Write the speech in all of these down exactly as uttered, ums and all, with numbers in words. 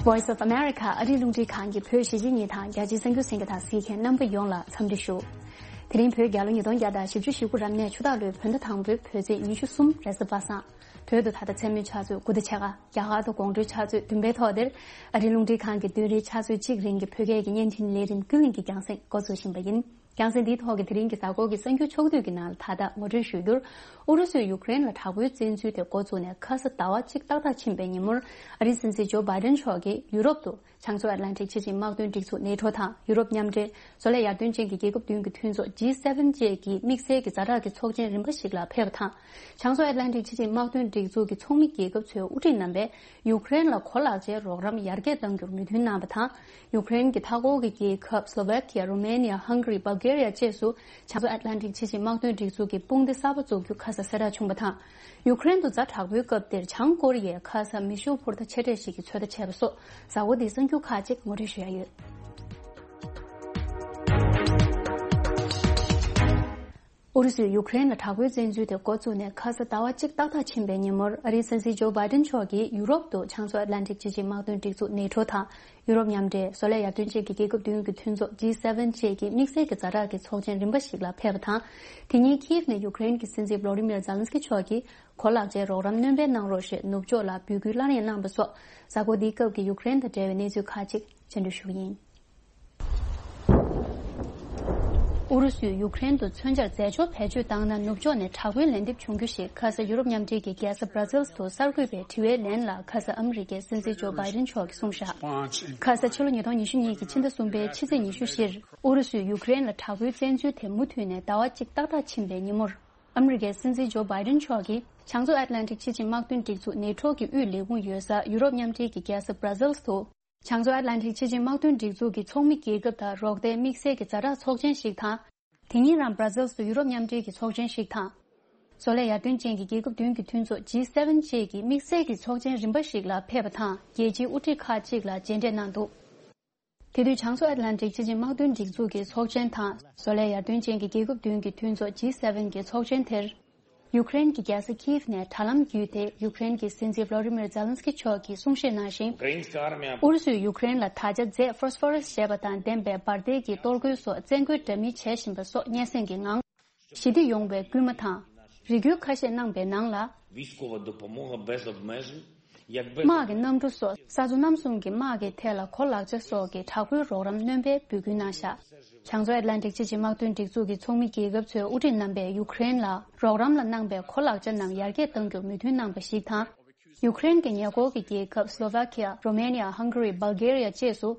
Voice of America ཨ་རིའི་རླུང་འཕྲིན་ཁང་གི་བོད་གཞིས་བྱེས་གཉིས་དང་རྒྱ་ཆེའི་གསར་འགྱུར་གསན་མཁན་དང་གཟིགས་མཁན་རྣམ་པ་ཡོངས་ལ་འཚམས་འདྲི་ཞུ། དེ་རིང་བོད་རྒྱལ་ལོ་ཉིས་སྟོང་བརྒྱ་དང་བཞི་བཅུ་ཞེ་དགུ་རབ་གནས་ཆུ་སྟག་ལོའི་བོད་ཟླ་དང་པོའི་བོད་ཚེས་ཉི་ཤུ་གསུམ་རེས་གཟའ་པ་སངས། བོད་དུ་ད་ལྟ་མཚན་མོའི་ཆུ་ཚོད་དགུ་དང་ཕྱེད་ཀ། རྒྱ་གར་དུ་དགོང་དྲོའི་ཆུ་ཚོད་བདུན་པའི་ཐོག་འདིར། ཨ་རིའི་རླུང་འཕྲིན་ཁང་གི་བདུན་རེའི་ཆུ་ཚོད་གཅིག་རིང་གི་བོད་སྐད་ཀྱི་བརྙན་འཕྲིན་ལས་རིམ་ཀུན་གླེང་གི་རྒྱང་སྲིང་འགོ་འཛུགས་བཞིན་པ་ཡིན། རྒྱང་སྲིང་འདིའི་ཐོག་གི་དེ་རིང་གི་གཟའ་འཁོར་གྱི་གསར་འགྱུར་ཕྱོགས་བསྡུས་ཀྱི་ནང་ལ་ད་ལྟ་ངོ་སྤྲོད་ཞུ་རྒྱུར། ཨུ་རུ་སུས་ཡུཀ་རེན་ལ་དྲག་པོའི་བཙན་འཛུལ་དེ་འགོ་བཙུགས་ནས་ཁ་ས་ཟླ་བ་གཅིག་ཏག་ཏག་ཕྱིན་པའི་ཉིན་མོར། ཨ་རིའི་སྲིད་འཛིན་ཇོ་བྷའི་ཌེན་མཆོག་གིས་ཡུ་རོབ་ཏུ་བྱང་མཚོ་ཨེཊ་ལན་ཊིག་སྤྱི་ཆིངས་དམག་དོན་སྒྲིག་འཛུགས་ནེ་ཊོ་དང་ཡུ་རོབ་མཉམ་འབྲེལ་བཟོ་ལས་ཡར་ཐོན་ཅན་གྱི་རྒྱལ་ཁབ་བདུན་གྱི་མཐུན་ཚོགས་ཇི་སེ་ཝེན་བཅས་ཀྱི་དམིགས་བསལ་གྱི་ཛ་དྲག་གི་ཚོགས་ཆེན་རིམ་པ་ཞིག་ལ་ཕེབས་པ་དང་། བྱང་མཚོ་ཨེཊ་ལན་ཊིག་སྤྱི་ཆིངས་དམག་དོན་སྒྲིག་འཛུགས་ཀྱི་ཚོགས་མི་རྒྱལ་ཁབ་ཚོའི་དབུ་ཁྲིད་རྣམ་པས་ཡུཀ་རེན་ལ་གོ་ལག་ཆའི་རོགས་རམ་ཡར་རྒྱས་གཏང་རྒྱུར་མོས་མཐུན་གནང་བ་དང་། ཡུཀ་རེན་གྱི་མཐའ་འཁོར་གྱི་རྒྱལ་ཁབ་སློ་ཝེ་ཁི་ཡ། རོ་མེ་ནི་ཡ། ཧང་ག་རི། སྦལ་གེ་རི་ཡ་བཅས་སུ་བྱང་མཚོ་ཨེཊ་ལན་ཊིག་སྤྱི་ཆིངས་དམག་དོན་སྒྲིག་འཛུགས་ཀྱི་དཔུང་སྡེ་གསར་པ་འཛུགས་རྒྱུ་ཁ་ས་གསལ་བསྒྲགས་བྱུང་བ་དང་། ཡུཀ་རེན་དུ་ཛ་དྲག་པོའི་སྐབས་དེར་བྱང་ཀོ་རི་ཡས་ཁ་ས་མེ་ཤུགས་འཕུར་མདའ་ཆེ་གྲས་ཤིག་གི་ཚོད་ལྟ་བྱས་པ་སོགས་གཟའ་འཁོར་འདིའི་གསར་འགྱུར་ཁག་ཅིག་ངོ་སྤྲོད་ཞུ་ཡ་ཡོད། ཨུ་རུ་སུས་ཡུཀ་རེན་ལ་དྲག་པོའི་བཙན་འཛུལ་དེ་འགོ་བཙུགས་ནས་ཁ་ས་ཟླ་བ་གཅིག་ཏག་ཏག་ཕྱིན་པའི་ཉིན་མོར། ཨ་རིའི་སྲིད་འཛིན་ཇོ་བྷའི་ཌེན་མཆོག་གིས་ཡུ་རོབ་ཏུ་བྱང་མཚོ་ཨེཊ་ལན་ཊིག་སྤྱི་ཆིངས་དམག་དོན་སྒྲིག་འཛུགས་ནེ་ཊོ་དང་། ཡུ་རོབ་མཉམ་འབྲེལ། བཟོ་ལས་ཡར་ཐོན་ཅན་གྱི་རྒྱལ་ཁབ་བདུན་གྱི་མཐུན་ཚོགས་ཇི་སེ་ཝེན་བཅས་ཀྱི་དམིགས་བསལ་གྱི་ཛ་དྲག་གི་ཚོགས་ཆེན་རིམ་པ་ཞིག་ལ་ཕེབས་པ་དང་། དེ་ཉིན་ཁིབ་ནས་ཡུཀ་རེན་གྱི་སྲིད་འཛིན་བྷ་ལོ་ཌི་མིར་ཛེ་ལན་སི་ཀི་མཆོག་གིས་གོ་ལག་ཆའི་རོགས་རམ་སྣོན་སྤེལ་གནང་རོགས་ཞེས་ནུབ་ཕྱོགས་ལ་འབོད་སྐུལ་སླར་ཡང་གནང་བ་སོགས། གཟའ་འཁོར་འདིའི་སྐབས་ཀྱི་ཡུཀ་རེན་དང་འབྲེལ་བའི་གནས་ཚུལ་ཁག་ཅིག་སྤྱན་འགྲུབ་ཞུ་གི་ཡིན། ཨུ་རུ་སུས་ཡུཀ་རེན་དུ་མཚོན་ཆར་རྫས་སྦྱོར་བེད་སྤྱོད་བཏང་ན་ནུབ་ཕྱོགས་ནས་དྲག་པོའི་ལན་འདེབས་བྱུང་རྒྱུ་ཞེས་ཁ་ས་ཡུ་རོབ་མཉམ་འབྲེལ་གྱི་རྒྱལ་ས་བྷ་ར་ཛིལ་དུ་གསར་འགོད་པའི་དྲི་བའི་ལན་ལ་ཁ་ས་ཨ་མི་རི་ཀའི་སྲིད་འཛིན་ཇོ་བྷའི་ཌེན་མཆོག་གིས་གསུངས་བཞག་ཁ་ས་ཕྱི་ལོ་ཉིས་སྟོང་ཉི་ཤུ་གཉིས་ཀྱི་ཕྱི་ཟླ་གསུམ་པའི་ཕྱི་ཚེས་ཉི་ཤུ་བཞིར་ཨུ་རུ་སུས་ཡུཀ་རེན་ལ་དྲག་པོའི་བཙན་འཛུལ་དེ་མུ་མཐུད་ནས་ཟླ་བ་གཅིག་ཏག་ཏག་ཕྱིན་པའི་ཉིན་མོར། ཨ་མི་རི་ཀའི་སྲིད་འཛིན་ཇོ་བྷའི་ཌེན་མཆོག་གིས་བྱང་མཚོ་ཨེཊ་ལན་ཊིག་སྤྱི་ཆིངས་དམག་དོན་སྒྲིག་འཛུགས་ནེ་ཊོ་གི་དབུས་ལས་ཁུངས་ཡོད་ས་ཡུ་རོབ་མཉམ་འབྲེལ་གྱི་རྒྱལ་ས་བྷ་ར་ཛིལ་དུ། བྱང་མཚོ་ཨེཊ་ལན་ཊིག་སྤྱི་ཆིངས་དམག་དོན་སྒྲིག་འཛུགས་ཀྱི་ཚོགས་མི་རྒྱལ་ཁབ་དང་རོགས་ཟླའི་དམིགས་བསལ་གྱི་ཛ་དྲག་ཚོགས་ཆེན་ཞིག་དང་། དེ་ཉིན་རང་བྷ་ར་ཛིལ་དུ་ཡུ་རོབ་མཉམ་འབྲེལ་གྱི་ཚོགས་ཆེན་ཞིག་དང་། བཟོ་ལས་ཡར་ཐོན་ཅན་གྱི་རྒྱལ་ཁབ་བདུན་གྱི་མཐུན་ཚོགས་ཇི་སེ་ཝེན་བཅས་ཀྱི་དམིགས་བསལ་གྱི་ཚོགས་ཆེན་རིམ་པ་ཞིག་ལ་ཕེབས་པ་དང་རྒྱལ་སྤྱིའི་དབུ་ཁྲིད་ཁག་ཅིག་ལ་མཇལ་འཕྲད་གནང་འདུག་དེ་དུས་བྱང་མཚོ་ཨེཊ་ལན་ཊིག་སྤྱི་ཆིངས་དམག་དོན་སྒྲིག་འཛུགས་ཀྱི་ཚོགས་ཆེན་དང་བཟོ་ལས་ཡར་ཐོན་ཅན་གྱི་རྒྱལ་ཁབ་བདུན་གྱི་མཐུན་ཚོགས་ཇི་སེ་ཝེན་གྱི་ཚོགས་ཆེན་དེར། ཡུཀ་རེན་གྱི་རྒྱལ་ས་ཁིབ་ནས་དྲ་ལམ་བརྒྱུད་དེ་ཡུཀ་རེན་གྱི་སྲིད་འཛིན་བྷ་ལོ་ཌི་མིར་ཛེ་ལན་སི་ཀི་མཆོག་གིས་གསུང་བཤད་གནང་ཞིང་། ཨུ་རུ་སུས་ཡུཀ་རེན་ལ་ད་ཆ་རྫས་ཕོ་སི་ཕོ་ར་སི་ཞེས་པ་དང་ལྡན་པའི་འབར་མདེལ་གྱི་གཏོར་རྒོལ་སོགས་བཙན་རྒོལ་འདྲ་མིན་བྱེད་བཞིན་པ་སོགས་སྙན་སེང་གི་ངང་། ཞི་བདེ་ཡོང་བའི་སྐུལ་མ་དང་། རེ་སྐུལ་ཁ་ཤས་གནང་པའི་ནང་ལ། དམག་གི་གནམ་གྲུ་སོགས་ས་མཚོ་གནམ་གསུམ་གྱི་དམག་གི་ཐད་ལ་གོ་ལག་ཆ་སོགས་ཀྱི་དྲག་པོའི་རོགས་རམ་སྣོན་པའི་འབོད་སྐུལ་གནང་བཞག་བྱང་མཚོ་ཨེཊ་ལན་ཏིག་སྤྱི་ཆིངས་དམག་དོན་སྒྲིག་འཛུགས་ཀྱི་ཚོགས་མི་རྒྱལ་ཁབ་ཚོའི་དབུ་ཁྲིད་རྣམ་པས་ཡུཀ་རེན་ལ་རོགས་རམ་ལ་གནང་པའི་གོ་ལག་ཆ་རྣམས་ཡར་རྒྱས་གཏང་རྒྱུར་མོས་མཐུན་གནང་པ་ཞིག་དང་། ཡུཀ་རེན་གྱི་ཉེ་འཁོར་གྱི་རྒྱལ་ཁབ་སློ་ཝ་ཁི་ཡ། རོ་མེ་ནི་ཡ། ཧང་ག་རི། སྦལ་གེ་རི་ཡ་བཅས་སུ།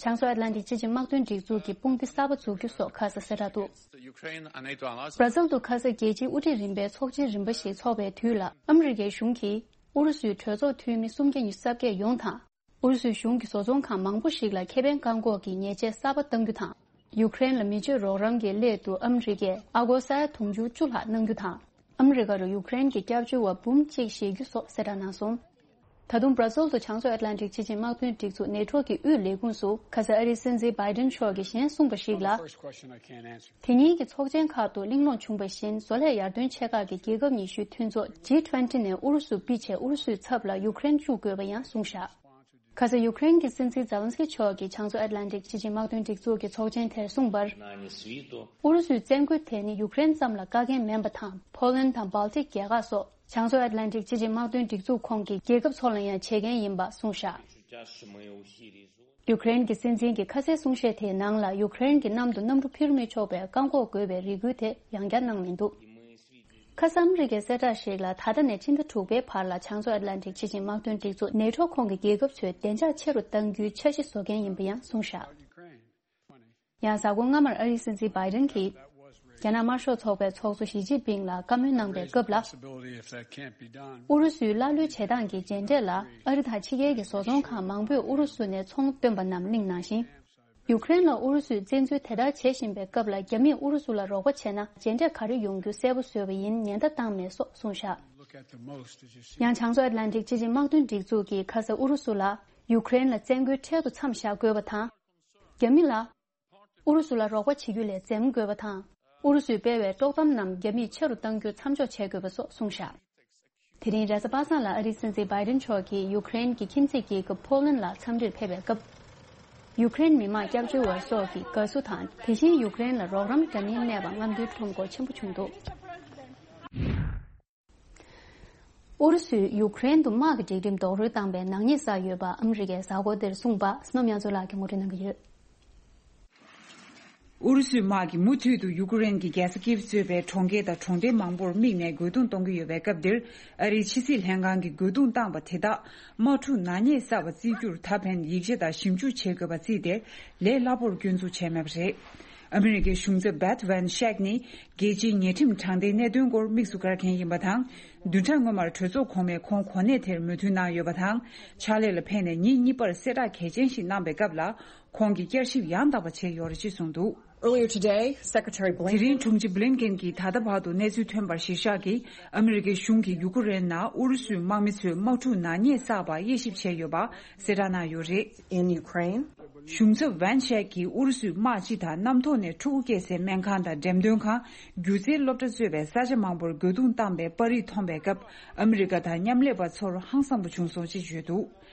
བྱང་མཚོ་ཨེཊ་ལན་ཏིག་སྤྱི་ཆིངས་དམག་དོན་སྒྲིག་འཛུགས་ཀྱི་དཔུང་སྡེ་གསར་པ་འཛུགས་རྒྱུ་སོགས་ཁ་གསལ་གསལ་བསྒྲགས་འདུག་བྷ་ར་ཛིལ་དུ་ཁ་ས་རྒྱལ་སྤྱིའི་དབུ་ཁྲིད་རིམ་པའི་ཚོགས་ཆེན་རིམ་པ་ཞིག་འཚོགས་པའི་དུས་ལ། ཨ་མི་རི་ཀའི་གཞུང་གིས་ཨུ་རུ་སུའི་གྲོས་ཚོགས་འཐུས་མི་སུམ་བརྒྱ་ཉི་ཤུ་རྩ་བརྒྱད་ཡོངས་དང་། ཨུ་རུ་སུའི་གཞུང་གི་བཟོ་ཚོང་ཁང་མང་པོ་ཞིག་ལ་ཁེ་ཕན་བཀག་འགོག་གི་ཉེས་ཆད་གསར་པ་གཏང་རྒྱུ་དང་། ཡུཀ་རེན་ལ་མི་སྤྱོད་རོགས་རམ་གྱི་སླད་དུ་ཨ་མི་རི་ཀས་ཨ་སྒོར་ས་ཡ་དུང་ཕྱུར་བཅུ་ལྷག་གནང་རྒྱུ་དང་། ཨ་མི་རི་ཀ་རུ་ཡུཀ་རེན་གྱི་སྐྱབས་བཅོལ་བ་འབུམ་གཅིག་བཞེས་རྒྱུ་སོགས་གསལ་བསྒྲགས་གནང་སོང་། ད་དུང་བྷ་ར་ཛིལ་དུ་བྱང་མཚོ་ཨེཊ་ལན་ཏིག་སྤྱི་ཆིངས་དམག་དོན་སྒྲིག་འཛུགས་ནེ་ཊོ་གི་དབུས་ལས་ཁུངས་སུ་ཁ་ས་ཨ་རིའི་སྲིད་འཛིན་བྷའི་ཌེན་མཆོག་གིས་གཞན་གསུངས་པ་ཞིག་ལ། དེ་ཉིན་གྱི་ཚོགས་ཆེན་ཁག་ཏུ་གླེང་སློང་བྱུང་བ་བཞིན། བཟོ་ལས་ཡར་ཐོན་ཆེ་ཁག་གི་རྒྱལ་ཁབ་ཉི་ཤུའི་མཐུན་ཚོགས་ཇི་ཊུ་ཝེན་ཊི་ནས་ཨུ་རུ་སུ་ཕུད་ཆེད་ཨུ་རུ་སུའི་ཚབ་ལ་ཡུཀ་རེན་བཅུག་དགོས་པ་ཡང་གསུངས་བཞག་ཁ་ས་ཡུཀ་རེན་གྱི་སྲིད་འཛིན་ཛེ་ལན་སི་ཀི་མཆོག་གིས་བྱང་མཚོ་ཨེཊ་ལན་ཏིག་སྤྱི་ཆིངས་དམག་དོན་སྒྲིག་འཛུགས་ཀྱི་ཚོགས་ཆེན་དེར་གསུངས་པར། ཨུ་རུ་སུའི་བཙན་རྒོལ་དེ་ནི་ཡུཀ་རེན་ཙམ་ལ་བཀག་རྐྱེན་མིན་པ་དང་། ཕོ་ལན་དང་སྦལ་ཏིག་རྒྱལ་ཁག་སོགས་བྱང་མཚོ་ཨེཊ་ལན་ཏིག་སྤྱི་ཆིངས་དམག་དོན་སྒྲིག་འཛུགས་ཁོངས་ཀྱི་རྒྱལ་ཁབ་ཚོ་ལ་ཡང་བྱེད་མཁན་ཡིན་པ་གསུངས་བཞག་ཡུཀ་རེན་གྱི་སྲིད་འཛིན་གྱི་ཁ་སའི་གསུང་བཤད་དེའི་ནང་ལ། ཡུཀ་རེན་གྱི་གནམ་དུ་གནམ་གྲུ་འཕུར་མི་ཆོག་པའི་བཀག་འགོག་དགོས་པའི་རེ་སྐུལ་དེ་ཡང་བསྐྱར་གནང་མི་འདུག་ཁ་ས་ཨ་མི་རི་ཀའི་གསལ་བསྒྲགས་ཤིག་ལ། ད་ལྟ་ནས་ཕྱི་ཟླ་དྲུག་པའི་བར་ལ་བྱང་མཚོ་ཨེཊ་ལན་ཏིག་སྤྱི་ཆིངས་དམག་དོན་སྒྲིག་འཛུགས་ནེ་ཊོ་ཁོངས་ཀྱི་རྒྱལ་ཁབ་ཚོའི་བདེ་འཇགས་ཆེ་རུ་གཏང་རྒྱུའི་འཆར་གཞི་བཟོ་མཁན་ཡིན་པ་ཡང་གསུངས་བཞག་ཡང་གཟའ་འཁོར་སྔ་མར་ཨ་རིའི་སྲིད་འཛིན་བྷའི་ཌེན་གྱིས། རྒྱ་ནག་དམར་ཤོག་ཚོགས་པའི་ཚོགས་གཙོ་ཞི་ཅིན་ཕིང་ལ་བཀའ་མོལ་གནང་པའི་སྐབས་ལ། ཨུ་རུ་སུའི་ཀླ་ཀློའི་བྱེད་སྟངས་ཀྱི་རྗེས་འབྲས་ལ། ཨ་རི་དང་ཕྱི་རྒྱལ་གྱི་བཟོ་ཚོང་ཁང་མང་པོས་ཨུ་རུ་སུ་ནས་ཚོང་བཏོན་པ་རྣམས་གླེང་གནང་ཞིང་། ཡུཀ་རེན་ལ་ཨུ་རུ་སུས་བཙན་འཛུལ་དེ་ལྟར་བྱེད་བཞིན་པའི་སྐབས་ལ། རྒྱ་མིས་ཨུ་རུ་སུ་ལ་རོགས་པ་བྱས་ན། རྗེས་འབྲས་ག་རེ་ཡོང་རྒྱུ་གསལ་པོ་བཟོས་པ་ཡིན། ཉེན་བརྡ་བཏང་མེད་སོགས་གསུངས་བཞག་ཡང་བྱང་མཚོ་ཨེཊ་ལན་ཏིག་སྤྱི་ཆིངས་དམག་དོན་སྒྲིག་འཛུགས་ཀྱིས་ཁ་ས་ཨུ་རུ་སུ་ལ། ཡུཀ་རེན་ལ་བཙན་རྒོལ་འཕྲལ་དུ་མཚམས་བཞག་དགོས་པ་དང་། རྒྱ་མི་ལ། ཨུ་རུ་སུ་ལ་རོགས་པ་བྱེད་རྒྱུ་ལས་འཛེམ་དགོས་པ་དང་། ཨུ་རུ་སུས་སྤེལ་བའི་དཀྲོག་གཏམ་རྣམས་རྒྱ་མིས་ཆེ་རུ་གཏང་རྒྱུ་མཚམས་འཇོག་བྱེད་དགོས་པ་སོགས་གསུངས་བཞག་དེ་རིང་རེས་གཟའ་པ་སངས་ལ་ཨ་རིའི་སྲིད་འཛིན་བྷའི་ཌེན་མཆོག་གིས་ཡུཀ་རེན་གྱི་ཁྱིམ་མཚེས་རྒྱལ་ཁབ་ཕོ་ལན་ལ་འཚམས་འདྲིར་ཕེབས་པའི་སྐབས། ཡུཀ་རེན་མི་དམངས་སྐྱབས་བཅོལ་བ་སོགས་ཀྱི་དགའ་བསུ་དང་། དེ་བཞིན་ཡུཀ་རེན་ལ་རོགས་རམ་བརྒྱབ་མིན་གནས་པ་རྔམ་སྟོན་ཁྲོམ་སྐོར་ཆེན་པོ་བྱུང་འདུག་ཨུ་རུ་སུས་ཡུཀ་རེན་དུ་དམག་གི་སྒྲིག་ཁྲིམས་རྡོག་རོལ་བཏང་པའི་ནག་ཉེས་བསགས་ཡོད་པ་ཨ་མི་རི་ཀས་གཟའ་འཁོར་འདིར་གསུངས་པ་སྣོམ་ཡང་ཚོ་ལགས་ཀྱིས་ངོ་སྤྲོད་གནང་གི་ཡོད། ཨུ་རུ་སུའི་དམག་གིས་མུ་མཐུད་དུ་ཡུ་ཀེ་རེན་གྱི་རྒྱལ་ས་ཀིབ་གཙོས་པའི་གྲོང་ཁྱེར་དང་གྲོང་སྡེ་མང་པོར་དམིགས་ནས་རྒོལ་རྡུང་གཏོང་གི་ཡོད་པའི་སྐབས་འདིར། ཨ་རིའི་ཕྱི་སྲིད་ལྷན་ཁང་གིས་རྒོལ་རྡུང་བཏང་པ་དེ་དག་དམག་འཁྲུག་ནག་ཉེས་བསགས་པ་བརྩི་རྒྱུར་ད་ཕན་ཡིག་ཆ་དང་ཞིབ་འཇུག་བྱེད་དགོས་པ་བརྩིས་ཏེ། ལས་སླ་པོར་སྐྱོན་འཛུགས་བྱས་མེད་པ་རེད། ཨ་མི་རི་ཀའི་གཞུང་ཚབ་བྷེད་ཝན་ཤེག་ནི་རྒྱལ་སྤྱིའི་ཉེས་ཁྲིམས་དྲང་བདེན་གནད་དོན་སྐོར་དམིགས་སུ་བཀར་མཁན་ཡིན་པ་དང་། བདུན་ཕྲག་སྔོན་མར་གྲོས་ཚོགས་གོང་མས་ཁོང་གོ་གནས་དེར་མོས་མཐུན་གནང་ཡོད་པ་དང་། ཕྱག་ལས་ལ་ཕེབས་ནས་ཉིན་གཉིས་པར་གསལ་བསྒྲགས་གལ་ཆེན་ཞིག་གནང་པའི་སྐབས་ལ། ཁོང་གིས་བསྐྱར་ཞིབ་ཡང་དག་པ་བྱས་ཡོད་རེད་ཅེས་གསུངས་འདུག Earlier today, Secretary དེ་Blinken རིང་དྲུང་ཆེ་བྷི་ལིན་ཀེན་གྱིས་ད་ལྟ་བར་དུ་གནས་ཚུལ་ཐོན་པར་གཞིར་བཞག་གིས། ཨ་མི་རི་ཀའི་གཞུང་གིས་ཡུ་ཀེ་རེན་ནང་ཨུ་རུ་སུའི་དམག་མི་ཚོས་དམག་འཁྲུག་ནག་ཉེས་བསགས་པར་དབྱེ་ཞིབ་བྱས་ཡོད་པ་གསལ་བསྒྲགས་གནང་ཡོད་རེད། In Ukraine གཞུང་ཚབ་ཝན་ཤེག་གིས་ཨུ་རུ་སུའི་དམག་སྤྱི་དང་གནམ་ཐོག་ནས་ཕྲུ་གུ་སྐྱེ་སའི་སྨན་ཁང་དང་འགྲེམས་སྟོན་ཁང་། སྒྱུ་རྩལ་སློབ་གྲྭ་གཙོས་པའི་ས་ཆ་མང་པོར་རྒོལ་རྡུང་བཏང་པའི་པར་རིས་མཐོང་པའི་སྐབས། ཨ་མི་རི་ཀ་དང་མཉམ་ལས་པ་ཚོར་ཧང་སངས་པོ་བྱུང་སོང་ཅེས་བརྗོད་འདུག་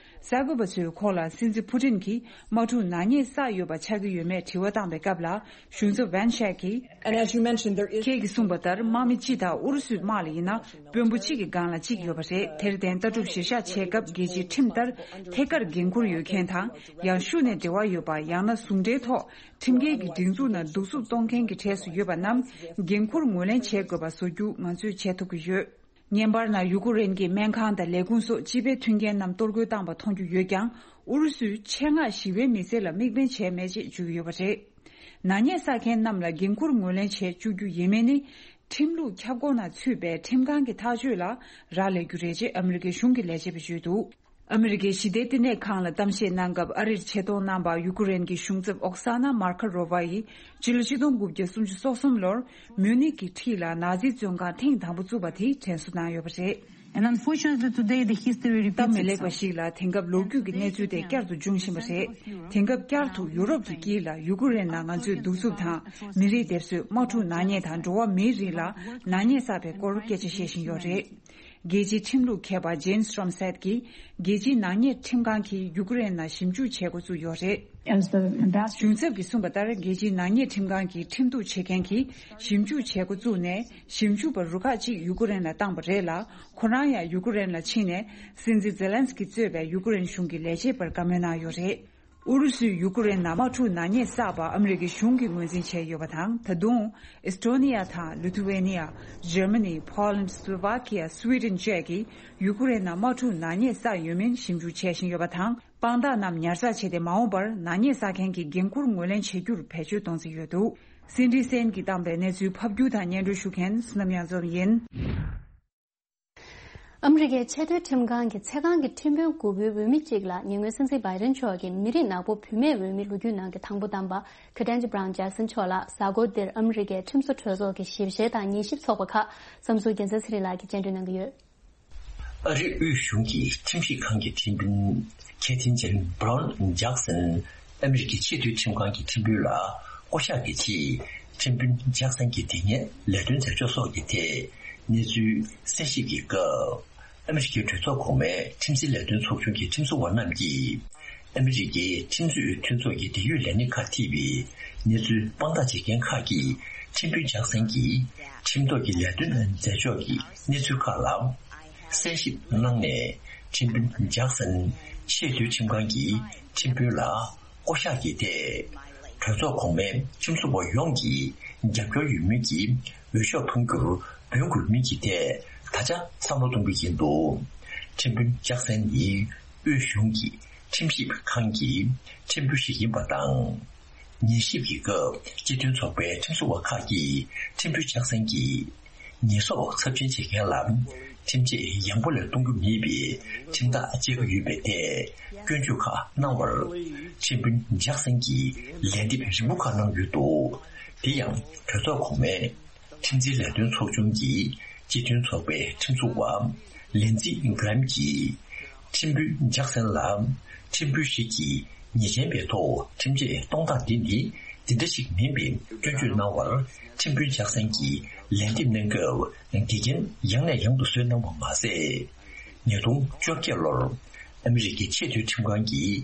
གསར་འགོད་པ་ཚོས་ཁོང་ལ་སྲིད་འཛིན་ཕུ་ཏིན་གྱིས་དམག་འཁྲུག་ནག་ཉེས་བསགས་ཡོད་པ་ཆགས་ཀྱི་ཡོད་མེད་དྲི་བ་བཏང་པའི་སྐབས་ལ། གཞུང་ཚབ་ཝན་ཤེག་གིས། And as you mentioned, there is ཁྱེད་ཀྱིས་གསུངས་པ་ལྟར། དམག་མི་སྤྱི་དང་ཨུ་རུ་སུའི་དམག་ལ་ཡིན་ན། དཔོན་པོ་གཅིག་གི་སྒང་ལ་གཅིག་ཡོད་པ་རེད། དེར་བརྟེན། ལྟ་གྲུབ་གཞིར་བཞག་བྱེད་སྐབས། རྒྱལ་སྤྱིའི་ཁྲིམས་ལྟར་ཐད་ཀར་འགན་འཁུར་ཡོད་མཁན་དང་། ཡང་ཤུགས་ནས་འབྲེལ་བ་ཡོད་པ། ཡང་ན་ཟུང་འབྲེལ་ཐོག་ཁྲིམས་འགལ་གྱི་སྒྲིག་འཛུགས་ནང་གདུག་རྩུབ་གཏོང་མཁན་གྱི་གྲས་སུ་ཡོད་པ་རྣམས། འགན་འཁུར་ངོས་ལེན་བྱེད་དགོས་པ་བཟོ་རྒྱུ་ང་ཚོས་བྱེད་ཐུབ་ཀྱི་ཡོད། བརྙན་པར་ནང་ཡུ་ཀེ་རེན་གྱི་སྨན་ཁང་དང་ལས་ཁུངས་སོགས་སྤྱི་པའི་མཐུན་རྐྱེན་རྣམས་གཏོར་རྒོལ་བཏང་པ་མཐོང་རྒྱུ་ཡོད་ཀྱང་། ཨུ་རུ་སུས་ཆེད་མངགས་ཞི་བའི་མི་སེར་ལ་དམིགས་འབེན་བྱས་མེད་ཅེས་བརྗོད་ཀྱི་ཡོད་པ་རེད། ནག་ཉེས་བསགས་མཁན་རྣམས་ལ་འགན་འཁུར་ངོས་ལེན་བྱེད་བཅུག་རྒྱུ་ཡིན་མིན་ནི། ཁྲིམས་ལུགས་ཁྱབ་ཁོངས་ནང་ཚུད་པའི་ཁྲིམས་ཁང་གི་ཐག་གཅོད་ལ་རག་ལས་རྒྱུ་རེད་ཅེས་ཨ་མི་རི་ཀའི་གཞུང་གི་ལས་བྱེད་པས་བརྗོད་འདུག་ཨ་མི་རི་ཀའི་ཞི་བདེའི་བསྟི་གནས་ཁང་ལ་གཏམ་བཤད་གནང་སྐབས། ཨ་རིར་ཆེད་གཏོང་གནང་བ་ཡུ་ཀེ་རེན་གྱི་གཞུང་ཚབ་ཨོག་ས་ན་མར་ཁ་རོ་ཝ་ཡིས། སྤྱི་ལོ་ཆིག་སྟོང་དགུ་བརྒྱ་སུམ་ཅུ་སོ་གསུམ་ལོར་མིའུ་ནིག་གི་འཁྲིས་ལ་ནཱ་ཛི་བཙོན་ཁང་ཐེངས་དང་པོ་བཙུགས་པ་དེ་དྲན་གསོ་གནང་ཡོད་པ་རེད། And unfortunately today the history repeats itself. སྟབས་མི་ལེགས་པ་ཞིག་ལ། དེང་སྐབས་ལོ་རྒྱུས་ཀྱི་གནས་ཚུལ་དེ་བསྐྱར་དུ་འབྱུང་བཞིན་པ་རེད། དེང་སྐབས་བསྐྱར་དུ་ཡུ་རོབ་ཀྱི་དཀྱིལ་ལ་ཡུ་ཀེ་རེན་ནང་ང་ཚོས་གདུག་རྩུབ་དང་། མི་རིགས་སྡེབ་གསོད། དམག་འཁྲུག་ནག་ཉེས་དང་། འགྲོ་བ་མིའི་རིགས་ལ་ནག་ཉེས་བསགས་པའི་སྐོར་སྐད་ཆ་བཤད་བཞིན་ཡོད་རེད། རྒྱལ་སྤྱིའི་ཁྲིམས་ལུགས་མཁས་པ་ཇེན་སི་ཀྲོམ་སེད་ཀྱིས། རྒྱལ་སྤྱིའི་ནག་ཉེས་ཁྲིམས་ཁང་གིས་ཡུ་ཀེ་རེན་ནང་ཞིབ་འཇུག་བྱེད་འགོ་བཙུགས་ཡོད་རེད། As the ambassador གཞུང་ཚབ་ཀྱིས་གསུངས་པ་ལྟར། རྒྱལ་སྤྱིའི་ནག་ཉེས་ཁྲིམས་ཁང་གི་ཁྲིམས་གཏུག་བྱེད་མཁན་གྱིས་ཞིབ་འཇུག་བྱེད་འགོ་བཙུགས་ནས། ཞིབ་འཇུག་པ་རུ་ཁག་ཅིག་ཡུ་ཀེ་རེན་ལ་བཏང་པ་རེད་ལ། ཁོ་རང་ཡང་ཡུ་ཀེ་རེན་ལ་ཕྱིན་ནས། སྲིད་འཛིན་ཛེ་ལན་སི་ཀི་གཙོས་པའི་ཡུ་ཀེ་རེན་གཞུང་གི་ལས་བྱེད་པར་བཀའ་མོལ་གནང་ཡོད་རེད། ཨུ་རུ་སུས་ཡུ་ཀེ་རེན་ནང་དམག་འཁྲུག་ནག་ཉེས་བསགས་པ་ཨ་མི་རི་ཀའི་གཞུང་གིས་ངོས་འཛིན་བྱས་ཡོད་པ་དང་། ད་དུང་། ཨེས་ཏྲོ་ནི་ཡ་དང་ལི་ཐུ་ཝེ་ནི་ཡ། འཇར་མ་ནི། ཕོ་ལན། སི་ལོ་ཝ་ཁི་ཡ། སི་ཝི་ཌེན་བཅས་ཀྱིས་ཡུ་ཀེ་རེན་ནང་དམག་འཁྲུག་ནག་ཉེས་བསགས་ཡོད་མིན་ཞིབ་འཇུག་བྱེད་བཞིན་ཡོད་པ་དང་། དཔང་རྟགས་རྣམས་ཉར་ཚགས་བྱས་ཏེ། མ་འོངས་པར་ནག་ཉེས་བསགས་མཁན་གྱི་འགན་འཁུར་ངོས་ལེན་བྱེད་རྒྱུར་བེད་སྤྱོད་གཏོང་རྩིས་ཡོད་འདུག་སེན་ཌི་སེན་གྱིས་བཏང་པའི་གནས་ཚུལ་ཕབ་སྒྱུར་དང་སྙན་སྒྲོན་ཞུ་མཁན་བསོད་ནམས་གཡང་འཛོམས་ཡིན། ཨ་མི་རི་ཀའི་ཆེས་མཐོའི་ཁྲིམས་ཁང་གི་ཚེ་གང་གི་ཁྲིམས་དཔོན་དགུ་པོའི་འོས་མི་གཅིག་ལ་ཉེ་སྔོན་སྲིད་འཛིན་བྷའི་ཌེན་མཆོག་གི་མི་རིགས་ནག་པོ་བུད་མེད་འོས་མི་ལོ་རྒྱུས་ནང་གི་དང་པོ་བདམས་པ་ཁེ་ཏན་ཇི་བྷ་རའུན་ཇེག་སན་མཆོག་ལ་གཟའ་འཁོར་འདིར་ཨ་མི་རི་ཀའི་ཁྲིམས་བཟོ་གྲོས་ཚོགས་ཀྱི་ཞིབ་བཤེར་དང་ཉན་ཞིབ་ཚོགས་པ་ཁག་བསམ་ཚུལ་རྒྱལ་མཚན་ཚེ་རིང་ལགས་ཀྱིས་སྤྱན་འགྲོལ་གནང་གི་ཡོད། ཨ་རིའི་དབུས་གཞུང་གི་ཁྲིམས་ཞིབ་ཁང་གི་ཁྲིམས་དཔོན་ཁེ་ཐིན་ཇེན་བྷ་རའུན་ཇེག་སན་ཨ་མི་རི་ཀའི་ཆེས་མཐོའི་ཁྲིམས་ཁང་གི་ཁྲིམས་དཔོན་ལ་བསྐོ་གཞག་གི་ཆེད། ཁྲིམས་དཔོན་ཇེག་སན་གྱི་དེ་སྔའི་ལས་དོན་མཛད་ཕྱོགས་སོགས་ཀྱི་ཐད་གནས་ཚུལ་གསན་ཞིབ་ཀྱི་སྐབས། ཨ་མི་རི་ཀའི་གྲོས་ཚོགས་གོང་མའི་ཁྲིམས་འཛིན་ལས་དོན་ཚོགས་ཆུང་གི་ཁྲིམས་བཟོ་བ་རྣམས་ཀྱིས། ཨ་མི་རི་ཀའི་ཁྲིམས་རྩོད་མཐུན་ཚོགས་ཀྱི་འབྲེལ་ཡོད་ལས་སྣེ་ཁག་ཐེ་བའི་གནས་ཚུལ་དཔང་རྟགས་བྱེད་མཁན་ཁག་གིས་ཁྲིམས་དཔོན་ཇེག་སན་གྱིས་ཁྲིམས་ཐོག་གི་ལས་དོན་མཛད་ཕྱོགས་ཀྱི་གནས་ཚུལ་ཁག་ལ་གསན་ཞིབ་གནང་ནས། ཁྲིམས་དཔོན་ཇེག་སན་ཆེས་མཐོའི་ཁྲིམས་ཁང་གི་ཁྲིམས་དཔོན་ལ་བསྐོ་གཞག་གི་ཐད། གྲོས་ཚོགས་གོང་མའི་ཁྲིམས་བཟོ་བ་ཡོངས་ཀྱི་རྒྱབ་སྐྱོར་ཡོད་མིན་གྱི་འོས་ཤོག་འཕང་རྒྱུར་འབོད་དགོས་མིན་གྱི་ཐད་ད་ཆ་བསམ་བློ་གཏོང་གི་ཡིན་འདུག་ཁྲིམས་དཔོན་ཇེག་སན་ནི་དབུས་གཞུང་གི་ཁྲིམས་ཞིབ་ཁང་གི་ཁྲིམས་དཔོན་ཞིག་ཡིན་པ་དང་། ཉན་ཞིབ་ཀྱི་སྐབས་སྤྱི་མཐུན་ཚོགས་པའི་ཁྲིམས་བཟོ་བ་ཁག་གིས་ཁྲིམས་དཔོན་ཇེག་སན་གྱིས་ཉེས་གསོག་ཚབས་ཆེན་བྱེད་མཁན་ལ་ཁྲིམས་ཆད་ཡང་པོ་ལས་གཏོང་རྒྱུ་མེད་པའི་ཁྲིམས་ཐག་བཅད་ཀྱི་ཡོད་པའི་ཐད་སྐྱོན་བརྗོད་ཁག་གནང་བར། ཁྲིམས་དཔོན་ཇེག་སན་གྱིས་ལན་འདེབས་རིང་པོ་ཁག་གནང་ཡོད་འདུག་དེ་ཡང་གྲོས་ཚོགས་གོང་མའི་ཁྲིམས་འཛིན་ལས་དོན་ཚོགས་ཆུང་གི་སྤྱི་མཐུན་ཚོགས་པའི་ཁྲིམས་བཟོ་བ་ལིན་ཛི་གྷ་རམ་གྱིས། ཁྲིམས་དཔོན་ཇེག་སན་ལ་ཁྲིམས་དཔོན་ཞིག་གིས་ཉེས་ཅན་པའི་ཐོག་ཁྲིམས་ཆད་གཏོང་སྟངས་འདི་ནི་ འདི་འདྲ་ཞིག་མིན་པའི་སྐྱོན་བརྗོད་གནང་བར་ཁྲིམས་དཔོན་ལྕགས་སན་གྱིས་ལན་འདེབས་གནང་སྐབས་འགལ་རྐྱེན་ཡང་ནས་ཡང་དུ་བཟོས་གནང་བ་མ་ཟད། ཉིས་སྟོང་བཅོ་བརྒྱད་ལོར་ཨ་མི་རི་ཀའི་ཆེས་མཐོའི་ཁྲིམས་ཁང་གིས་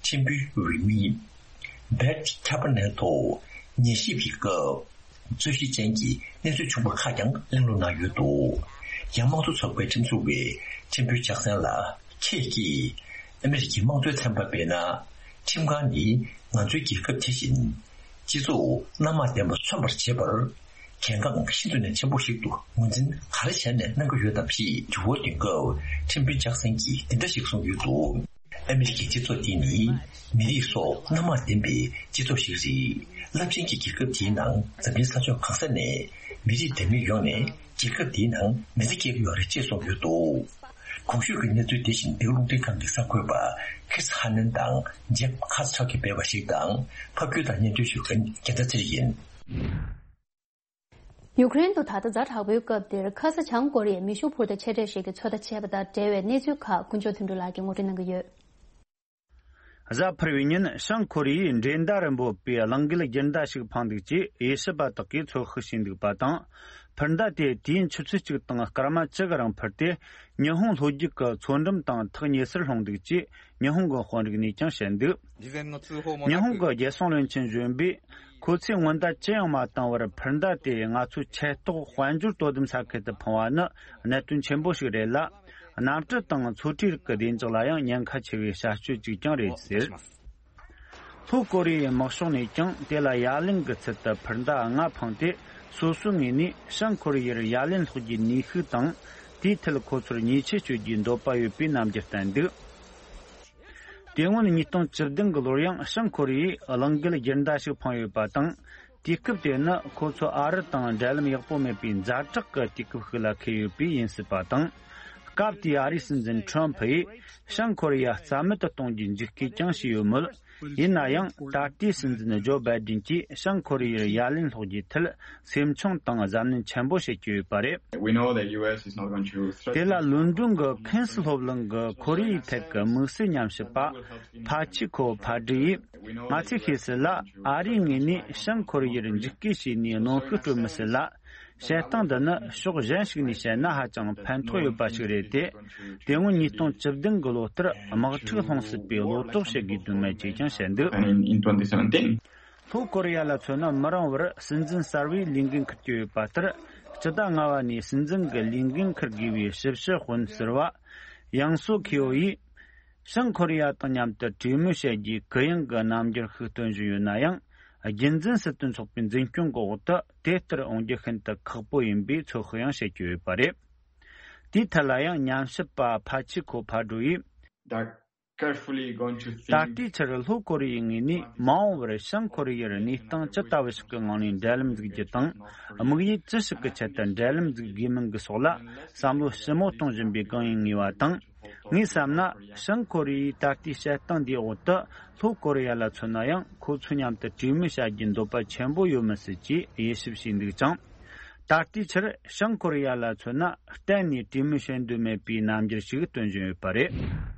ཁྲིམས་དཔོན་འོས་མི་Brett Kavanaugh་ཐོག་ཉན་ཞིབ་ཀྱི་སྐབས། རྩོད་གཞི་ཅན་གྱི་གནས་ཚུལ་བྱུང་བ་ཁག་ཀྱང་གླེང་སློང་གནང་ཡོད་འདུག་ཡང་དམངས་གཙོ་ཚོགས་པའི་ཁྲིམས་བཟོ་བས་ཁྲིམས་དཔོན་ལྕགས་སན་ལ་ཁྱེད་ཀྱིས་ཨ་མི་རི་ཀའི་དམངས་གཙོའི་ཚན་པ་སྤེལ་ན། ཁྲིམས་ཁང་ནི་ང་ཚོའི་རྒྱལ་ཁབ་དེ་བཞིན་སྤྱི་ཚོགས་སྣ་མང་ལྡན་པ་མཚོན་པར་བྱེད་པར་གལ་འགངས་ཤིན་ཏུ་ནས་ཆེན་པོ་ཞིག་ཏུ་ངོས་འཛིན་ག་རེ་བྱས་ནས་གནང་གི་ཡོད་དམ་ཞེས་དྲི་བ་འདོན་སྐབས་ཁྲིམས་དཔོན་ལྕགས་སན་གྱིས་འདི་འདྲ་ཞིག་གསུངས་ཡོད་འདུག་ཨ་མི་རི་ཀའི་སྤྱི་ཚོགས་འདི་ནི་མི་རིགས་སོགས་སྣ་མང་ལྡན་པའི་སྤྱི་ཚོགས་ཤིག་རེད། རླབས་ཆེན་གྱི་རྒྱལ་ཁབ་དེའི་ནང་འཛམ་གླིང་ས་ཕྱོགས་གང་ས་ནས་མི་རིགས་འདྲ་མིན་ཡོངས་ནས་རྒྱལ་ཁབ་དེའི་ནང་མི་ཚེ་སྐྱེལ་གྱི་ཡོད་རེད་ཅེས་གསུངས་ཡོད་འདུག་གོང་ཞུས་ཀྱི་གནས་ཚུལ་དེ་བཞིན་འདི་ག་རླུང་འཕྲིན་ཁང་གི་གསར་འགོད་པ་Chris Hannan་དང་Jeff Katz་ཕྱོགས་ཀྱིས་སྤེལ་བ་ཞིག་དང་ཕབ་སྒྱུར་དང་སྙན་སྒྲོན་ཞུ་མཁན་རྒྱལ་ཐར་ཚེ་རིང་ཡིན། ཡུཀ་རེན་དུ་ད་ལྟ་ཛ་དྲག་པོའི་སྐབས་འདིར་ཁ་ས་བྱང་ཀོ་རི་ཡས་མེ་ཤུགས་འཕུར་མདའ་ཆེ་གྲས་ཤིག་གི་ཚོད་ལྟ་བྱས་པ་དང་འབྲེལ་བའི་གནས་ཚུལ་ཁག་དཀོན་མཆོག་དོན་གྲུབ་ལགས་ཀྱིས་ངོ་སྤྲོད་གནང་གི་ཡོད། གཟའ་ཕུར་བུའི་ཉིན་བྱང་ཀོ་རི་ཡས་འགྲན་ཟླ་རུ་འབོད་པའི་གླང་རྒོད་རྒྱུན་ཟླ་ཞིག་འཕངས་འདུག་ཅེས་དབྱེ་ཞིབ་པ་དག་གིས་ཚོད་དཔག་བྱས་འདུག་པ་དང་། འཕུར་མདའ་དེ་དུས་ཡུན་ཆུ་ཚོད་གཅིག་དང་སྐར་མ་བཅུ་གི་རིང་འཕུར་ཏེ། ཉི་ཧོང་ལྷོ་རྒྱུད་ཀྱི་མཚོ་འགྲམ་དང་ཐག་ཉེ་སར་ལྷུང་འདུག་ཅེས་ཉི་ཧོང་གི་དཔོན་རིགས་ནས་ཀྱང་བཤད་འདུག་ཉི་ཧོང་གི་རྒྱལ་སྲུང་བློན་ཆེན་གཞོན་པས། ཁོ་ཚོས་སྔོན་བརྡ་ཅི་ཡང་མ་བཏང་བར་འཕུར་མདའ་དེ་ང་ཚོའི་ཆེ་ཐོག་དཔལ་འབྱོར་དོ་དམ་ས་ཁུལ་དུ་འཕངས་པ་ནི་གནད་དོན་ཆེན་པོ་ཞིག་རེད་ལ། གནམ་གྲུ་དང་མཚོ་ཁྲོད་རིགས་ཀྱི་བདེ་འཇགས་ལ་ཡང་ཉེན་ཁ་ཆེ་བའི་བྱ་སྤྱོད་ཅིག་ཀྱང་རེད་ཟེར། ལྷོ་ཀོ་རི་ཡའི་དམག་ཤོག་ནས་ཀྱང་དེ་ལ་ཡ་ལན་གྱི་ཚུལ་དུ་འཕུར་མདའ་ལྔ་འཕངས་ཏེ། སོ་སོའི་ངོས་ནས་བྱང་ཀོ་རི་ཡར་ཡ་ལན་སློག་རྒྱུའི་ནུས་ཤུགས་དང་། དེའི་ཐད་ཁོ་ཚོར་ཉེས་ཆད་གཅོད་རྒྱུའི་འདོད་པ་ཡོད་པའི་རྣམ་འགྱུར་བསྟན་འདུག་དེ་སྔོན་ཉིས་སྟོང་བཅུ་བདུན་གྱི་ལོར་ཡང་བྱང་ཀོ་རི་ཡས་གླང་རྒོད་རྒྱུན་ཟླ་ཞིག་འཕངས་ཡོད་པ་དང་། དུས་སྐབས་དེ་ནི་ཁོ་ཚོ་ཨ་རི་དང་འབྲེལ་ལམ་ཡག་པོ་མེད་པའི་ཛ་དྲག་གི་དུས་སྐབས་ཤིག་ལ་འཁེལ་ཡོད་པས་ཡིན་སྲིད་པ་དང་། སྐབས་དེའི་ཨ་རིའི་སྲིད་འཛིན་ཁྲོམ་ཕུ་ཡིས་བྱང་ཀོ་རི་ཡ་རྩ་མེད་དུ་གཏོང་རྒྱུའི་འཇིགས་སྐུལ་ཀྱང་བྱས་ཡོད་མོད། ཡིན་ན་ཡང་ད་ལྟའི་སྲིད་འཛིན་ཇོ་བྷའི་ཌེན་གྱིས་བྱང་ཀོ་རི་ཡར་ཡ་ལན་སློག་རྒྱུའི་ཐད་སེམས་ཆུང་དང་གཟབ་ནན་ཆེན་པོ་བྱེད་ཀྱི་ཡོད་པ་རེད། We know that U S is not going to threaten དེ་ལ་ལོན་ཌོན་གྱི་ཁེན་སི་སློབ་གླིང་གི་ཁོ་རེ་ཡའི་ཐད་ཀྱི་དམིགས་བསལ་ཉམས་ཞིབ་པ་ཕ་ཆི་ཁོ་ཕ་ཌི་ཡིས། ང་ཚོས་ཤེས་གསལ་ལ་ཨ་རིའི་ངོས་ནས་བྱང་ཀོ་རི་ཡར་འཇིགས་སྐུལ་བྱས་ནས་གནོན་ཤུགས་སྤྲོད་མི་སྲིད་ལ། བྱེད་སྟངས་འདི་ནི་ཕྱོགས་གཞན་ཞིག་ནས་བཤད་ན་ཧ་ཅང་ཕན་ཐོགས་ཡོད་པ་ཞིག་རེད་དེ། དེ་སྔོན་ཉིས་སྟོང་བཅུ་བདུན་གྱི་ལོ་ལྟར་དམག་འཁྲུག་སློང་སྲིད་པའི་བློ་དོགས་བྱེད་དགོས་དོན་མེད་ཅེས་ཀྱང་བཤད་འདུག And in twenty seventeen, ལྷོ་ཀོ་རི་ཡ་ལ་མཚོན་ན་མི་རིང་བར་སྲིད་འཛིན་གསར་བའི་ལས་འགན་འཁུར་གྱི་ཡོད་པ་ལྟར། སྤྱི་ཟླ་ལྔ་པ་ནས་སྲིད་འཛིན་གྱི་ལས་འགན་འཁུར་དགོས་པའི་ཞིབ་དཔྱོད་དཔོན་ཟུར་པ་ཡང་སོ་ཁེའོ་ཡིས། བྱང་ཀོ་རི་ཡ་དང་མཉམ་དུ་གྲོས་མོལ་བྱེད་རྒྱུའི་གུ་ཡངས་ཀྱི་རྣམ་འགྱུར་ཞིག་སྟོན་བཞིན་ཡོད་ན་ཡང་། རྒྱུན་འཛིན་སྲིད་དོན་ཚོགས་པའི་འཛིན་སྐྱོང་གི་འོག་ཏུ་དེ་ལྟར་འོང་རྒྱུ་ཤིན་ཏུ་ཁག་པོ་ཡིན་པའི་ཚོད་དཔག་ཡང་བྱེད་ཀྱི་ཡོད་པ་རེད། དེའི་ཐད་ལ་ཡང་ཉམས་ཞིབ་པ་ཕ་ཆི་ཁོ་ཕ་ཌོ་ཡིས། They're carefully going to think. ད་ལྟའི་ཆར་ལྷོ་ཀོ་རི་ཡའི་ངོས་ནས་མ་འོངས་པར་བྱང་ཀོ་རི་ཡར་གནས་སྟངས་ཇི་ལྟ་བུ་ཞིག་གི་ངང་ནས་འབྲེལ་ལམ་འཛུགས་རྒྱུ་དང་། དམིགས་ཡུལ་ཅི་ཞིག་གི་ཆེད་དུ་འབྲེལ་ལམ་འཛུགས་དགོས་མིན་གྱི་སོགས་ལ་བསམ་བློ་ཞིབ་མོ་གཏོང་བཞིན་པའི་སྒང་ཡིན་ངེས་པ་དང་། ངས་བསམ་ན། བྱང་ཀོ་རི་ཡའི་ད་ལྟའི་བྱེད་སྟངས་འདིའི་འོག་ཏུ་ལྷོ་ཀོ་རི་ཡ་ལ་མཚོན་ན་ཡང་ཁོ་ཚོ་མཉམ་དུ་གྲོས་མོལ་བྱ་རྒྱུའི་འདོད་པ་ཆེན་པོ་ཡོད་མི་སྲིད་ཅེས་དབྱེ་ཞིབ་བྱས་འདུག་ཅིང་། ད་ལྟའི་ཆར་བྱང་ཀོ་རི་ཡ་ལ་མཚོན་ན་གཏན་ནས་གྲོས་མོལ་བྱེད་འདོད་མེད་པའི་རྣམ་འགྱུར་ཞིག་སྟོན་བཞིན་ཡོད་པ་རེད།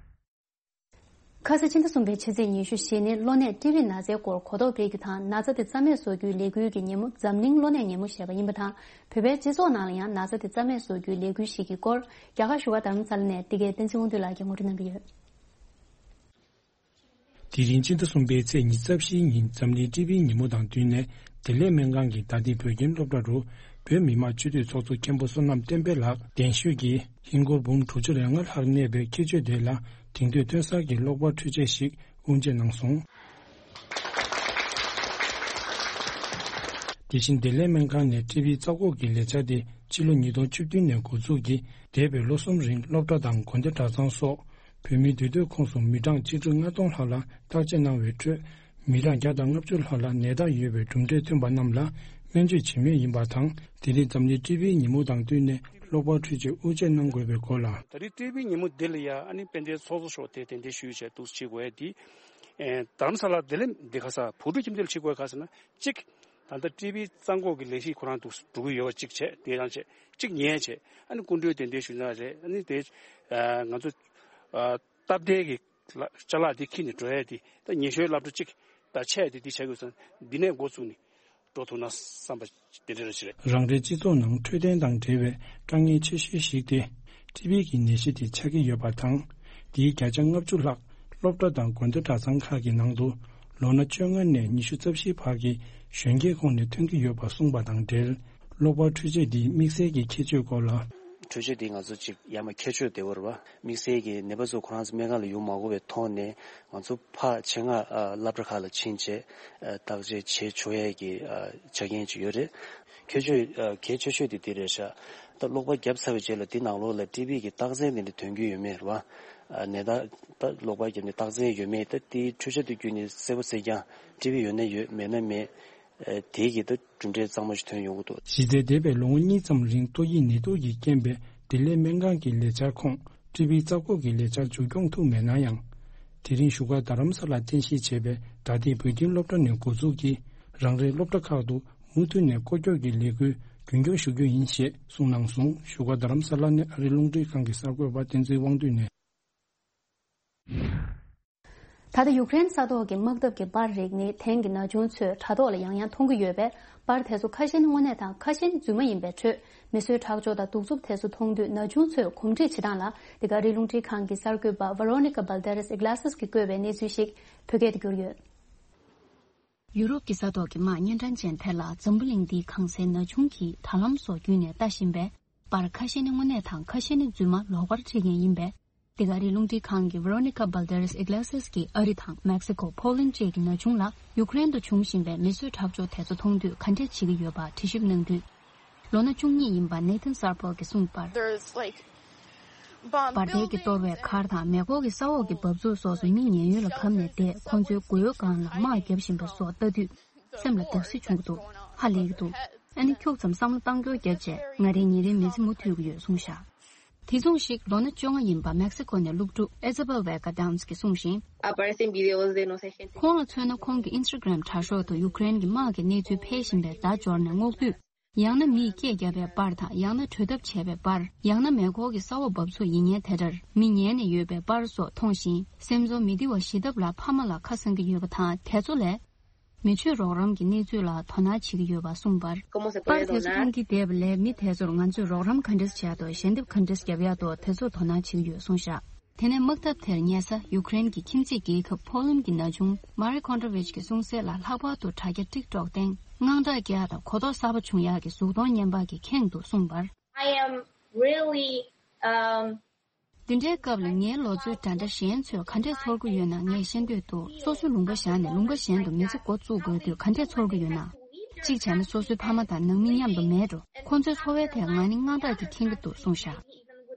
ཁ་ས་ཕྱི་ཟླ་གསུམ་པའི་ཕྱི་ཚེས་ཉི་ཤུ་རྗེས་ནས་གློ་ནད་ཊི་བི་ན་ཚའི་སྐོར་གོ་རྟོགས་སྤེལ་རྒྱུ་དང་ན་ཚ་དེ་རྩ་མེད་བཟོ་རྒྱུའི་ལས་འགུལ་གྱི་ཉིན་མོ་འཛམ་གླིང་གློ་ནད་ཉིན་མོ་ཞེས་པ་ཡིན་པ་དང་། བོད་པའི་སྤྱི་ཚོགས་ནང་ལ་ཡང་ན་ཚ་དེ་རྩ་མེད་བཟོ་རྒྱུའི་ལས་འགུལ་ཞིག་གི་སྐོར། རྒྱ་གར་བཞུགས་པ་རྡ་རམ་ས་ལ་ནས་འདི་གའི་བསྟན་འཛིན་དབང་འདུས་ལགས་ཀྱིས་ངོ་སྤྲོད་གནང་གི་ཡོད། དེ་རིང་ཕྱི་ཟླ་གསུམ་པའི་ཚེས་ཉི་ཤུ་རྩ་བཞིའི་ཉིན་འཛམ་གླིང་ཊི་བི་ཉིན་མོ་དང་བསྟུན་ནས། བདེ་ལེགས་སྨན་ཁང་གི་དྭང་བསྟན་བོད་ཁྱིམ་སློབ་གྲྭ་རུ། བོད་མི་མང་སྤྱི་འཐུས་ཚོགས་གཙོ་མཁན་པོ་བསོད་ནམས་བསྟན་འཕེལ་ལགས་གདན་ཞུས་ཀྱིས། ཧིན་སྒོར་འབུམ་དྲུག་ཅུ་རེ་ལྔ་ལྷག་གནས་པའི་ཁྱད་ཆོས་དེ་ལ། དེང་དུས་ཐོན་གསར་གྱི་གློག་པར་འཕྲུལ་ཆས་ཤིག་དབུ་འབྱེད་གནང་སོང་། དེ་བཞིན་བདེ་ལེགས་སྨན་ཁང་ནས་ཊི་བི་རྩ་འགོག་གི་ལས་འཆར་དེ་ཕྱི་ལོ་ཉིས་སྟོང་བཅུ་བདུན་ནས་འགོ་འཛུགས་ཀྱིས། འདས་པའི་ལོ་གསུམ་རིང་སློབ་གྲྭ་དང་དགོན་སྡེ་གྲྭ་ཚང་སོགས་བོད་མིའི་འདུས་སྡོད་ཁོངས་སུ་མི་གྲངས་གཅིག་ཁྲི་ལྔ་སྟོང་ལྷག་ལ་བརྟག་དཔྱད་གནང་བའི་ཁྲོད། མི་གྲངས་བརྒྱ་དང་ལྔ་བཅུ་ལྷག་ལ་ནད་རྟགས་ཡོད་པའི་གྲུབ་འབྲས་ཐོན་པ་རྣམས་ལ་སྨན་བཅོས་བྱེད་མུས་ཡིན་པ་དང་། དེ་རིང་འཛམ་གླིང་ཊི་བི་ཉིན་མོ་དང་བསྟུན་ནས་གློག་པར་འཕྲུལ་ཆས་དབུ་འབྱེད་གནང་དགོས་པའི་སྐོར་ལ། ད་རེས་ཊི་བི་ཉིན་མོ་འདི་ལ་ཡ་ཨ་ནི་དཔལ་ལྡན་ཚོགས་གཙོ་མཆོག་དེ་གདན་འདྲེན་ཞུས་བྱས་འདུག་སེ་བྱེད་དགོས་ཡ་དེ། ཨེ། རྡ་རམ་ས་ལ་བདེ་ལེགས་འདི་ག་ས་བུ་ཕྲུག་ཁྱིམ་སྡེ་ལ་བྱེད་དགོས་ག་ཟེར་ན་གཅིག་ད་ལྟ་ཊི་བི་རྩ་འགོག་གི་ལས་གཞི་ཁོ་རང་འདུག་འགྲོ་གི་ཡོད་པ་གཅིག་བྱས། དེ་རང་བྱས། གཅིག་ཉལ་བྱས། ཨ་ནི་སྐུ་མགྲོན་གདན་འདྲེན་ཞུ་ན་རེད། ཨ་ནི་དེ་ང་ཚོ་སྟབས་བདེ་གི་ཅ་ལག་འདི་འཁྱེར་ནས་འགྲོ་ཡ་དེ་ད་ཉེ་ཤོས་སློབ་གྲྭ་གཅིག་ ད་ཆ་ཡ་དེ་དེ་བྱ་དགོས་སོང་། འདི་ནས་འགོ་བཙུགས་ནས་འགྲོ་ཐུབ་ན་བསམ་པ་དེ་འདྲ་རེ་ཞིག་རེད། རང་རེའི་སྤྱི་ཚོགས་ནང་འཕྲོད་བསྟེན་དང་འབྲེལ་བའི་དཀའ་ངལ་ཆེ་ཤོས་ཤིག་དེ་ཊི་བི་གི་ནད་གཞི་དེ་ཆགས་ཀྱི་ཡོད་པ་དང་། དེའི་བརྒྱ་ཆ་ལྔ་བཅུ་ལྷག་སློབ་གྲྭ་དང་དགོན་སྡེ་གྲྭ་ཚང་ཁག་གི་ནང་དུ་ལོ་ན་བཅོ་ལྔ་ནས་ཉི་ཤུ་རྩ་བཞིའི་བར་གྱི་གཞོན་སྐྱེས་ཁོངས་ནས་ཐོན་གྱི་ཡོད་པ་གསུངས་པ་དང་འབྲེལ། གློ་བུར་འཕྲུལ་ཆས་འདིའི་དམིགས་བསལ་གྱི་ཁྱད་ཆོས་སྐོར་ལ། འཕྲུལ་ཆས་འདི་ང་ཚོ་ཅིག་ཡར་མར་ཁྱད་ཆོས་བདེ་བོ་རེད་བ། དམིགས་བསལ་གྱི་ནད་པ་ཚོ་ཁོ་རང་ཚོ་སྨན་ཁང་ལ་ཡོང་མ་དགོས་པའི་ཐོག་ནས་ང་ཚོ་ཕར་ཆེད་མངགས་ཨ་སློབ་གྲྭ་ཁག་ལ་ཕྱིན་བྱས་ཨ་བརྟག་དཔྱད་བྱེད་ཆོག་ཡས་ཀྱི་ཨ་ཆ་རྐྱེན་ཅིག་ཡོད་རེད། ཁྱད་ཆོས་ཨ་གལ་ཆེ་ཤོས་དེ་འདི་རེད་ཤག་ད་གློག་པ་བརྒྱབ་ཚར་བའི་རྗེས་ལ་འདི་ནང་ལོགས་ལ་ཊི་བི་གི་རྟགས་མཚན་དེ་འདྲ་ཐོན་གྱི་ཡོད་མེད་རེད་བ། ཨ་ནད་རྟགས་ད་གློག་པ་བརྒྱབ་ནས་རྟགས་མཚན་ཡོད་མེད་ད་དེའི་འཕྲུལ་ཆས་དེ་བརྒྱུད་ནས་གསལ་པོ་གསལ་རྐྱང་ཊི་བི་ཡོད་ན་ཡོད་མེད་ན་མེད། ཨ་དེ་གི་ད་གྲུབ་འབྲས་གཙང་མ་ཞིག་ཐོན་ཡོང་གི་འདུག་གཞི་རྩའི་འདས་པའི་ལོ་ངོ་གཉིས་ཙམ་རིང་ཏོག་དབྱིབས་ནད་དུག་གི་རྐྱེན་པས་ལྡི་ལི་སྨན་ཁང་གི་ལས་འཆར་ཁོངས་ཊི་བི་རྩ་འགོག་གི་ལས་འཆར་མཇུག་སྐྱོང་ཐུབ་མེད་ན་ཡང་། དེ་རིང་བཞུགས་སྒར་རྡ་རམ་ས་ལར་རྟེན་གཞི་བྱས་པའི་དགའ་ལྡན་བོད་ཁྱིམ་སློབ་གྲྭ་ནས་འགོ་འཛུགས་ཀྱིས་རང་རེའི་སློབ་གྲྭ་ཁག་ཏུ་མུ་མཐུད་ནས་སྐོར་སྐྱོད་ཀྱི་ལས་འགུལ་རྒྱུན་འཁྱོངས་ཞུ་རྒྱུ་ཡིན་ཞེས་གསུངས་གནང་སོང་། བཞུགས་སྒར་རྡ་རམ་ས་ལ་ནས་ཨ་རིའི་རླུང་འཕྲིན་ཁང་གི་གསར་འགོད་པ་བསྟན་འཛིན་དབང་འདུས་ནས། ད་ལྟ་ཡུཀ་རེན་ས་ཐོག་གི་དམག་འཐབ་ཀྱི་པར་རིགས་ནི་དེང་གི་ན་ཆུང་ཚོས་དྲ་ཐོག་ལ་ཡང་ཡང་མཐོང་གི་ཡོད་པས། པར་དེ་ཚོ་ཁ་ཤས་ནི་དངོས་གནས་དང་ཁ་ཤས་ནི་རྫུན་མ་ཡིན་པའི་ཁྲོད། མི་གསོད་ཁྲག་སྦྱོར་དང་གདུག་རྩུབ་དེ་ཚོ་མཐོང་དུས་ན་ཆུང་ཚོས་གོམས་འདྲིས་བྱེད་སྟངས་ལ། འདི་ག་ཨ་རིའི་རླུང་འཕྲིན་ཁང་གི་གསར་འགོད་པ་Veronica Balderas Iglesias གིས་བཀོད་པའི་གནས་ཚུལ་ཞིག་བོད་སྐད་དུ་བསྒྱུར་ཡོད། ཡུ་རོབ་ཀྱི་ས་ཐོག་གི་དམག་གཉན་འཕྲང་ཅན་དེ་ལ་འཛམ་བུ་གླིང་འདིའི་གང་སའི་ན་ཆུང་གིས་དྲ་ལམ་སོགས་བརྒྱུད་ནས་ལྟ་བཞིན་པས། པར་ཁ་ཤས་ནི་དངོས་གནས་དང་ཁ་ཤས་ནི་རྫུན་མ་ལོག་པར་བྲིས་མཁན་ཡིན་པས། འདི་ག་ཨ་རིའི་རླུང་འཕྲིན་ཁང་གི་Veronica Balderas Iglesias གིས་ཨ་རི་དང་མེག་སི་ཀོ། ཕོ་ལན་བཅས་ཀྱི་ན་ཆུང་ལ་ཡུཀ་རེན་དུ་བྱུང་བཞིན་པའི་མི་གསོད་ཁྲག་སྦྱོར་དེ་ཚོ་མཐོང་དུས་ག་འདྲས་བྱེད་ཀྱི་ཡོད་པ་དྲི་ཞིབ་གནང་དུས། ལོ་ན་བཅུ་གཉིས་ཡིན་པ་Nathan Sarpol གྱིས་གསུངས་པར། There's, like, bomb པར་དེ་གི་གཏོར་བའི་མཁར་དང་མེ་འཁོར་གྱི་ས་འོག་གི་འབབ་ཚུགས་སོགས་སུ་མི་ཉེན་གཡོལ་ལ་བབས་ནས་བསྡད། ཁོང་ཚོའི་མགོ་ཡོལ་སྒང་ལ་དམག་བརྒྱབ་བཞིན་པ་སོགས་ལྟ་དུས། སེམས་ལ་བརྡབ་གསིག་བྱུང་གི་འདུག་ཧ་ལས་ཀྱི་འདུག་ཨ་ནི་ཁྱུག་ཙམ་བསམ་བློ་བཏང་སྐྱོར་བརྒྱབ་རྗེས་ང་རའི་ཉིན་རེའི་མི་ཚེ་མུ་མཐུད་ཀྱི་ཡོད་གསུངས་བཞག་དེ་མཚུངས་ཤིག་ལོ་ན་བཅོ་ལྔ་ཡིན་པ་མེག་སི་ཀོ་ནས་སློབ་ཕྲུག་Isabel Vega Downs གིས་གསུངས་ཤིང་། Aparecen videos de no sé gente. ཁོང་ལ་མཚོན་ན་ཁོང་གི་Instagram དྲ་ཤོག་ཏུ་ཡུཀ་རེན་གྱི་དམག་གི་གནས་ཚུལ་འཕེལ་བཞིན་པའི་བརྡ་འབྱོར་ནས་སྔོག་དུས། ཡང་ན་མིས་སྐད་བརྒྱབ་པའི་པར་དང་ཡང་ན་བྲོས་ཐབས་བྱས་པའི་པར། ཡང་ན་མེ་འཁོར་གྱི་ས་འོག་འབབ་ཚུགས་ཡིན་མཁན་དེ་འདྲར་མི་ཉལ་ནས་ཡོད་པའི་པར་སོགས་མཐོང་ཞིང་སེམས་ཚོར་མི་བདེ་བ་ཞི་ཐབས་ལ་ཕ་མ་ལ་ཁ་སང་གི་ཡོད་པ་དང་དེ་ཚོ་ལས། མི་ཆོས་རོགས་རམ་གྱི་གནས་ཚུལ་ལ་དོ་སྣང་བྱེད་ཀྱི་ཡོད་པ་གསུངས་པར། པར་དེ་ཚོ་མཐོང་གི་བསྡད་པ་ལས་མི་དེ་ཚོར་ང་ཚོས་རོགས་རམ་ག་འདྲས་བྱས་ཏོ་ཞལ་འདེབས་ག་འདྲས་བརྒྱབ་ཡག་ཏོ་དེ་ཚོར་དོ་སྣང་བྱེད་ཀྱི་ཡོད་གསུངས་བཞག་དེ་ནས་དམག་འཐབ་དེར་ཉེ་ས་ཡུཀ་རེན་གྱི་ཁྱིམ་མཚེས་རྒྱལ་ཁབ་ཕོ་ལན་གྱི་ན་ཆུང་Marie Kondrovich གྱིས་གསུངས་གསལ་ལ། ལྷག་པར་དུ་དྲ་རྒྱ་TikTok སྟེང་དངངས་སྐྲག་སྐྱེ་ཡག་དང་གོ་རྟོགས་གསར་པ་བྱུང་ཡག་གི་གཟུགས་མཐོང་བརྙན་པར་གྱིས་ཁེངས་འདུག་གསུངས་པར། I am really, um, འདི་འདྲའི་སྐབས་ལ་ངའི་ལོ་ཚོད་འདྲ་འདྲ་གཞན་ཚོས་ག་འདྲས་ཚོར་གྱི་ཡོད་ན་ངས་ཤེས་འདོད་འདུག་སོ་སོའི་ལུང་པ་བཞག་ནས་ལུང་པ་གཞན་དུ་མི་ཚེ་འགོ་བཙུགས་དགོས་དུས་ག་འདྲས་ཚོར་གྱི་ཡོད་ན། གཅིག་བྱས་ན་སོ་སོའི་ཕ་མ་དང་ནང་མི་མཉམ་དུ་མེད་འགྲོ། ཁོང་ཚོའི་འཚོ་བའི་ཐད་ང་ནི་དངངས་སྐྲག་གིས་ཁེངས་ཀྱི་འདུག་གསུངས་བཞག་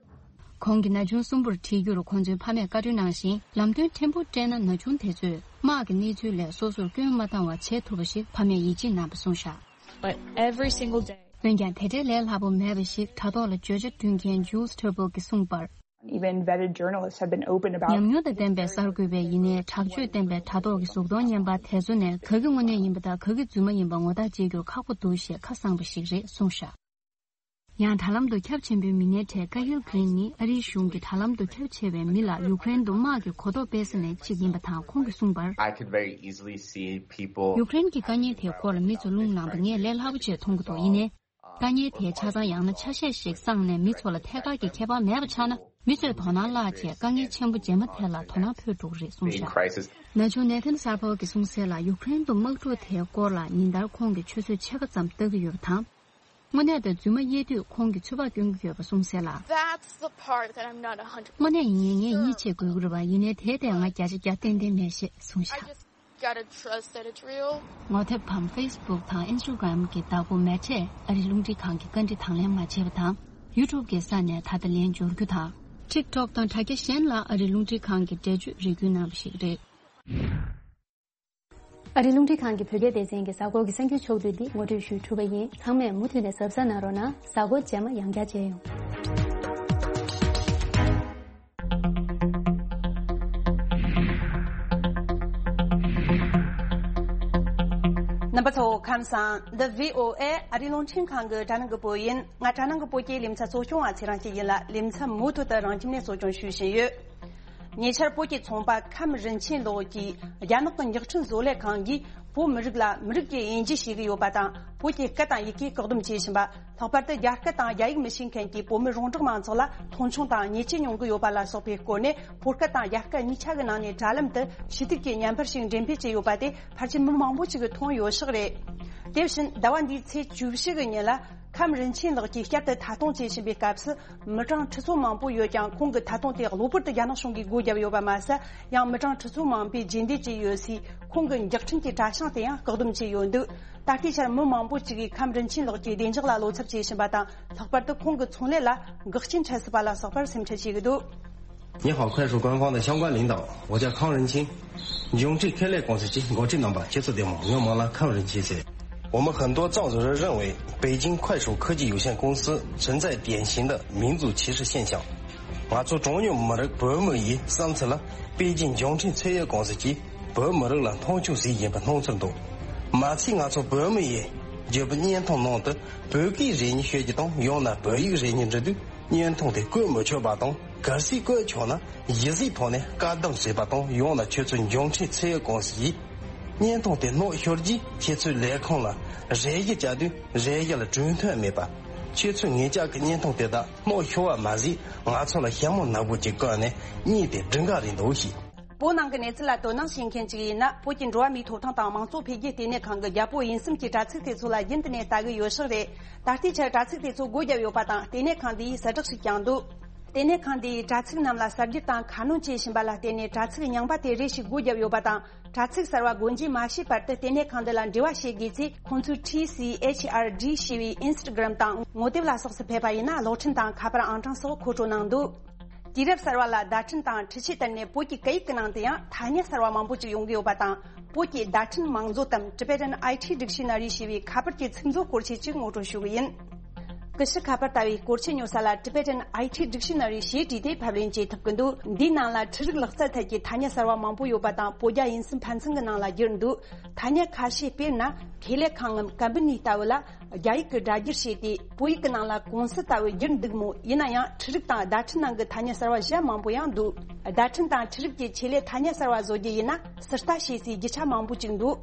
ཁོང་གིས་ན་ཆུང་གསུམ་པོར་ཁྲིད་རྒྱུར་ཁོང་ཚོའི་ཕ་མས་བཀའ་འཁྲོལ་གནང་ཞིང་ལམ་སྟོན་ཕྲན་བུ་སྤྲད་ན་ན་ཆུང་དེ་ཚོས་དམག་གི་གནས་ཚུལ་ལས་སོ་སོར་སྐྱོན་མ་བཏང་བ་བྱེད་ཐུབ་པ་ཞིག་ཕ་མས་ཡིད་ཆེས་གནང་བ་གསུངས་བཞག But every single day. འོན་ཀྱང་དེ་འདྲའི་ལས་སླ་པོ་མེད་པ་ཞིག་དྲ་ཐོག་ལ་བརྗོད་བྱ་བསྐྲུན་མཁན་Jules Turbo གིས་གསུངས་པར། Even vetted journalists have been open about ཉམས་མྱོང་དང་ལྡན་པའི་གསར་འགོད་པ་ཡིན་ནའི་དྲག་སྤྱོད་ལྡན་པའི་དྲ་ཐོག་གི་གཟུགས་མཐོང་བརྙན་པ་དེ་ཚོ་ནས་ག་གི་དངོས་གནས་ཡིན་པ་དང་ག་གི་རྫུན་མ་ཡིན་པ་ངོ་ཐག་བཅད་རྒྱུར་ཁག་པོ་འདུག་ཞེས་ཁ་གསང་པ་ཞིག་རེད་གསུངས་བཞག་ཡང་དྲ་ལམ་དུ་ཁྱབ་ཆེན་པོའི་མི་སྣའི་གྲས་Cahill Green ནི་ཨ་རིའི་གཞུང་གི་དྲ་ལམ་དུ་ཁྱབ་ཆེ་བའི་མི་ལ་ཡུཀ་རེན་དུ་དམག་གི་གོ་རྟོགས་སྤེལ་ས་ནས་གཅིག་ཡིན་པ་དང་ཁོང་གིས་གསུངས་པར། I could very easily see people. ཡུཀ་རེན་གྱི་དཀའ་ཉེན་དེའི་སྐོར་ལ་མི་ཚོ་རླུང་ལངས་པ་ངས་ལས་སླ་པོ་བྱས་མཐོང་གི་འདུག་ཡིན་ནའི། དཀའ་ངལ་དེའི་ཆ་ཚང་ཡང་ན་ཆ་ཤས་ཤིག་བསགས་ནས་མི་ཚོ་ལ་ཐད་ཀར་གྱི་ཁྱད་པར་མེད་པ་ཆགས་ན་མི་ཚོས་དོ་སྣང་བརླག་བྱས་དཀའ་ངལ་ཆེན་པོ་རྗེས་མ་དེ་ལ་དོ་སྣང་འཕོས་འགྲོ་གི་རེད་གསུངས་བཞག་ན་ཆུང་Nathan Sarpol གྱིས་གསུངས་གསལ་ལ་ཡུཀ་རེན་དུ་དམག་འཁྲུག་དེའི་སྐོར་ལ་ཉིན་ལྟར་ཁོང་གིས་ཆུ་ཚོད་ཕྱེད་ཀ་ཙམ་ལྟ་གི་ཡོད་པ་དང་། དངོས་གནས་དང་རྫུན་མ་དབྱེ་དུས་ཁོང་གིས་ཚོད་དཔག་སྐྱོན་གྱི་ཡོད་པ་གསུངས་གསལ་ལ། That's the part that I'm not a hundred. དངོས་གནས་ཡིན་ངས་ཡིད་ཆེས་དགོས་ཀྱི་རེད་པ་ཡིན་ནའི་དེའི་ཐད་ང་བརྒྱ་ཆ་བརྒྱ་ཏན་ཏན་མེད་ཞེས་གསུངས་བཞག I just gotta trust that it's real. ངོ་དེབ་བམ་Facebook དང་Instagram གི་བདག་པོ་Mette ཨ་རིའི་རླུང་འཕྲིན་ཁང་གི་བཀའ་འདྲི་དང་ལེན་མ་བྱས་པ་དང་YouTube གི་ས་ནས་ད་ལྟ་ལན་འབྱོར་རྒྱུ་དང་། TikTok དང་དྲ་རྒྱ་གཞན་ལ་ཨ་རིའི་རླུང་འཕྲིན་ཁང་གི་འགྲེལ་བརྗོད་རེ་སྐུལ་གནང་བ་ཞིག་རེད། ཨ་རིའི་རླུང་འཕྲིན་ཁང་གི་བོད་སྐད་སྡེ་ཚན་གྱི་གཟའ་འཁོར་གྱི་གསར་འགྱུར་ཕྱོགས་བསྡུས་འདི་ངོ་སྤྲོད་ཞུས་གྲུབ་པ་ཡིན། ཚང་མས་མུ་མཐུད་ནས་གཟབ་གཟབ་གནང་རོགས་གནང་། གཟའ་འཁོར་རྗེས་མ་ཡང་བསྐྱར་མཇལ་ཡོང་། རྣམ་པ་ཚོ་ཁམས་བཟང་། འདི་བྷི་ཨོ་ཨེ་ཨ་རིའི་རླུང་འཕྲིན་ཁང་གི་དྲ་སྣང་གི་བོད་ཡིན། ང་དྲ་སྣང་གི་བོད་ཀྱི་ལེ་ཚན་གཙོ་སྐྱོང་བ་ཚེ་རིང་སྐྱིད་ཡིན་ལ། ལེ་ཚན་མུ་མཐུད་དུ་རང་ཁྱིམ་ནས་གཙོ་སྐྱོང་ཞུ་བཞིན་ཡོད། ཉེ་ཆར་བོད་ཀྱི་ཚོང་པ་ཁམས་རིན་ཆེན་ལགས་ཀྱིས་རྒྱ་ནག་གི་མགྱོགས་འཕྲིན་བཟོ་ལས་ཁང་གིས་བོད་མི་རིགས་ལ་མི་རིགས་ཀྱི་དབྱེ་འབྱེད་བྱེད་ཀྱི་ཡོད་པ་དང་། བོད་ཀྱི་སྐད་དང་ཡི་གེ་བཀག་སྡོམ་བྱེད་བཞིན་པ། ལྷག་པར་དུ་རྒྱ་སྐད་དང་རྒྱ་ཡིག་མི་ཤེས་མཁན་གྱི་བོད་མི་རོང་འབྲོག་མང་ཚོགས་ལ་མཐོང་ཆུང་དང་ཉེས་ཆད་མྱོང་གི་ཡོད་པ་ལ་སོགས་པའི་སྐོར་ནས། ཕོ་སྐད་དང་རྒྱ་སྐད་གཉིས་ཆ་གི་ནང་ནས་དྲ་ལམ་དུ་ཞུ་གཏུག་གི་བརྙན་པར་ཞིག་འགྲེམས་སྤེལ་བྱས་ཡོད་པ་དེ་ཕལ་ཆེར་མི་མང་པོ་ཞིག་གིས་མཐོང་ཡོད་ཤག་རེད། དེ་བཞིན་ཟླ་བ་འདིའི་ཚེས་བཅུ་བཞི་གི་ཉིན་ལ། ཁམས་རིན་ཆེན་ལགས་ཀྱིས་བསྐྱར་དུ་མཐའ་སྟོངས་བྱེད་བཞིན་པའི་སྐབས་སུ། མི་གྲངས་ཁྲི་ཚོ་མང་པོ་ཡོད་ཀྱང་། ཁོང་གི་མཐའ་སྟོངས་དེ་གློ་བུར་དུ་རྒྱ་ནག་གཞུང་གིས་སྒོ་བརྒྱབ་ཡོད་པ་མ་ཟད། ཡང་མི་གྲངས་ཁྲི་ཚོ་མང་པོས་རྗེས་འདེད་བྱས་ཡོད་སའི་ཁོང་གི་མགྱོགས་འཕྲིན་གྱི་དྲ་བྱང་དེ་ཡང་བཀག་སྡོམ་བྱས་ཡོད་འདུག་ད་ལྟའི་ཆར་མི་མང་པོ་ཅིག་གིས་ཁམས་རིན་ཆེན་ལགས་ཀྱི་བདེ་འཇགས་ལ་བློ་འཚབ་བྱེད་བཞིན་པ་དང་། ལྷག་པར་དུ་ཁོང་གི་ཚོང་ལས་ལ་འགག་རྐྱེན་འཕྲད་སྲིད་པ་ལ་སོགས་པར་སེམས་ཁྲལ་བྱེད་ཀྱི་འདུག 你好，快手官方的相关领导，我叫康仁清，永志科技公司及国际能吧，接触电话，我们来康仁清先。我们很多藏族人认为，北京快手科技有限公司存在典型的民族歧视现象。 ང་ཚོ་གྲངས་ཉུང་མི་རིགས་བོད་མི་ཡི་བསམ་ཚུལ་ལ། པེ་ཅིང་མགྱོགས་འཕྲིན་ཚད་ཡོད་ཀུང་སི་གིས་བོད་མི་རིགས་ལ་མཐོང་ཆུང་ཟིག་ཡིན་པའི་སྣང་ཚུལ་འདུག་མ་ཚད་ང་ཚོ་བོད་མི་ཡི་བརྒྱུད་པའི་བརྙན་ཐུང་ནང་དུ་བོད་སྐད་རེ་གཉིས་ཤོད་རྒྱུ་དང་། ཡང་ན་བོད་ཡིག་རེ་གཉིས་འབྲི་དུས་བརྙན་ཐུང་དེ་བཀོད་མི་ཆོག་པ་དང་། གལ་སྲིད་བཀོད་ཆོག་ན་གཞི་རྩའི་ཐོག་ནས་བཀག་སྡོམ་བྱས་པ་དང་། ཡང་ན་ཁྱོད་ཚོའི་མགྱོགས་འཕྲིན་ཚད་ཡོད་ཀུང་སི་ཡིས་བརྙན་ཐུང་དེ་སྣོད་ཤོར་རྗེས་ཁྱེད་ཚོའི་ལས་ཁུངས་ལ་རེ་ཞུ་བྱ་དུས་རེ་ཞུ་ལ་གྲོས་མཐུན་མེད་པ། ཁྱེད་ཚོའི་ངེད་ཅག་གི་བརྙན་ཐུང་དེ་དག་སྣོད་ཤོར་བ་མ་ཟད། ང་ཚོ་ལ་ཞྭ་མོ་ནག་པོ་ཅིག་བཀོད་ནས་གཉིས་དེ་སྒྲིག་འགལ་རེད་འདུག་ཞུས། བོད་ནང་གི་གནས་ཚུལ་ལ་དོ་སྣང་བྱེད་མཁན་ཅིག་ཡིན་ན། བོད་ཀྱི་འགྲོ་བ་མིའི་ཐོབ་ཐང་དང་མང་གཙོ་འཕེལ་རྒྱས་ལྟེ་གནས་ཁང་གི་རྒྱལ་པོ་ཡིན་སེམས་ཀྱི་དྲ་ཚིགས་དེ་ཚོ་ལ་རྒྱུན་དུ་ནས་ལྟ་གི་ཡོད་ཤག་རེད། ད་ལྟའི་ཆར་དྲ་ཚིགས་དེ་ཚོ་སྒོ་བརྒྱབ་ཡོད་པ་དང་། ལྟེ་གནས་ཁང་དེ་ཡིས་གསལ་བསྒྲགས་ཤིག་ཀྱང་འདུག་ལྟེ་གནས་ཁང་དེ་ཡིས་དྲ་ཚིགས་རྣམས་ལ་གསར་བསྒྱུར་དང་ཁ་སྣོན་བྱེད་བཞིན་པ་ལ་བརྟེན་ནས། དྲ་ཚིགས་རྙིང་པ་དེ་རེ་ཞིག་སྒོ་བརྒྱབ་ཡོད་པ་དང་། དྲ་ཚིགས་གསར་བ་སྒོ་འབྱེད་མ་བྱས་བར་དུ་ལྟེ་གནས་ཁང་འདི་ལ་འབྲེལ་བ་བྱེད་དགོས་ཚེ། ཁོང་ཚོས་ཊི་སི་ཨེཆ་ཨར་ཌི་ཞེས་པའི་ཨིན་སི་ཊ་གྷི་རམ་དང་ངོ་དེབ་ལ་སོགས་སུ་ཕེབས་པ་ཡིན་ན། གློག་འཕྲིན་དང་ཁ་པར་ཨང་གྲངས་སོགས་མཁོ་སྤྲོད་གནང་འདུག་དུས་རབས་གསར་བ་ལ་བརྡ་འཕྲིན་དང་འཕྲུལ་ཆས་བརྟེན་ནས། བོད་ཀྱི་སྐད་ཡིག་གི་ནང་དུ་ཡང་ཐ་སྙད་གསར་བ་མང་པོ་ཅིག་ཡོང་གི་ཡོད་པ་དང་། བོད་ཀྱི་བརྡ་འཕྲིན་མིང་མཛོད་དམ། Tibetan I T Dictionary ཞེས་པའི་ཁ་པར་གྱི་ཚིག་མཛོད་སྐོར་ཆེད་ཅིག་ངོ་སྤྲོད་ཞུ་གི་ཡིན། ཀུ་ཤུ་ཁ་པར་ལྟ་བུའི་སྐོར་ཆེད་ཉོ་ས་ལ། Tibetan I T Dictionary ཞེས་བྲིས་ཏེ་ཕབ་ལེན་བྱེད་ཐུབ་ཀྱི་འདུག་འདིའི་ནང་ལ་འཕྲུལ་རིག་ལག་རྩལ་ཐད་ཀྱི་ཐ་སྙད་གསར་བ་མང་པོ་ཡོད་པ་དང་། བོད་རྒྱ་དབྱིན་གསུམ་ཕན་ཚུན་གྱི་ནང་ལ་བསྒྱུར་འདུག་ཐ་སྙད་ཁ་ཤས་དཔེར་ན། ཁེ་ལས་ཁང་ངམ་ཀམ་པ་ནི་ལྟ་བུ་ལ་རྒྱ་ཡིག་གི་སྒྲ་བསྒྱུར་བྱས་ཏེ། བོད་ཡིག་གི་ནང་ལ་ཀུང་སི་ལྟ་བུ་བསྒྱུར་འདུག་མོད། ཡིན་ན་ཡང་འཕྲུལ་རིག་དང་བརྡ་འཕྲིན་ནང་གི་ཐ་སྙད་གསར་བ་གཞན་མང་པོ་ཡང་འདུག་བརྡ་འཕྲིན་དང་འཕྲུལ་རིག་གི་ཆེད་ལས་ཐ་སྙད་གསར་བ་བཟོ་རྒྱུ་ཡིན་ན། ཟུར་ལྟ་བྱེད་སའི་རྒྱུ་ཆ་མང་པོ་ཅིག་འདུག་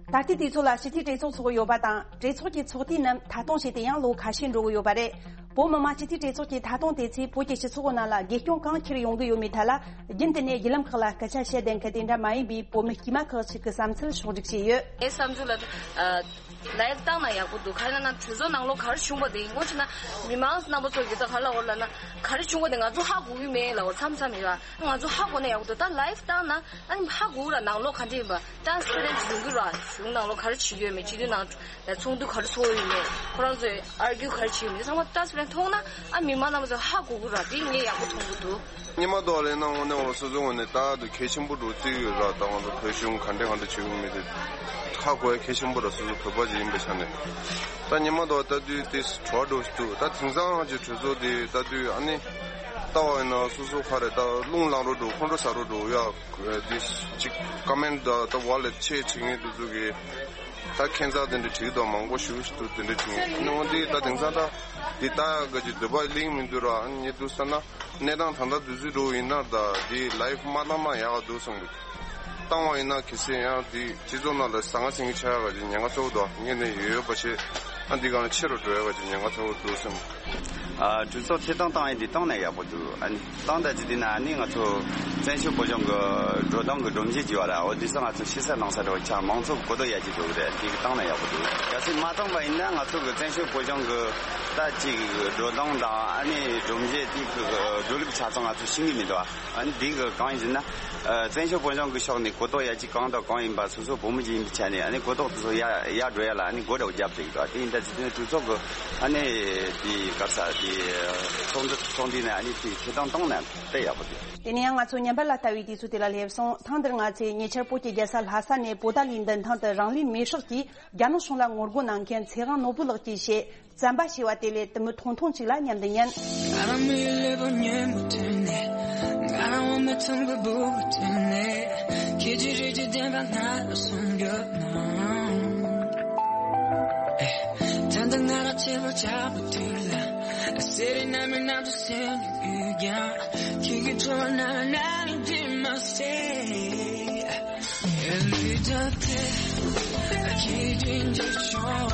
ད་ལྟའི་དུས་ཚོད་ལ་སྤྱི་འཐུས་གྲོས་ཚོགས་འཚོགས་ཡོད་པ་དང་། གྲོས་ཚོགས་ཀྱི་ཚོགས་དུས་རྣམས་མཐའ་སྟོངས་བྱས་ཏེ་ཡང་ལོ་ཁ་ཤས་འགྲོ་གི་ཡོད་པ་རེད། བོད་མི་མང་སྤྱི་འཐུས་གྲོས་ཚོགས་ཀྱི་མཐའ་སྟོངས་དེ་ཚོས་བོད་ཀྱི་སྤྱི་ཚོགས་ནང་ལ་རྒྱས་སྐྱོང་གང་འཁྱེར་ཡོང་གི་ཡོད་མེད་ཐད་ལ། རྒྱུན་དུ་ནས་བརྒྱུད་ལམ་ཁག་ལ་སྐད་ཆ་བཤད་བསྡད་མཁན་དེ་འདྲ་མ་ཡིན་པའི་བོད་མི་དཀྱུས་མ་ཁག་ཅིག་གི་བསམ་ཚུལ་ཕྱོགས་སྒྲིག་བྱས་ཡོད། ངའི་བསམ་ཚུལ་ལ། ཨ། ལའིབ་བཏང་ན་ཡག་པོ་འདུག་ག་རེ་ན་ན་གྲོས་ཚོགས་ནང་ལོགས་ག་རེ་བྱུང་བ་དེ་ཡིན་ངོ་ཆེ་ན། མི་མང་རྣམ་པ་ཚོ་གི་ད་ག་ལ་འོ་ལ་ན་ག་རེ་བྱུང་བ་དེ་ང་ཚོ་ཧ་གོ་གི་མེད་ལ། འོ་མཚམས་མཚམས་ཡོད་ང་ཚོ་ཧ་གོ་ན་ཡག་པོ་འདུག་ད་ལའིབ་བཏང་ན་ཨ་ནི་ཧ་གོ་ར། ནང་ལོགས་ག་འདྲ་ཡིན་པ་ཊ་རན་སི་པེ་རེན་ཊི་ཡོང་གི་ར། གཞུང་ནང་ལོགས་ག་རེ་བྱེད་ཀྱི་ཡོད་མེད། སྤྱི་འཐུས་ནང་ཚོགས་འདུ་ག་རེ་ཚོགས་ཡོད་མེད། ཁོ་རང་ཚོས་ཨར་གིའུ་ག་རེ་བྱེད་ཡོད་མེད། ཚང་མ་ཊ་རན་སི་པེ་རེན་ཊི་མཐོང་ན་ཨ་མི་མང་རྣམ་པ་ཚོ་ཧ་གོ་གི་ར། དེ་ངས་ཡག་པོ་མཐོང་གི་འདུག་ཉི་མ་རྡོ་ལས་ན་དངོས་གནས་འོ་སོ་སོ་ངོས་ནས་ད་དུ་གལ་ཆེན་པོ་འགྲོ་བརྩི་ཡོད་ར། ད་ང་ཚོ་བོད་གཞུང་ག་འདྲ་ག་འདྲ་བྱེད་ཀྱི་མེད་དེ་ཧ་གོ་ཡ་གལ་ཆེན་པོ་ར། སོ་སོ་བོད་པ་ཞིག་ཡིན་པའི་ཆ་ནས། ད་ཉི་མ་རྡོ་ལྟ་དུས་དེ་གྲོགས་འགྲོ་ཞིག་འདུག་ད་དེང་སང་ང་ཚོའི་གྲོས་ཚོགས་དེ་ལྟ་དུས་ཨ་ནི་ལྟ་བ་ཡིན་ན་སོ་སོ་ག་རེ་ད་རླུང་ལངས་རོགས་འགྲོ། ཁོང་ཁྲོ་ཟ་རོགས་འགྲོ་ཡ། དེ་ཅིག་ཀོ་མེན་ཊི་ད་ད་བ་ལས་ཆེ་བྱེད་མཁན་དེ་ཚོ་གི་ད་ཁྱད་མཚར་དེ་འདྲ་བྲིས་འདུག་མང་པོ་ཞེ་པོ་ཞིག་འདུག་དེ་འདྲ་བྲིས་མཁན། ཨ་ནི་འོ་དེ་ད་དེང་སང་ད་དེ་ལྟ་ཡ་ག་ཅིག་འདོད་པ་གླེང་མི་འདུག་ར། ཨ་ནི་ངས་འདུག་བསམ་ན། གནས་སྟངས་ད་ལྟ་དུས་ཚོད་འགྲོ་ཡིན་ན་ད་འདི་ལའིབ་མ་བཏང་ན་ཡག་འདུག་བསམ་གི། བཏང་བ་ཡིན་ན་གལ་སྲིད་ཡང་འདི་སྤྱི་ཚོགས་ནང་ལ་ཟང་ངེ་ཟིང་ངེ་ཆགས་ཡག་གི་ཉེན་ཁ་ཚ་པོ་འདུག་ངས་ནས་ཡོད་ཡོད་པ་བྱས་ཨ་འདི་གང་ལ་ཆེ་རུ་འགྲོ་ཡག་གི་ཉེན་ཁ་ཚ་པོ་འདུག་བསམ། ཨ་གྲོས་ཚོགས་ཐད་གཏོང་བཏང་ཡིན་འདི་བཏང་ན་ཡག་པོ་འདུག་ཨ་ནི་བཏང་ད་ཅི་འདི་ན་ཨ་ནི་ང་ཚོ་བཙན་བྱོལ་བོད་གཞུང་གི་འགྲོ་སྟངས་གི་སྒྲོམ་གཞི་བརྗེ་བ་ར། འོ་འདི་ས་ང་ཚོ་ཤེས་ས་གནང་ས་འདྲ་བོ་ཆགས། མང་ཚོགས་གོ་རྟོགས་ཡར་རྒྱས་འགྲོ་གི་རེད། འདི་གི་བཏང་ན་ཡག་པོ་འདུག་གལ་སྲིད་མ་བཏང་པ་ཡིན་ན་ང་ཚོ་གི་བཙན་བྱོལ་བོད་གཞུང་གི་ད་ཅིག་འགྲོ་སྟངས་དང་ཨ་ནི་སྒྲོམ་གཞི་དེ་གི་འགྲོ་ལུགས་ཆ་ཚང་ང་ཚོ་ཤེས་ཀྱི་མི་འདུག་ཨ་ནི་འདི་གི་གང་ཡིན་ཟེར་ན། ཨ་བཙན་བྱོལ་བོད་གཞུང་གི་ཕྱོགས་ནས་གོ་རྟོགས་ཡར་རྒྱས་གང་དང་གང་ཡིན་པ་སོ་སོ་བོད་མི་ཅིག་ཡིན་པའི་ཆ་ནས་ཨ་ནི་གོ་རྟོགས་དེ་ཚོ་ཡར་ཡར་འགྲོ་ཡ་ལ་ཨ་ནི་སྒོ་འདྲ་བོ་བརྒྱབ་བསྡད་ཀྱི་འདུག་དེ་ཡིན་ད་དེ་དུས་གྲོས་ཚོགས་གི་ཨ་ནི་དེ་ག་རེ་ཟེར་དེ་ཚོགས་འདུ་ཚོགས་འདུའི་ནང་ཨ་ནི་དེ་ཐད་གཏོང་བཏང་ན་དཔེ་ཡག་པོ་འདུག་དེ་ནས་ཡང་ང་ཚོ་ཉམས་པ་ལ་ལྟ་བའི་དུས་ཚོད་དེ་ལ་སླེབས་སོང་། ཐེངས་འདིར་ང་ཚོས་ཉེ་ཆར་བོད་ཀྱི་རྒྱལ་ས་ལྷ་ས་ནས་པོ་ཏཱ་ལའི་མདུན་ཐང་དུ་རང་ལུས་མེར་སྲེག་གིས་རྒྱ་ནག་གཞུང་ལ་ངོ་རྒོལ་གནང་མཁན་ཚེ་དབང་ནོར་བུ་ལགས་ཀྱིས་བཤད། བཙན་པ་ཞེས་པ་དེ་ལས་དུ་མི་ཐུང་ཐུང་ཅིག་ལ་མཉམ་དུ་ཉན། ང་རང་མི་ཡུལ་ལས་པོ་ཉན་མ་ཐུབ་ནས། ང་རང་འོ་མའི་ཚོང་པའི་སྦུག་གུ་ཐོན་ནས། ཁྱེད་ཀྱི་རིགས་ཀྱི་བདེན་པ་ང་ལ་གསུང་རྒྱུ་ན། ད་ལྟ་ང་རང་ཆེ་བོ་ཆགས་པའི་དུས་ལ། Sitting at me now to send you down. Can't get to another night in my stay. And we don't care. I can't change your charm.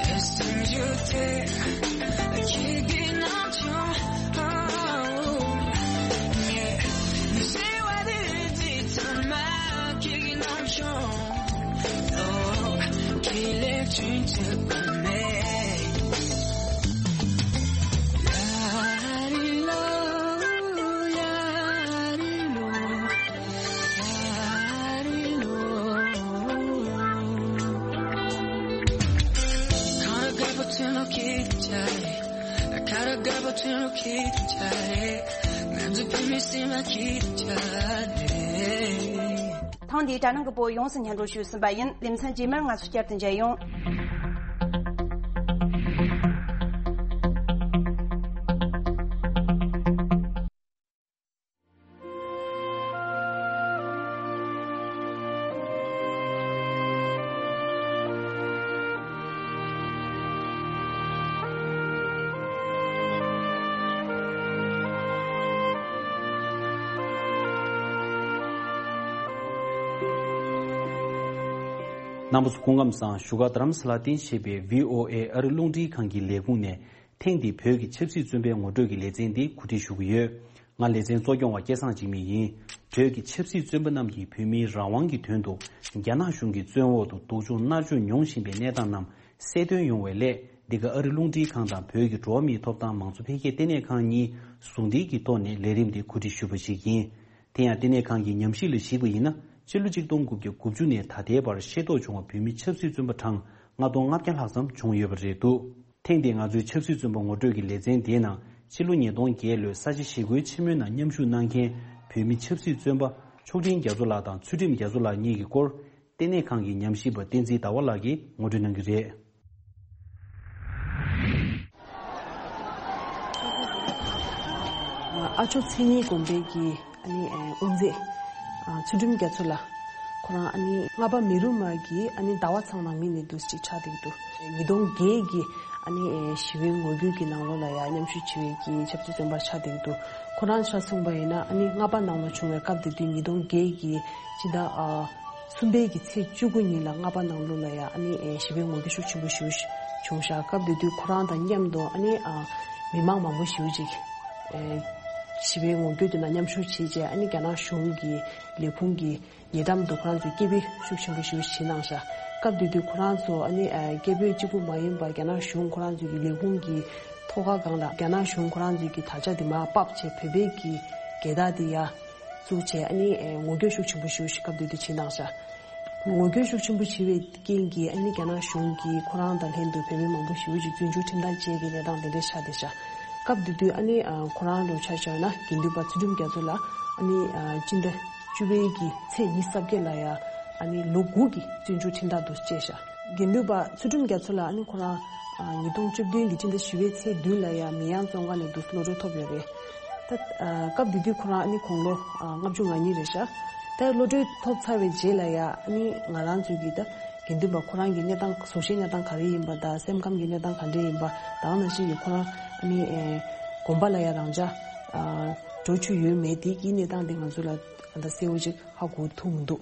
As soon as you take, I can't get no charm. Yeah, you say what it is, it's on my kicking on charm. Oh, can't let you take me. ཐེངས་འདིའི་དྲ་སྣང་གི་པོ་ཡོངས་སུ་སྙན་སྒྲོན་ཞུས་ཟིན་པ་ཡིན། ལེ་ཚན་རྗེས་མར་ང་ཚོ་བསྐྱར་དུ་མཇལ་ཡོང་། རྣམ་པ་ཚོ་སྐུ་ཁམས་བཟང་། བཞུགས་སྒར་རྡ་རམ་ས་ལར་རྟེན་གཞི་བྱས་པའི་ཝི་ཨོ་ཨེ་ཨ་རི་རླུང་འཕྲིན་ཁང་གི་ལས་ཁུངས་ནས། ཐེངས་འདིའི་བོད་ཀྱི་ཆབ་སྲིད་བཙོན་པའི་ངོ་སྤྲོད་ཀྱི་ལེ་ཚན་འདི་གོ་སྒྲིག་ཞུ་གི་ཡོད། ང་ལེ་ཚན་གཙོ་སྐྱོང་བ་སྐལ་བཟང་འཇིགས་མེད་ཡིན། བོད་ཀྱི་ཆབ་སྲིད་བཙོན་པ་རྣམས་ཀྱིས་བོད་མིའི་རང་དབང་གི་དོན་དུ་རྒྱ་ནག་གཞུང་གི་བཙོན་འོག་ཏུ་སྡུག་སྦྱོང་མནར་གཅོད་མྱོང་བཞིན་པའི་གནས་སྟངས་རྣམས་གསལ་སྟོན་ཡོང་བའི་སླད། འདི་ག་ཨ་རི་རླུང་འཕྲིན་ཁང་དང་བོད་ཀྱི་འགྲོ་བ་མིའི་ཐོབ་ཐང་མང་གཙོ་འཕེལ་རྒྱས་ལྟེ་གནས་ཁང་གཉིས་ཟུང་འབྲེལ་གྱི་ཐོག་ནས་ལས་རིམ་འདི་གོ་སྒྲིག་ཞུས་པ་ཞིག་ཡིན། དེ་ཡང་ལྟེ་གནས་ཁང་གི་ཉམས་ཞིབ་ལ་གཞིགས་པ་ཡིན་ན། སྤྱི་ལོ་གཅིག་སྟོང་དགུ་བརྒྱ་དགུ་བཅུ་ནས་ད་ལྟའི་བར་ཤེས་རྟོགས་བྱུང་བ་བོད་མི་ཆབ་སྲིད་བཙོན་པ་གྲངས་ལྔ་སྟོང་ལྔ་བརྒྱ་ལྷག་ཙམ་བྱུང་ཡོད་པ་རེད་འདུག་ཐེངས་འདིའི་ང་ཚོའི་ཆབ་སྲིད་བཙོན་པ་ངོ་སྤྲོད་ཀྱི་ལེ་ཚན་དེའི་ནང་། ཕྱི་ལོ་ཉིས་སྟོང་བརྒྱད་ལོའི་ས་བྱི་ཞི་རྒོལ་ཆེན་མོའི་ནང་མཉམ་ཞུགས་གནང་མཁན་བོད་མི་ཆབ་སྲིད་བཙོན་པ་མཆོག་སྤྲུལ་རྒྱ་མཚོ་ལགས་དང་ཚུལ་ཁྲིམས་རྒྱ་མཚོ་ལགས་གཉིས་ཀྱི་སྐོར། ལྟེ་གནས་ཁང་གི་ཉམས་ཞིབ་པ་བསྟན་འཛིན་ཟླ་བ་ལགས་ཀྱིས་ངོ་སྤྲོད་གནང་གི་རེད། ཨ་མཆོག་མཚན་ཉིད་དགོན་པའི་གི་ཨ་ནི་ཨེ་དབུ་མཛད། ཨ་ཚུལ་ཁྲིམས་རྒྱ་མཚོ་ལགས། ཁོ་རང་ཨ་ནི་ལྔ་པ་མེ་རུ་མ་གི་ཨ་ནི་ཟླ་བ་ཚང་ནང་མི་ནས་འདུག་ཅིག་ཆགས་བསྡད་འདུག་ཉིས་སྟོང་བརྒྱད་ཀྱི་ཨ་ནི་ཨེ་ཞི་བའི་ངོ་རྒོལ་གྱི་ནང་ལོགས་ལ་ཡང་མཉམ་ཞུགས་བྱེད་པའི་གི་ཆབ་སྲིད་བཙོན་པ་ཆགས་བསྡད་འདུག་ཁོ་རང་ཆ་མཚོན་པ་ཡིན་ན་ཨ་ནི་ལྔ་པ་ནང་ལ་བྱུང་བའི་སྐབས་དེ་དུས་ཉིས་སྟོང་བརྒྱད་ཀྱི་སྤྱི་ཟླ་ཨ་གསུམ་པའི་གི་ཚེས་བཅུ་དགུ་ཉིན་ལ་ལྔ་པ་ནང་ལོགས་ལ་ཡང་ཨ་ནི་ཨེ་ཞི་བའི་ངོ་རྒོལ་ཤུགས་ཆེན་པོ་ཞིག་བྱུང་ཤག་སྐབས་དེ་དུས་ཁོ་རང་དང་མཉམ་དུ་ཨ་ནི་ཨ་མི་མང་མང་པོ་ཞིག་ཅིག་ཨེ་ཞི་བའི་ངོ་རྒོལ་དེ་ནང་མཉམ་ཞུགས་བྱས་རྗེས་ཨ་ནི་རྒྱ་ནག་གཞུང་གི་ལས་ཁུངས་ཀྱི་ཉེ་འགྲམ་དུ་ཁོ་རང་ཚོས་སྐད་འབོད་ཤུགས་ཆེན་པོ་ཞིག་བྱེད་གནང་ཤག་སྐབས་དེ་དུས་ཁོ་རང་ཚོ་ཨ་ནི་ཨ་སྐད་འབོད་གཅིག་པུ་མ་ཡིན་པར་རྒྱ་ནག་གཞུང་ཁོ་རང་ཚོའི་གི་ལས་ཁུངས་ཀྱི་ཐོག་ཁ་སྒང་ལ་རྒྱ་ནག་གཞུང་ཁོ་རང་ཚོའི་གི་དར་ཆ་དེ་མར་ཕབ་བྱས་བོད་པའི་གི་རྒྱལ་དར་དེ་ཡར་བཙུགས་བྱས་ཨ་ནི་ཨེ་ངོ་རྒོལ་ཤུགས་ཆེན་པོ་ཞིག་སྐབས་དེ་དུས་བྱེད་གནང་ཤག་ངོ་རྒོལ་ཤུགས་ཆེན་པོ་བྱས་པའི་རྐྱེན་གྱིས་ཨ་ནི་རྒྱ་ནག་གཞུང་གིས་ཁོ་རང་དང་ལྷན་དུ་བོད་མི་མང་པོ་ཞེ་པོ་ཅིག་བཙོན་འཇུག་ཁྲིམས་ཐག་བཅད་ཀྱི་གནས་སྟངས་དེ་འདྲ་ཆགས་བསྡད་ཤག་སྐབས་དེ་དུས་ཨ་ནི་ཨ་ཁོ་རང་ལོ་ཆ་བཞག་ན་དགེ་འདུན་པ་ཚུལ་ཁྲིམས་རྒྱ་མཚོ་ལགས་ཨ་ནི་ཨ་སྤྱི་ཟླ་བཅུ་པའི་གི་ཚེས་ཉི་ཤུ་རྩ་བརྒྱད་ལ་ཡ་ཨ་ནི་ལོ་དགུ་གི་བཙོན་འཇུག་ཁྲིམས་ཐག་དུ་བཅད་ཤག་དགེ་འདུན་པ་ཚུལ་ཁྲིམས་རྒྱ་མཚོ་ལགས་ཨ་ནི་ཁོ་རང་ཨ་ཉིས་སྟོང་བཅུ་བདུན་གི་སྤྱི་ཟླ་བཞི་པའི་ཚེས་བདུན་ལ་ཡ་མི་ཡང་བཙོན་ཁང་ནས་འདུག་གློད་གྲོལ་ཐོབ་ཡོད་རེད། ད་ཨ་སྐབས་དེ་དུས་ཁོ་རང་ཨ་ནི་དགུང་ལོ་ཨ་ལྔ་བཅུ་ང་གཉིས་རེད་ཤག་ད་གློད་གྲོལ་ཐོབ་ཚར་བའི་རྗེས་ལ་ཡ་ཨ་ནི་ང་རང་ཚོའི་གི་ད་དགེ་འདུན་པ་ཁོ་རང་གི་གནས་སྟངས་གཟུགས་གཞིའི་གནས་སྟངས་ག་རེ་ཡིན་པ་དང་སེམས་ཁམས་ཀྱི་གནས་སྟངས་ག་འདྲ་ཡིན་པ་དང་ནང་བཞིན་གྱི་ཁོ་རང་ཨ་ནི་ཨེ་དགོན་པ་ལ་ཡ་རང་འཇགས་ཨ་འགྲོ་བཅུག་ཡོད་མེད་དེ་གི་གནས་སྟངས་དེ་ང་ཚོ་ལ་ད་གསལ་བོ་ཅིག་ཧ་གོ་ཐུབ་མི་འདུག་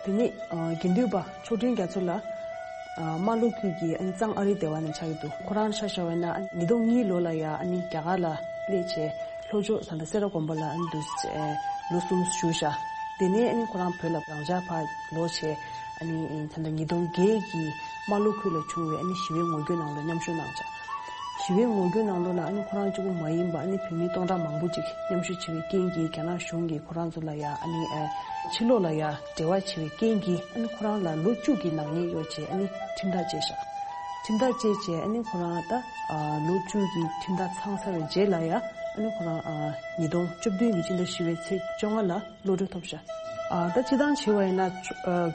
དེ་ནས་ཨ་དགེ་འདུན་པ་མཆོག་སྤྲུལ་རྒྱ་མཚོ་ལགས་ཨ་རྨ་ལྷོ་ཁུལ་གྱི་ཨ་ནི་གཙང་ཨ་རིའི་སྡེ་བ་ནས་ཆགས་ཀྱི་འདུག་ཁོ་རང་ཆ་བཞག་པ་ཡིན་ན་ཉིས་སྟོང་གཉིས་ལོ་ལ་ཡ་ཨ་ནི་རྒྱ་གར་ལ་སླེབས་བྱས་ལྷོ་ཕྱོགས་ད་ལྟ་སེ་ར་དགོན་པ་ལ་ཨ་ནི་འདུག་སེ་ལོ་གསུམ་བཞུགས་ཤག་དེ་ནས་ཨ་ནི་ཁོ་རང་བོད་ལ་རང་འཇགས་ཕར་ལོག་བྱས་ཨ་ནི་ད་ལྟ་ཉིས་སྟོང་བརྒྱད་ཀྱི་རྨ་ལྷོ་ཁུལ་ལ་བྱུང་བའི་ཨ་ནི་ཞི་བའི་ངོ་རྒོལ་ནང་ལ་མཉམ་ཞུགས་གནང་ཤག་ཞི་བའི་ངོ་རྒོལ་ནང་ལོགས་ལ་ཨ་ནི་ཁོ་རང་གཅིག་པུ་མ་ཡིན་པར་ཨ་ནི་བོད་མི་སྟོང་ཕྲག་མང་པོ་ཅིག་མཉམ་ཞུགས་བྱས་པའི་རྐྱེན་གྱིས་རྒྱ་ནག་གཞུང་གིས་ཁོ་རང་ཚོ་ལ་ཡ་ཨ་ནི་ཨེ་ཕྱི་ལོགས་ལ་ཡ་འབྲེལ་བ་བྱས་པའི་རྐྱེན་གྱིས་ཨ་ནི་ཁོ་རང་ལ་ལོ་བཅུ་གི་ནག་ཉེས་གཡོགས་བྱས་ཨ་ནི་ཁྲིམས་ཐག་བཅད་ཤག་ཁྲིམས་ཐག་བཅད་བྱས་ཨ་ནི་ཁོ་རང་ད་ཨ་ལོ་བཅུ་གི་ཁྲིམས་ཐག་ཚང་ཚར་བའི་རྗེས་ལ་ཡ་ཨ་ནི་ཁོ་རང་ཨ་ཉིས་སྟོང་བཅུ་བདུན་གྱི་སྤྱི་ཟླ་བཞི་པའི་ཚེས་བཅོ་ལྔ་ལ་གློད་གྲོལ་ཐོབ་ཤག་ཨ་ད་སྤྱིར་བཏང་བྱས་པ་ཡིན་ན་ཨ་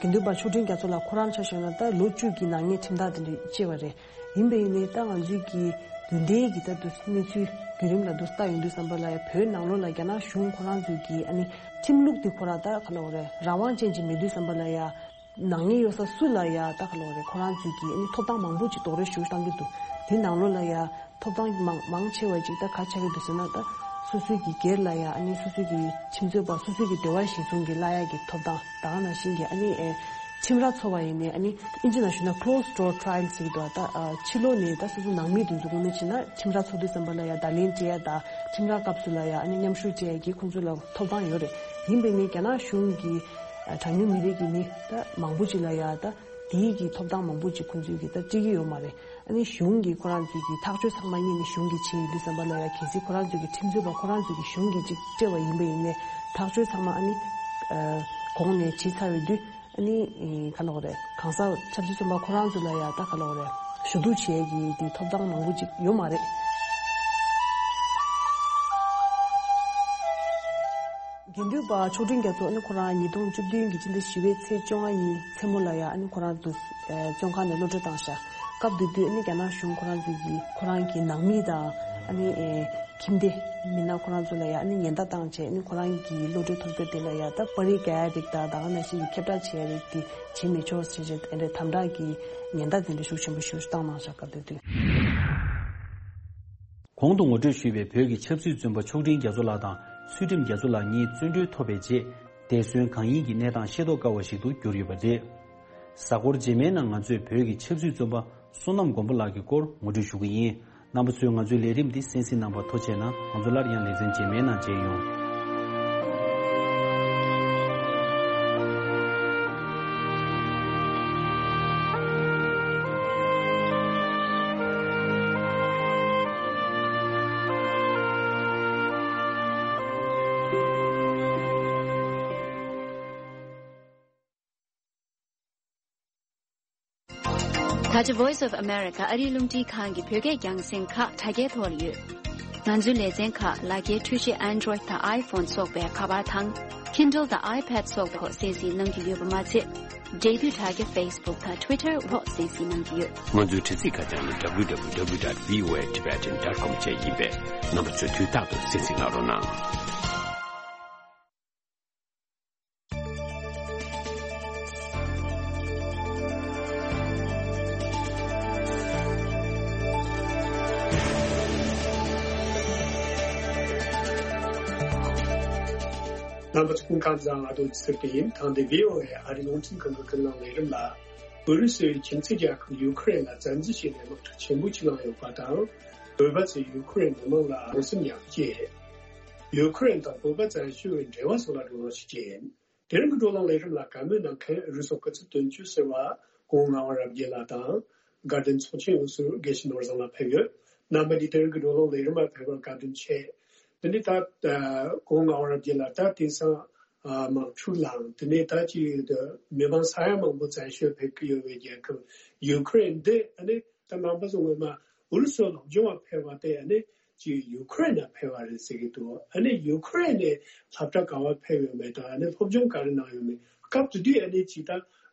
དགེ་འདུན་པ་མཆོག་སྤྲུལ་རྒྱ་མཚོ་ལགས་ཁོ་རང་ཆ་བཞག་ན་ད་ལོ་བཅུ་གི་ནག་ཉེས་ཁྲིམས་ཐག་དེ་འདྲ་བཅད་པ་རེད། ཡིན་པས་ཡིན་ནའི་ད་ང་ཚོའི་གི་རྒྱུན་ལྡན་གྱི་ད་དུ་གནས་ཚུལ་ བརྒྱུད་རིམ་ལ་འདུག་ལྟ་ཡོང་དུས་ཙམ་པ་ལ་ཡ་བོད་ནང་ལོགས་ལ་རྒྱ་ནག་གཞུང་ཁོ་རང་ཚོའི་གི་ཨ་ནི་ཁྲིམས་ལུགས་དེ་ཁོ་རང་ད་ག་ལབ་དགོས་རེད། རང་དབང་ཅན་ཅིག་མེད་དུས་ཙམ་པ་ལ་ཡ་ནག་ཉེས་ཡོད་ས་སུ་ལ་ཡ་ད་ག་ལབ་དགོས་རེད། ཁོ་རང་ཚོའི་གི་ཨ་ནི་ཐོབ་ཐང་མང་པོ་ཅིག་རྡོག་རོལ་ཞིག་བཏང་གི་འདུག་དེ་ནང་ལོགས་ལ་ཡ་ཐོབ་ཐང་མང་མང་ཆེ་བ་ཅིག་ད་ག་ཆགས་ཀྱི་འདུག་ཟེར་ན། ད་སོ་སོའི་གི་སྒེར་ལ་ཡ་ཨ་ནི་སོ་སོའི་གི་ཁྲིམས་རྩོད་པ་སོ་སོའི་གི་འབྲེལ་བ་གཞིར་བཟུང་གི་གླ་ཡ་གི་ཐོབ་ཐང་། ད་ག་ནང་བཞིན་གི་ཨ་ནི་ཨེ་ཁྲིམས་ར་འཚོ་བ་ཡིན་ནའི་ཨ་ནི་ཨིན་ཇི་ནང་ཞུས་ན་closed door trial ཟེར་གི་འདུག་ད་ཨ་ཕྱི་ལོགས་ནས་ད་སོ་སོ་ནང་མི་དེ་ཚོ་དགོངས་ནས་ཕྱིན་ན་ཁྲིམས་ར་འཚོགས་དུས་ཙམ་པ་ལ་ཡ་བརྡ་ལན་སྤྲད་ཡ་དང་ཁྲིམས་ར་སྐབས་སུ་ལ་ཡ་ཨ་ནི་མཉམ་ཞུགས་བྱེད་ཡ་གི་ཁོང་ཚོ་ལ་ཐོབ་ཐང་ཡོད་རེད། ཡིན་པས་ནི་རྒྱ་ནག་གཞུང་གི་ཨ་གྲངས་ཉུང་མི་རིགས་ཀྱི་མི་ད་མང་པོ་ཅིག་ལ་ཡ་ད་དེའི་གི་ཐོབ་ཐང་མང་པོ་ཅིག་ཁོང་ཚོས་གི་ད་སྤྲད་ཀྱི་ཡོད་མ་རེད། ཨ་ནི་གཞུང་གིས་ཁོ་རང་ཚོའི་གི་ཐག་གཅོད་ཚང་མ་གཉེར་ནས་གཞུང་གིས་བྱེད་ཡོང་དུས་ཙམ་པ་ལ་ཡ་གལ་སྲིད་ཁོ་རང་ཚོའི་གི་ཁྲིམས་རྩོད་པ་ཁོ་རང་ཚོའི་གི་གཞུང་གིས་ཅིག་སྤྲད་པ་ཡིན་པ་ཡིན་ནའི་ཐག་གཅོད་ཚང་མ་ཨ་ནི་ཨ་གོང་ནས་བྱས་ཚར་བའི་དུས་ཨ་ནི་ཨེ་ག་ལབ་དགོས་རེད། གང་ཟག་ཆབ་སྲིད་བཙོན་པ་ཁོ་རང་ཚོ་ལ་ཡ་ད་ག་ལབ་དགོས་རེད། ཞུ་གཏུག་བྱེད་ཡས་ཀྱི་དེ་ཐོབ་ཐང་མང་པོ་ཅིག་ཡོད་མ་རེད། དགེ་འདུན་པ་མཆོག་སྤྲུལ་རྒྱ་མཚོ་ཨ་ནི་ཁོ་རང་ཉིས་སྟོང་བཅུ་བདུན་གྱི་སྤྱི་ཟླ་བཞི་པའི་ཚེས་བཅོ་ལྔ་ཉིན་མཚན་མོ་ལ་ཡ་ཨ་ནི་ཁོ་རང་དུ་ཨེ་བཙོན་ཁང་ནས་གློད་བཀྲོལ་བཏང་ཤག་སྐབས་དེ་དུས་ཨ་ནི་རྒྱ་ནག་གཞུང་ཁོ་རང་ཚོ་གིས་ཁོ་རང་གི་ནང་མི་དང་ཨ་ནི་ཨེ་ཁྱིམ་སྡེ་མི་སྣ་ཁོ་རང་ཚོ་ལ་ཡ་ཨ་ནི་ཉེན་བརྡ་བཏང་བྱས་ཨ་ནི་ཁོ་རང་གི་གློད་བཀྲོལ་ཐོབ་རྒྱུ་དེ་ལ་ཡ་ད་པར་རིས་རྒྱག་ཡ་རིགས་དང་ད་ག་ནང་བཞིན་གྱི་ཁྱབ་བསྒྲགས་བྱེད་ཡ་རིགས་དེ་བྱེད་མི་ཆོག་ཟེར་བྱས་ཨ་ནི་དམ་དྲག་གི་ཉེན་བརྡ་དེ་འདྲ་ཤུགས་ཆེན་པོ་ཞིག་བཏང་གནང་ཤག་སྐབས་དེ་དུས། གོང་དུ་ངོ་སྤྲོད་ཞུས་པའི་བོད་ཀྱི་ཆབ་སྲིད་བཙོན་པ་མཆོག་སྤྲུལ་རྒྱ་མཚོ་ལགས་དང་ཚུལ་ཁྲིམས་རྒྱ་མཚོ་ལགས་གཉིས་བཙོན་གྲོལ་ཐོབ་པའི་རྗེས། འདས་གསོན་གང་ཡིན་གྱི་གནས་སྟངས་ཤེས་རྟོགས་དཀའ་བ་ཞིག་ཏུ་གྱུར་ཡོད་པ་རེད། གཟའ་འཁོར་རྗེས་མའི་ནང་ང་ཚོས་བོད་ཀྱི་ཆབ་སྲིད་བཙོན་པ་བསོད་ནམས་མགོན་པོ་ལགས་ཀྱི་སྐོར་ངོ་སྤྲོད་ཞུ་གི་ཡིན། རྣམ་པ་ཚོས་ང་ཚོའི་ལས་རིམ་འདི་གསན་གཟིགས་གནང་བར་ཐུགས་རྗེ་ཆེ་གནང་། ང་ཚོ་སླར་ཡང་ལེ་ཚན་རྗེས་མའི་ནང་མཇལ་ཡོང་། ད་ཆ་Voice of America ཨ་རིའི་རླུང་འཕྲིན་ཁང་གི་བོད་སྐད་རྒྱང་སྲིང་ཁག་དྲ་རྒྱའི་ཐོག་ལ་ཡོད། ང་ཚོའི་ལེ་ཚན་ཁག་ལག་འཁྱེར་འཕྲུལ་ཆས་Android་དང་iPhone་སོགས་པའི་ཁ་པར་དང་། Kindle་དང་iPad་སོགས་ཐོག་གསན་གཟིགས་གནང་རྒྱུ་ཡོད་པ་མ་ཚད། འབྲེལ་མཐུད་དྲ་རྒྱ་Facebook་དང་Twitter་འོག་གསན་གཟིགས་གནང་རྒྱུ་ཡོད། ང་ཚོའི་དྲ་ཚིགས་ཁ་བྱང་ནི་www.voatibetan.com་བཅས་ཡིན་པས། རྣམ་པ་ཚོས་དུས་རྟག་ཏུ་གསན་གཟིགས་གནང་རོགས་གནང་། རྣམ་པ་ཚོ་སྐུ་ཁམས་བཟང་། ང་དོན་ཚེ་རིང་ཡིན། ཐེངས་འདིའི་ཝི་ཨོ་ཨེ་ཨ་རིའི་རླུང་འཕྲིན་ཁང་གི་ཀུན་གླེང་ལས་རིམ་ལ། ཨུ་རུ་སུའི་ཁྱིམ་མཚེས་རྒྱལ་ཁབ་ཡུ་ཁུ་རེན་ལ་བཙན་འཛུལ་བྱས་ནས་དམག་འཁྲུག་ཆེན་པོ་ཅིག་བསླངས་ཡོད་པ་དང་། བོད་པ་ཚོས་ཡུ་ཁུ་རེན་མི་མང་ལ་རང་སེམས་ཉར་སྐྱེལ། ཡུ་ཁུ་རེན་དང་བོད་པ་བཙན་བྱོལ་བའི་འབྲེལ་བ་སོགས་ལ་བགྲོ་གླེང་ཞིག་བྱས། དེ་རིང་གི་བགྲོ་གླེང་ལས་རིམ་ལ་བཀའ་མོལ་གནང་མཁན་རུ་སོག་སྐུ་ཚབ་དོན་གཅོད་ཟུར་པ་སྐུ་ངོ་ངག་དབང་རབ་རྒྱས་ལགས་དང་། དགའ་ལྡན་ཚོགས་ཆེན་འོག་ཟུར་དགེ་བཤེས་ནོར་བཟང་ལགས་ཕེབས་ཡོད། རྣམ་པ་གཉིས་དེ་རིང་གི་བགྲོ་གླེང་ལས་རིམ་ལ་ཕེབས་པར་བཀའ་དྲིན་ཆེ། དེ་ནས་ད་སྐུ་ངོ་ངག་དབང་རབ་རྒྱས་ལགས། ད་དེང་སང་དམག་འཁྲུག་ལངས། དེ་ནས་ད་ཅིག་མི་མང་ས་ཡ་མང་པོ་བཙན་བྱོལ་ཕེབས་ཀྱི་ཡོད་པའི་རྒྱལ་ཁབ་ཡུ་ཁུ་རེན་འདི་ཨ་ནི་ད་རྣམ་པ་ཚོ་སྔོན་མ་ཨུ་རུ་སུ་སློབ་སྦྱོང་བ་ཕེབས་པ་དེ་ཨ་ནི། ཅིག་ཡུ་ཁུ་རེན་ནང་ཕེབས་པ་རེད་ཟེར་གྱི་འདུག་ཨ་ནི་ཡུ་ཁུ་རེན་ནས་སློབ་གྲྭ་ག་པར་ཕེབས་ཡོད་མེད་དང་། ཨ་ནི་སློབ་སྦྱོང་ག་རེ་གནང་ཡོད་མེད། སྐབས་དེ་དུས་ཨ་ནི་ཅིག་ད་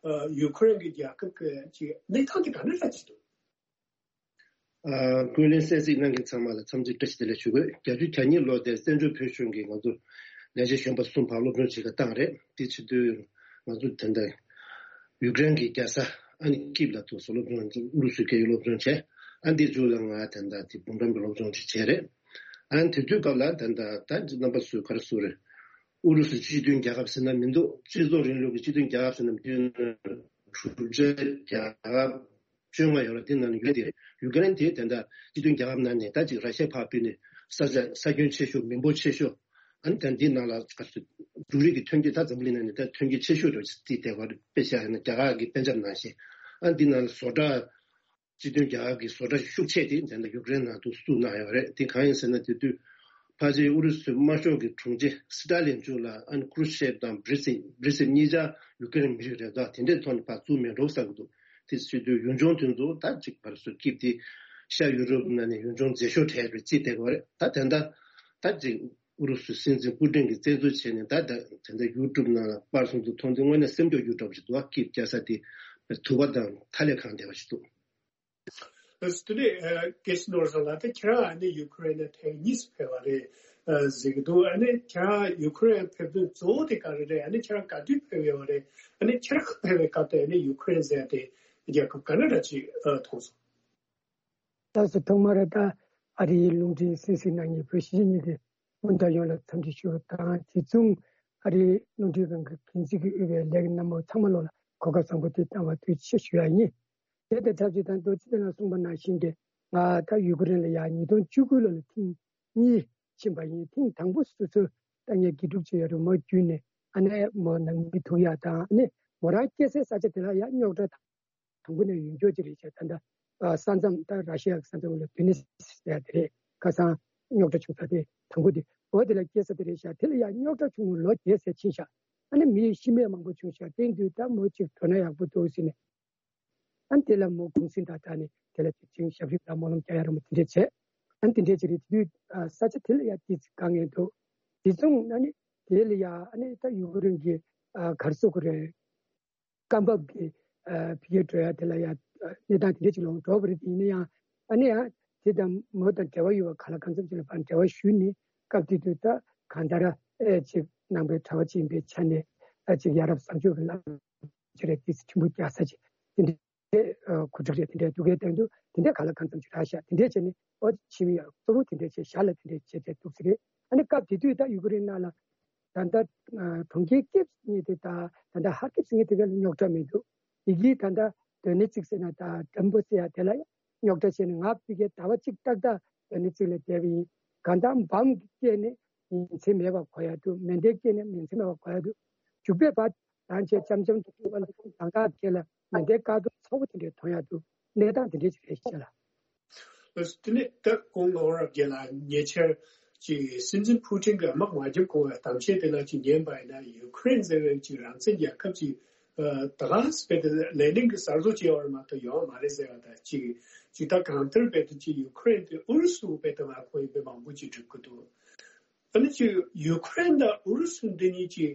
ཡུ་ཁུ་རེན་གྱི་རྒྱལ་ཁབ་ཀྱི་ཅིག་གནས་སྟངས་དེ་ག་འདྲ་འདྲ་ཅིག་འདུག་ཨ། ཀུན་གླེང་གསན་གཟིགས་གནང་མཁན་ཚང་མ་ལ་འཚམས་འདྲི་བཀྲ་ཤིས་བདེ་ལེགས་ཞུ་དགོས། བརྒྱད་ཅུ་གྱ་གཉིས་ལོ་དེར་བཙན་བྱོལ་བོད་གཞུང་གིས་ང་ཚོ་ལས་བྱེད་གཞོན་པ་གསུམ་ཕར་སློབ་སྦྱོང་བྱེད་གར་བཏང་རེད། དེ་བྱེད་དུས་ང་ཚོ་ད་ལྟ་ཡུཀ་རེན་གྱི་རྒྱལ་ས་ཨ་ནི་ཀིབ་ལ་ཐུག་སོ་སློབ་སྦྱོང་ཨུ་རུ་སུའི་སྐད་ཡིག་སློབ་སྦྱོང་བྱས། ཨ་འདི་མཇུག་ལ་ང་ད་ལྟ་དེ་འབུམ་རམས་པའི་སློབ་སྦྱོང་ཅིག་བྱས་རེད། ཨ་དེ་དུས་སྐབས་ལ་ད་ལྟ་ད་རྣམ་པ་ཚོས་ག་རེ་ཟེར་རེད། ཨུ་རུ་སུ་སྤྱི་མཐུན་རྒྱལ་ཁབ་ཟེར་ན་མི་འདུག་སྤྱི་ཚོགས་རིང་ལུགས་ཀྱི་སྤྱི་མཐུན་རྒྱལ་ཁབ་ཟེར་ན་མི་འདུག་གྲུབ་ཆ་རྒྱལ་ཁབ་བཅོ་ལྔ་ཡོད་རེད། དེ་ནང་ནས་ཡུ་ཀེ་རེན་དེ་ད་ལྟ་སྤྱི་མཐུན་རྒྱལ་ཁབ་ནང་ནས་ད་ཅིག་ར་ཤི་ཡ་ཕར་ཕུད་ནས་ས་ཆ་ས་ཁྱོན་ཆེ་ཤོས། མི་འབོར་ཆེ་ཤོས། ཨ་ནི་ད་འདི་ནང་ལ་ག་ཚོད་འབྲུ་རིགས་ཀྱི་ཐོན་སྐྱེད་ད་འཛམ་བུ་གླིང་ནང་ནས་ད་ཐོན་སྐྱེད་ཆེ་ཤོས་རེད་ཅེས་དེ་བར་དཔེ་བཞག་ཡིན་ན་རྒྱ་གར་གྱི་པན་ཇབ་ནང་བཞིན། ཨ་ནི་འདི་ནང་ལ་བཟོ་གྲྭ་སྤྱི་མཐུན་རྒྱལ་ཁབ་ཀྱི་བཟོ་གྲྭ་ཤུགས་ཆེ་དེ་ད་ལྟ་ཡུཀ་རེན་ནང་དུ་བཙུགས་གནང་ཡོད་རེད། དེ་གང་ཡིན་ཟེར་ན་དེ་དུས་ཕལ་ཆེར་ཨུ་རུ་སུའི་དམར་ཤོག་གི་དྲུང་ཆེ་སི་ཏཱ་ལིན་མཇུག་ལ་ཨ་ནི་ཁུ་རུ་ཤེབ་དང་བྷི་རི་ཟིབ་བྷི་རི་ཟིབ་གཉིས་ཆ་ཡུཀ་རེན་མི་རིགས་རེད། ད་དེ་འདྲའི་ཐོག་ནས་ཕར་བཙུགས་མེད་འགྲོ་བསམ་གྱི་འདུག་དེ་བྱེད་དུས་ཡུལ་ལྗོངས་དེ་ཚོ་ད་ཅིག་བར་སོ་སྐྱིབས་དེ་ཤར་ཡུ་རོབ་ནང་ནས་ཡུལ་ལྗོངས་མཛེས་ཤོས་གྲས་རེད་ཅེས་བསྡད་ཀྱི་ཡོད་རེད། ད་དེ་འདྲ་ད་ཅིག་ཨུ་རུ་སུའི་སྲིད་འཛིན་པུ་ཏིན་གྱིས་བཙན་འཛུལ་བྱས་ནས་ད་ད་དེ་འདྲ་ཡུ་ཊུབ་ནང་ལ་པར་སོང་དུ་མཐོང་དུས་དངོས་གནས་སེམས་སྐྱོ་རྒྱུ་འདྲ་པོ་ཞིག་འདུག་ཨ་སྐྱིབས་རྒྱག་ས་དེ་དུ་བ་དང་ཐ་ལེ་ཁང་བསྡད་པ་ཞིག་འདུག་ཨ་དེ་ནས་ཨ་སྐད་ཆ་ནོར་སོང་ལ། ད་ཁྱེད་རང་ཨ་ནི་ཡུ་ཁུ་རེན་ནས་ཐེངས་གཉིས་སུ་ཕེབས་པ་རེད། ཨ་གཟིགས་འདུག་ཨ་ནི་ཁྱེད་རང་ཡུ་ཁུ་རེན་ཕེབས་དོན་གཙོ་བོ་དེ་ག་རེ་རེད། ཨ་ནི་ཁྱེད་རང་ག་དུས་ཕེབས་ཡོད་པ་རེད། ཨ་ནི་ཁྱེད་རང་ཕེབས་པའི་སྐབས་དེ་ཨ་ནི་ཡུ་ཁུ་རེན་ཟེར་ཡ་དེ་རྒྱལ་ཁབ་ག་འདྲ་འདྲ་ཅིག་ཨ་མཐོང་སོང་། ད་སོ་ཐོག་མར་ད་ཨ་རིའི་རླུང་འཕྲིན་སྲིད་ཟིང་ནང་ཉིད་བོད་གཞིས་གཉིས་དེ་སྔོན་དུ་ཡོངས་ལ་འཚམས་འདྲི་ཞུ་བ་དང་། དེ་མཚུངས་ཨ་རིའི་རླུང་འཕྲིན་ཁང་གི་འགན་འཛིན་གྱི་དབུས་པའི་ལས་ཀྱི་རྣམ་པ་ཚང་མ་ལོ་ལ་གོ་སྐབས་བཟང་པོ་དེ་བཏང་བ་ཐུགས་རྗེ་ཆེ་ཞུ་ཡ་ཡིན། དེ་དང་ཆབས་ཅིག་ད་རྡོ་རྗེ་གདན་ལ་གསུངས་པ་ནང་བཞིན་གྱི་ང་ད་ཡུ་ཀེ་རེན་ལ་ཡ་ཉིས་སྟོང་བཅུ་དགུ་ལོ་ལ་ཐེངས་གཉིས་ཕྱིན་པ་ཡིན། ཐེངས་དང་པོ་སོ་སོ་ད་ངས་དགེ་ཕྲུག་ཅིག་ཡོད་རེད། མོ་བརྒྱུད་ནས་ཨ་ནེ་མོ་ནང་མི་ཐུག་ཡ་དང་། ཨ་ནེ་མོ་རང་སྐྱེས་སའི་ས་ཆ་དེ་ལ་ཡ་རྙོག་དྲ་དང་དང་པོ་ནས་ཡོང་ཆོག་ཅིག་རེད་ཤག་ད་ལྟ་ས་མཚམས་ད་ར་ཤི་ཡ་གི་ས་མཚམས་ལ་དུ་ནི་སི་ཟེར་ཡ་དེ་རེད། ཁ་སང་རྙོག་དྲ་བྱུང་ས་དེ་དང་པོ་དེ་འོ་དེ་ལ་སྐྱེས་ས་དེ་རེད་ཤག་དེ་ལ་ཡང་རྙོག་དྲ་བྱུང་ལོ་བརྒྱད་ཙམ་ཕྱིན་ཤག་ཨ་ནི་མི་ཤི་རྨས་མང་པོ་བྱུང་ཤག་དེ་དུས་ད་མོ་གཅིག་འགྲོ་ན་ཡག་པོ་འདུག་ཟེར་ནས། ཨ་ནི་དེ་ལ་མོ་གུང་སེང་དང་ད་ནི་དེ་ལ་ཅིག་ཅིག་ཞབས་ཕྱི་དང་སྨོན་ལམ་རྒྱག་ཡ་ར་མོ་དེ་འདྲས་བྱས། ཨ་ནི་དེ་འདྲས་ཅིག་རེད། དེ་དུས་ས་ཆ་དེ་ལ་ཡང་ཏིས་དཀའ་ངལ་འདུག་དེ་མཚུངས་ཨ་ནི་དེ་ལ་ཡང་ཨ་ནི་ད་ཡུ་ཀེ་རེན་གྱི་ག་རེ་ཟེར་དགོས་རེད། སྐབས་བབ་ཀྱི་ཨ་ཕ་གིར་འགྲོ་ཡ་དེ་ལ་ཡ་ཨ་གནས་སྟངས་དེ་འདྲ་ཅིག་ལ་འགྲོ་བ་རེད། དེ་ཡིན་ན་ཡང་ཨ་ནི་ཡང་དེ་དང་མོ་དང་འབྲེལ་བ་ཡོད་པ་གང་ལ་གང་འཚམ་ཅིག་ལ་ཕར་འབྲེལ་བ་ཞུས་ནས། སྐབས་དེ་དུས་ད་གང་ལྟར་ཨེ་ཅིག་ནང་པའི་གྲྭ་པ་ཅིག་ཡིན་པའི་ཆ་ནས་ཨ་ཅིག་ཡ་རབས་བཟང་སྤྱོད་ཀྱི་བླ་མ་ཅིག་རེད། དེ་ཆེན་པོ་རྒྱག་ས་ཅིག་དེ་འདྲའི་ཨ་གོ་སྒྲིག་རེད། དེ་འདྲའི་འདུག་གས་དེ་འདུག་དེ་འདྲའི་གང་ལ་གང་འཚམ་ཅིག་རག་ཤག་དེ་འདྲས་བྱས་ནས་ཨོ་ཕྱི་མི་ཡ་གཙོ་བོ་དེ་འདྲས་བྱས་ཞར་ལ་དེ་འདྲས་བྱས་བྱས་འདུག་ས་རེད། ཨ་ནི་སྐབས་དེ་དུས་ད་ཡུ་ཀེ་རེན་ནང་ལ་ད་ལྟ་ཨ་གྲོང་ཁྱེར་ཀིབ་གཉིས་དེ་ད་ད་ལྟ་ཧར་ཀིབ་ཟེར་མཁན་དེ་ག་ལ་རྙོག་དྲ་མི་འདུག་ཡི་གེ་ད་ལྟ་དོན་ནི་གཅིག་ཟེར་ན་ད་འགྲམ་པོ་ཟེར་ཡ་དེ་ལ་རྙོག་དྲ་བྱས་ནས། ང་ཕ་གིར་ཟླ་བ་གཅིག་ཏག་ཏག་དོན་ནི་གཅིག་ལ་བསྡད་པ་ཡིན། གང་ལྟར་འབམ་གྱི་སྐད་ནི་ཉིན་མཚན་མེད་པར་གོ་ཡ་འདུག་མེ་མདའི་སྐད་ནི་ཉིན་མཚན་མེད་པར་གོ་ཡ་འདུག་མཇུག་པའི་བར་དང་བཅས་འཆམ་འཆམ་དུ་སྤྲུལ་པ་ལ་གང་ག་སྐད་ལ་མེ་མདའི་དཀར་གདུང་ཚ་པོ་དེ་འདྲས་མཐོང་ཡ་འདུག་གནས་སྟངས་དེ་འདྲས་ཅིག་རེད་ཤག་ལགས། དེ་ནས་ད་གོང་ལོག་རབ་རྒྱལ་ལ་ཉེ་ཆར་གྱི་སྲིད་འཛིན་ཕུ་ཀྲིན་གྱིས་དམག་མ་བརྒྱབ་གོང་བའི་གཏམ་བཤད་དེ་ལ་ཅིག་ཉན་པ་ཡིན་ན། ཡུ་ཁུ་རེན་ཟེར་བའི་ཅིག་རང་བཙན་རྒྱལ་ཁབ་ཅིག་ཨ་ད་ག་སེ་དཔེ་དེ་ལས་ནིང་གི་གསར་བཟོ་བྱས་པ་རེད་མ་གཏོགས་ཡོད་མ་རེད་ཟེར་བ་དང་གཅིག་ཅིག་ད་གང་ལྟར་དཔེ་དེ་ཅིག་ཡུ་ཁུ་རེན་དེ་ཨུ་རུ་སུ་དཔེ་དེ་མ་ཁོ་ཡིན་པའི་མང་པོ་ཅིག་སྒྲུབ་ཀྱི་འདུག་ཨ་ནི་ཅིག་ཡུ་ཁུ་རེན་དང་ཨུ་རུ་སུ་འདི་གཉིས་ཀྱི་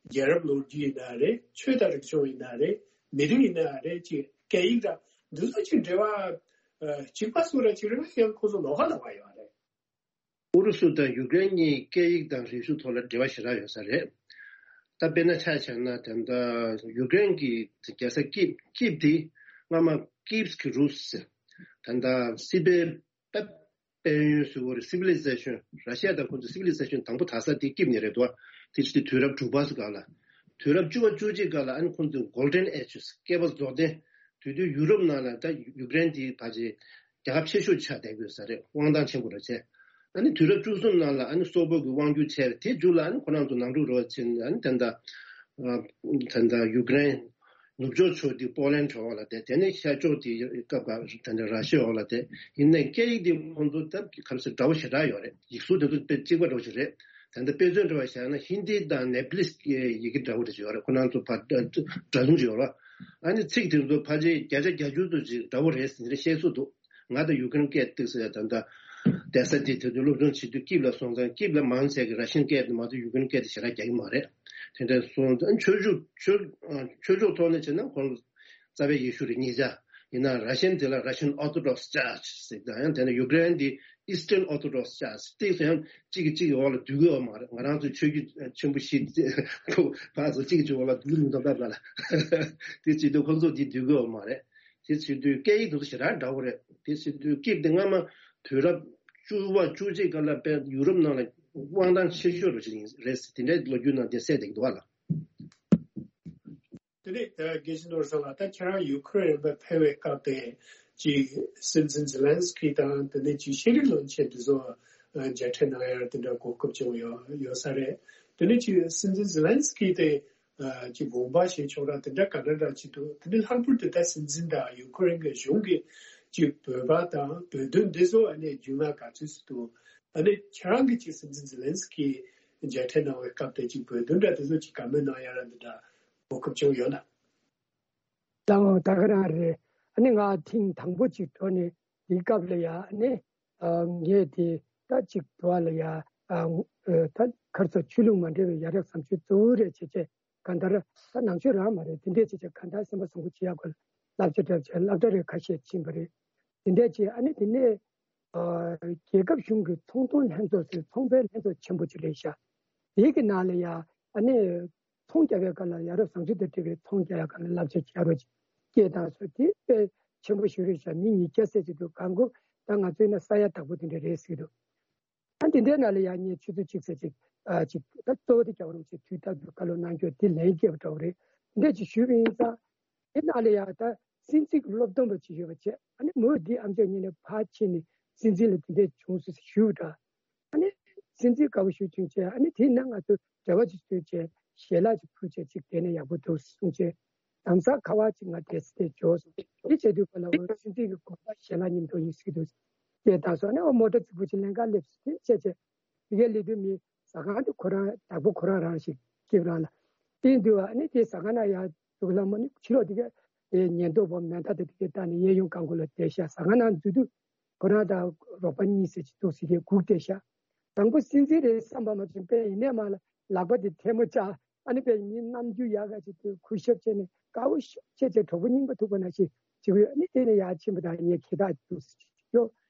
རྒྱལ་རབས་ལོ་རྒྱུས་ཡིན་ན་རེད། ཆོས་དང་རིག་གཞུང་ཡིན་ན་རེད། མི་རིགས་ཡིན་ན་རེད། ཅིག་སྐད་ཡིག་དང་འདི་ཚོ་ཅིག་འབྲེལ་བ་ཨ་གཅིག་པ་སུ་ར་ཅིག་རེད་པ། ཡང་ཁོ་ཚོ་ལོགས་ཀ་ལོགས་ཀ་ཡོད་རེད། ཨུ་རུ་སུ་དང་ཡུ་ཀེ་རེན་གཉིས་སྐད་ཡིག་དང་རིག་གཞུང་ཐོག་ལ་འབྲེལ་བ་ཞེ་དྲག་ཡོད་ས་རེད། ད་དཔེར་ན་ཆ་བཞག་ན་ད་ལྟ་ཡུ་ཀེ་རེན་གྱི་རྒྱལ་ས་ཀིབ་ཀིབ་དེ་སྔ་མ་ཀིབ་སི་ཀི་རུ་སི་ཟེར། ད་ལྟ་སི་པན་པ་དཔལ་ཡོན་ཟེར་བ་རེད། སི་ཝི་ལི་ཛེ་ཤན། ར་ཤི་ཡ་དང་ཁོང་ཚོ་སི་ཝི་ལི་ཛེ་ཤན་དང་པོ་དར་ས་དེ་ཀིབ་ནས་རེད་དོ། དེ་ཕྱི་དུས་རབས་དྲུག་པ་སྐབས་ལ། དུས་རབས་བཅུ་པ་བཅུ་གཅིག་སྐབས་ལ་ཨ་ནི་ཁོང་ཚོའི་Golden Ages། བསྐལ་པ་རྫོགས་ལྡན། དེ་དུས་ཡུ་རོབ་ནང་ལ་ད་ཡུ་ཀེ་རེན་དེ་ཕལ་ཆེར་རྒྱལ་ཁབ་ཆེ་ཤོས་ཆགས་བསྡད་ཡོད་ས་རེད། དབང་ཐང་ཆེན་པོ་རེད་བྱས། ཨ་ནི་དུས་རབས་བཅུ་གསུམ་ནང་ལ་ཨ་ནི་སོག་པོ་གི་དབང་སྒྱུར་བྱས། དེ་མཇུག་ལ་ཨ་ནི་ཁོ་རང་ཚོ་ནང་འཁྲུག་རོགས་བྱས་ནས། ཨ་ནི་ད་ལྟ་ཨ་ད་ལྟ་ཡུ་ཀེ་རེན་ནུབ་ཕྱོགས་ཕྱོགས་དེ་པོ་ལན་འོག་ལ་བསྡད། དེ་ནས་ཤར་ཕྱོགས་དེ་སྐབས་ཀ་ད་ལྟ་ར་ཤི་ཡ་འོག་ལ་བསྡད། ཡིན་ནའི་སྐད་ཡིག་དེ་ཁོང་ཚོ་ད་ག་རེ་ཟེར་འདྲ་བོ་ཞེ་དྲག་ཡོད་རེད། ཡིག་གཟུགས་དེ་ཚོ་དཔེ་གཅིག་པ་འདྲ་བོ་ཞིག་རེད། ད་ལྟ་དཔེ་མཚོན་འདྲ་བ་བཞག་ན་ཧིན་དི་དང་ནེ་པ་ལིས་ཀྱི་ཡི་གེ་འདྲ་བོ་རེ་ཞིག་ཡོད་རེད། ཁོ་རང་ཚོ་ཕར་འདྲ་མཚུངས་ཅིག་ཡོད་རེད། ཨ་ནི་ཚིག་དེ་ཚོ་ཕལ་ཆེར་བརྒྱ་ཆ་བརྒྱད་ཅུ་ཙམ་ཅིག་འདྲ་བོ་རེད་ཟེར་ནས་བཤད་སྲོལ་འདུག་ང་ད་ཡུ་ཀེ་རེན་སྐད་ཏོག་ཙམ་ད་ལྟ་བསྡད་ས་དེ་དེ་ཚོ་སློབ་སྦྱོང་བྱེད་དུས་ཀིབ་ལ་སོང་ཙང་ཀིབ་ལ་མང་ཆེ་གི་ར་ཤན་སྐད་དེ་མ་གཏོགས་ཡུ་ཀེ་རེན་སྐད་དེ་ཞེ་དྲག་རྒྱག་གི་མ་རེད། དེ་འདྲ་སོང་ཙང་ཆོས་ཕྱོགས་ཆོས་ཆོས་ཕྱོགས་ཐོག་ནས་བྱས་ན་ཁོང་རྩ་བའི་ཡེ་ཤུ་རེད། ཉེ་ཆར་ཡིན་ན་ར་ཤན་དེ་ལ་Russian Orthodox Church ཟེར། ད་ཡང་དེ་ནས་ཡུ་ཀེ་རེན་དེ་Eastern Orthodox Church། ཏོག་ཙམ་ཡང་གཅིག་གིས་གཅིག་གི་འོག་ལ་སྡོད་ཀྱི་ཡོད་མ་རེད། ང་རང་ཚོའི་ཆོས་བརྒྱུད་ཆེན་པོ་བཞི་ཁོ་ཕར་ཚུར་གཅིག་གིས་གཅིག་འོག་ལ་སྡོད་ཀྱི་མི་འདུག་སྟབས་ལ། དེ་བྱེད་དུས་ཁོ་ཚོ་དེ་སྡོད་ཀྱི་ཡོད་མ་རེད། དེ་བྱེད་དུས་སྐད་ཡིག་དེ་ཚོ་ཞེ་དྲག་འདྲ་བོ་རེད། དེ་བྱེད་དུས་ཀིབ་དེ་སྔ་མ་དུས་རབས་བཅུ་པ་བཅུ་གཅིག་སྐབས་ལ་དཔེ་ཡུ་རོབ་ནང་ལ་དབང་ཐང་ཆེ་ཤོས་རུ་ཅིག་རེད། དེ་འདྲའི་ལོ་རྒྱུས་ནང་དེ་གསལ་བསྡད་ཀྱི་འདུག་བ་ལ། དེ་ནས་ད་དགེ་བཤེས་ནོར་བཟང་ལགས། ད་ཁྱེད་རང་ཡུ་ཁུ་རེན་ལ་ཕེབས་པའི་སྐབས་དེ་ཅིག་སྲིད་འཛིན་ཛེ་ལན་སི་ཀི་དང་དེ་ནས་ཅིག་ཤེས་རིག་བློན་ཆེན་དེ་ཚོ་ཨ་མཇལ་འཕྲད་གནང་ཡ་དེ་འདྲ་གོ་སྐབས་བྱུང་ཡོད་ཡོད་ས་རེད། དེ་ནས་ཅིག་སྲིད་འཛིན་ཛེ་ལན་སི་ཀི་དེ་ཨ་ཅིག་དགོངས་པ་བཞེས་ཕྱོགས་ར་དེ་འདྲ་ག་འདྲ་འདྲ་ཅིག་འདུག་དེ་ནས་ལྷག་པར་དུ་ད་སྲིད་འཛིན་དང་ཡུ་ཁུ་རེན་གྱི་གཞུང་གིས་ཅིག་བོད་པ་དང་བོད་དོན་འདི་ཚོ་ཨ་ནི་རྒྱུས་མངའ་ག་ཚོད་ཅིག་འདུག་ཨ་ནི་ཁྱེད་རང་གིས་ཅིག་སྲིད་འཛིན་ཛེ་ལན་སི་ཀི་མཇལ་འཕྲད་གནང་བའི་སྐབས་དེ་ཅིག་བོད་དོན་འདྲ་དེ་ཚོ་ཅིག་བཀའ་མོལ་གནང་ཡ་ར་འདི་འདྲ་གོ་སྐབས་བྱུང་ཡོད་ན། ད་ད་ག་རང་རེད། ཨ་ནི་ང་ཐེངས་དང་པོ་ཅིག་འགྲོ་ནས་དེའི་སྐབས་ལ་ཡ་ཨ་ནི་ཨ་ངས་དེ་ད་ཅིག་འགྲོ་བ་ལ་ཡ་ཨ་ད་ག་རེ་ཟེར་ཆོས་ལུགས་མ་འདྲེས་པའི་ཡ་རབས་བཟང་སྤྱོད་གཙོ་བོ་རེད་བྱས་བྱས། གང་ལྟར་ད་ནང་ཆོས་རང་མ་རེད། དེ་འདྲས་བྱས་བྱས་གང་ལྟར་སེམས་པ་བཟང་པོ་བྱེད་ཡག་སྐོར་བསླབ་བྱ་འདྲ་བྱས་སློབ་གྲྭ་རེ་ཁ་ཤས་ཕྱིན་པ་རེད། དེ་འདྲ་བྱས། ཨ་ནི་དེ་ནས་ཨ་རྒྱལ་ཁབ་གཞུང་གི་ཚོང་དོན་ལྷན་ཚོགས་ཟེར་ཚོང་པའི་ལྷན་ཚོགས་ཆེན་པོ་ཅིག་རེད་ཤག་དེའི་གི་ནང་ལ་ཡ་ཨ་ནི་ཚོང་རྒྱག་པའི་སྐབས་ལ་ཡ་རབས་བཟང་སྤྱོད་དང་འབྲེལ་བའི་ཚོང་རྒྱག་ཡ་སྒང་ལ་བསླབ་བྱ་བྱ་རོགས་ཅིག་སྐད་བཏང་སོང་། དེ་དཔེ་ཆེན་པོ་ཞིག་རེད་ཤག་མི་ཉིས་བརྒྱ་ཙམ་ཅིག་འདུག་གང་གོ་ད་ང་ཚོའི་ན་ས་ཡ་དྭགས་པོ་དེ་འདྲ་རེད་ཟེར་གི་འདུག་ཨ་འདི་འདྲའི་ནང་ལ་ཡང་ངས་ཆུ་ཚོད་གཅིག་ཙམ་ཅིག་ཨ་ཅིག་ད་གཙོ་བོ་དེ་རྒྱལ་བ་རིན་པོ་ཆེ་དུས་རྟག་ཏུ་བཀའ་སློབ་གནང་རྒྱུ་དེ་ལན་སྐྱེལ་བ་འདྲ་བོ་རེད། འདི་འདྲ་ཅིག་ཞུས་པ་ཡིན་ཙང་། དེ་ནང་ལ་ཡང་ད་སྲིད་འཛིན་གྱི་སློབ་སྟོན་པ་ཅིག་ཡོད་པ་བྱས། ཨ་ནི་མོས་འདི་ཨམ་ཅོག་གཉིས་ནས་ཕར་ཕྱིན་ནས་སྲིད་འཛིན་ལ་དེ་འདྲ་བྱུང་སོང་ཞུས་པ་འདྲ། ཨ་ནི་སྲིད་འཛིན་དགའ་པོ་ཞུ་བྱུང་བྱས། ཨ་ནི་དེ་ནང་ང་ཚོ་འབྲེལ་བ་ཅིག་བཟོས་བྱས་ཞལ་ལག་ཅིག་ཕུལ་བྱས་ཅིག་དེ་ནས་ཡག་པོ་འདུག་གསུངས་བྱས། དམ་ས་ཁ་བ་ཅིག་ང་དེ་སི་དེ་འབྱོར་སོང་། དེ་བྱས་དུས་ག་ལ་འོ་སྲིད་འཛིན་གྱི་དགོངས་པ་ཞལ་ལག་མཉམ་དུ་ཡིན་སྲིད་འདུག་ཅེས་ད་སོང་། ཨ་ནི་འོ་མོ་ཊ་རྫིག་པོ་ཅིག་ལེན་ག་སླེབས་སོང་། དེ་བྱས་བྱས་དེ་གའི་སླེབས་དུས་མི་ཟ་ཁང་དེ་ཁོ་རང་བདག་པོ་ཁོ་རང་རང་ཞིག་སྐྱིབས་རང་ལ་བསྟན་དུས། ཨ་ནི་དེ་ཟ་ཁང་ན་ཡར་འཛུལ་ལ་མོ་ནི་ཕྱི་ལོགས་དེ་གའི་དེ་ཉེན་རྟོག་པ་མེ་མདའ་དེ་དེ་གའི་བཏང་ནས་གཡས་གཡོན་གང་གོ་ལ་བསྡད་ཤག་ཟ་ཁང་ནང་འཛུལ་དུས་ཁོ་རང་དང་རོགས་པ་གཉིས་ཟེར་ཅིག་འདུག་ཟེར་གྱི་སྒུག་བསྡད་ཤག་དང་པོ་སྲིད་འཛིན་རེད་བསམ་པ་མ་བྱུང་། དཔེ་ཡིན་ནས་མ་ལ་ལག་པ་དེ་ཐལ་མོ་སྦྱར། ཨ་ནི་དཔེ་མི་རྣམ་འགྱུར་ཡག་ག་ཅིག་ཏུ་གུས་ཞབས་བྱས་ནས་དགའ་བོ་ཤོག་བྱས་བྱས་གྲོགས་པོ་རྙིང་པ་ཐུག་པ་ནང་བཞིན་བྱེད་ཀྱི་ཡོད། ཨ་ནི་དེ་ནས་ཡར་ཕྱིན་པ་དང་ངས་ཁྱེད་དག་འདུག་ཟེར་ཅིག་ཡོ་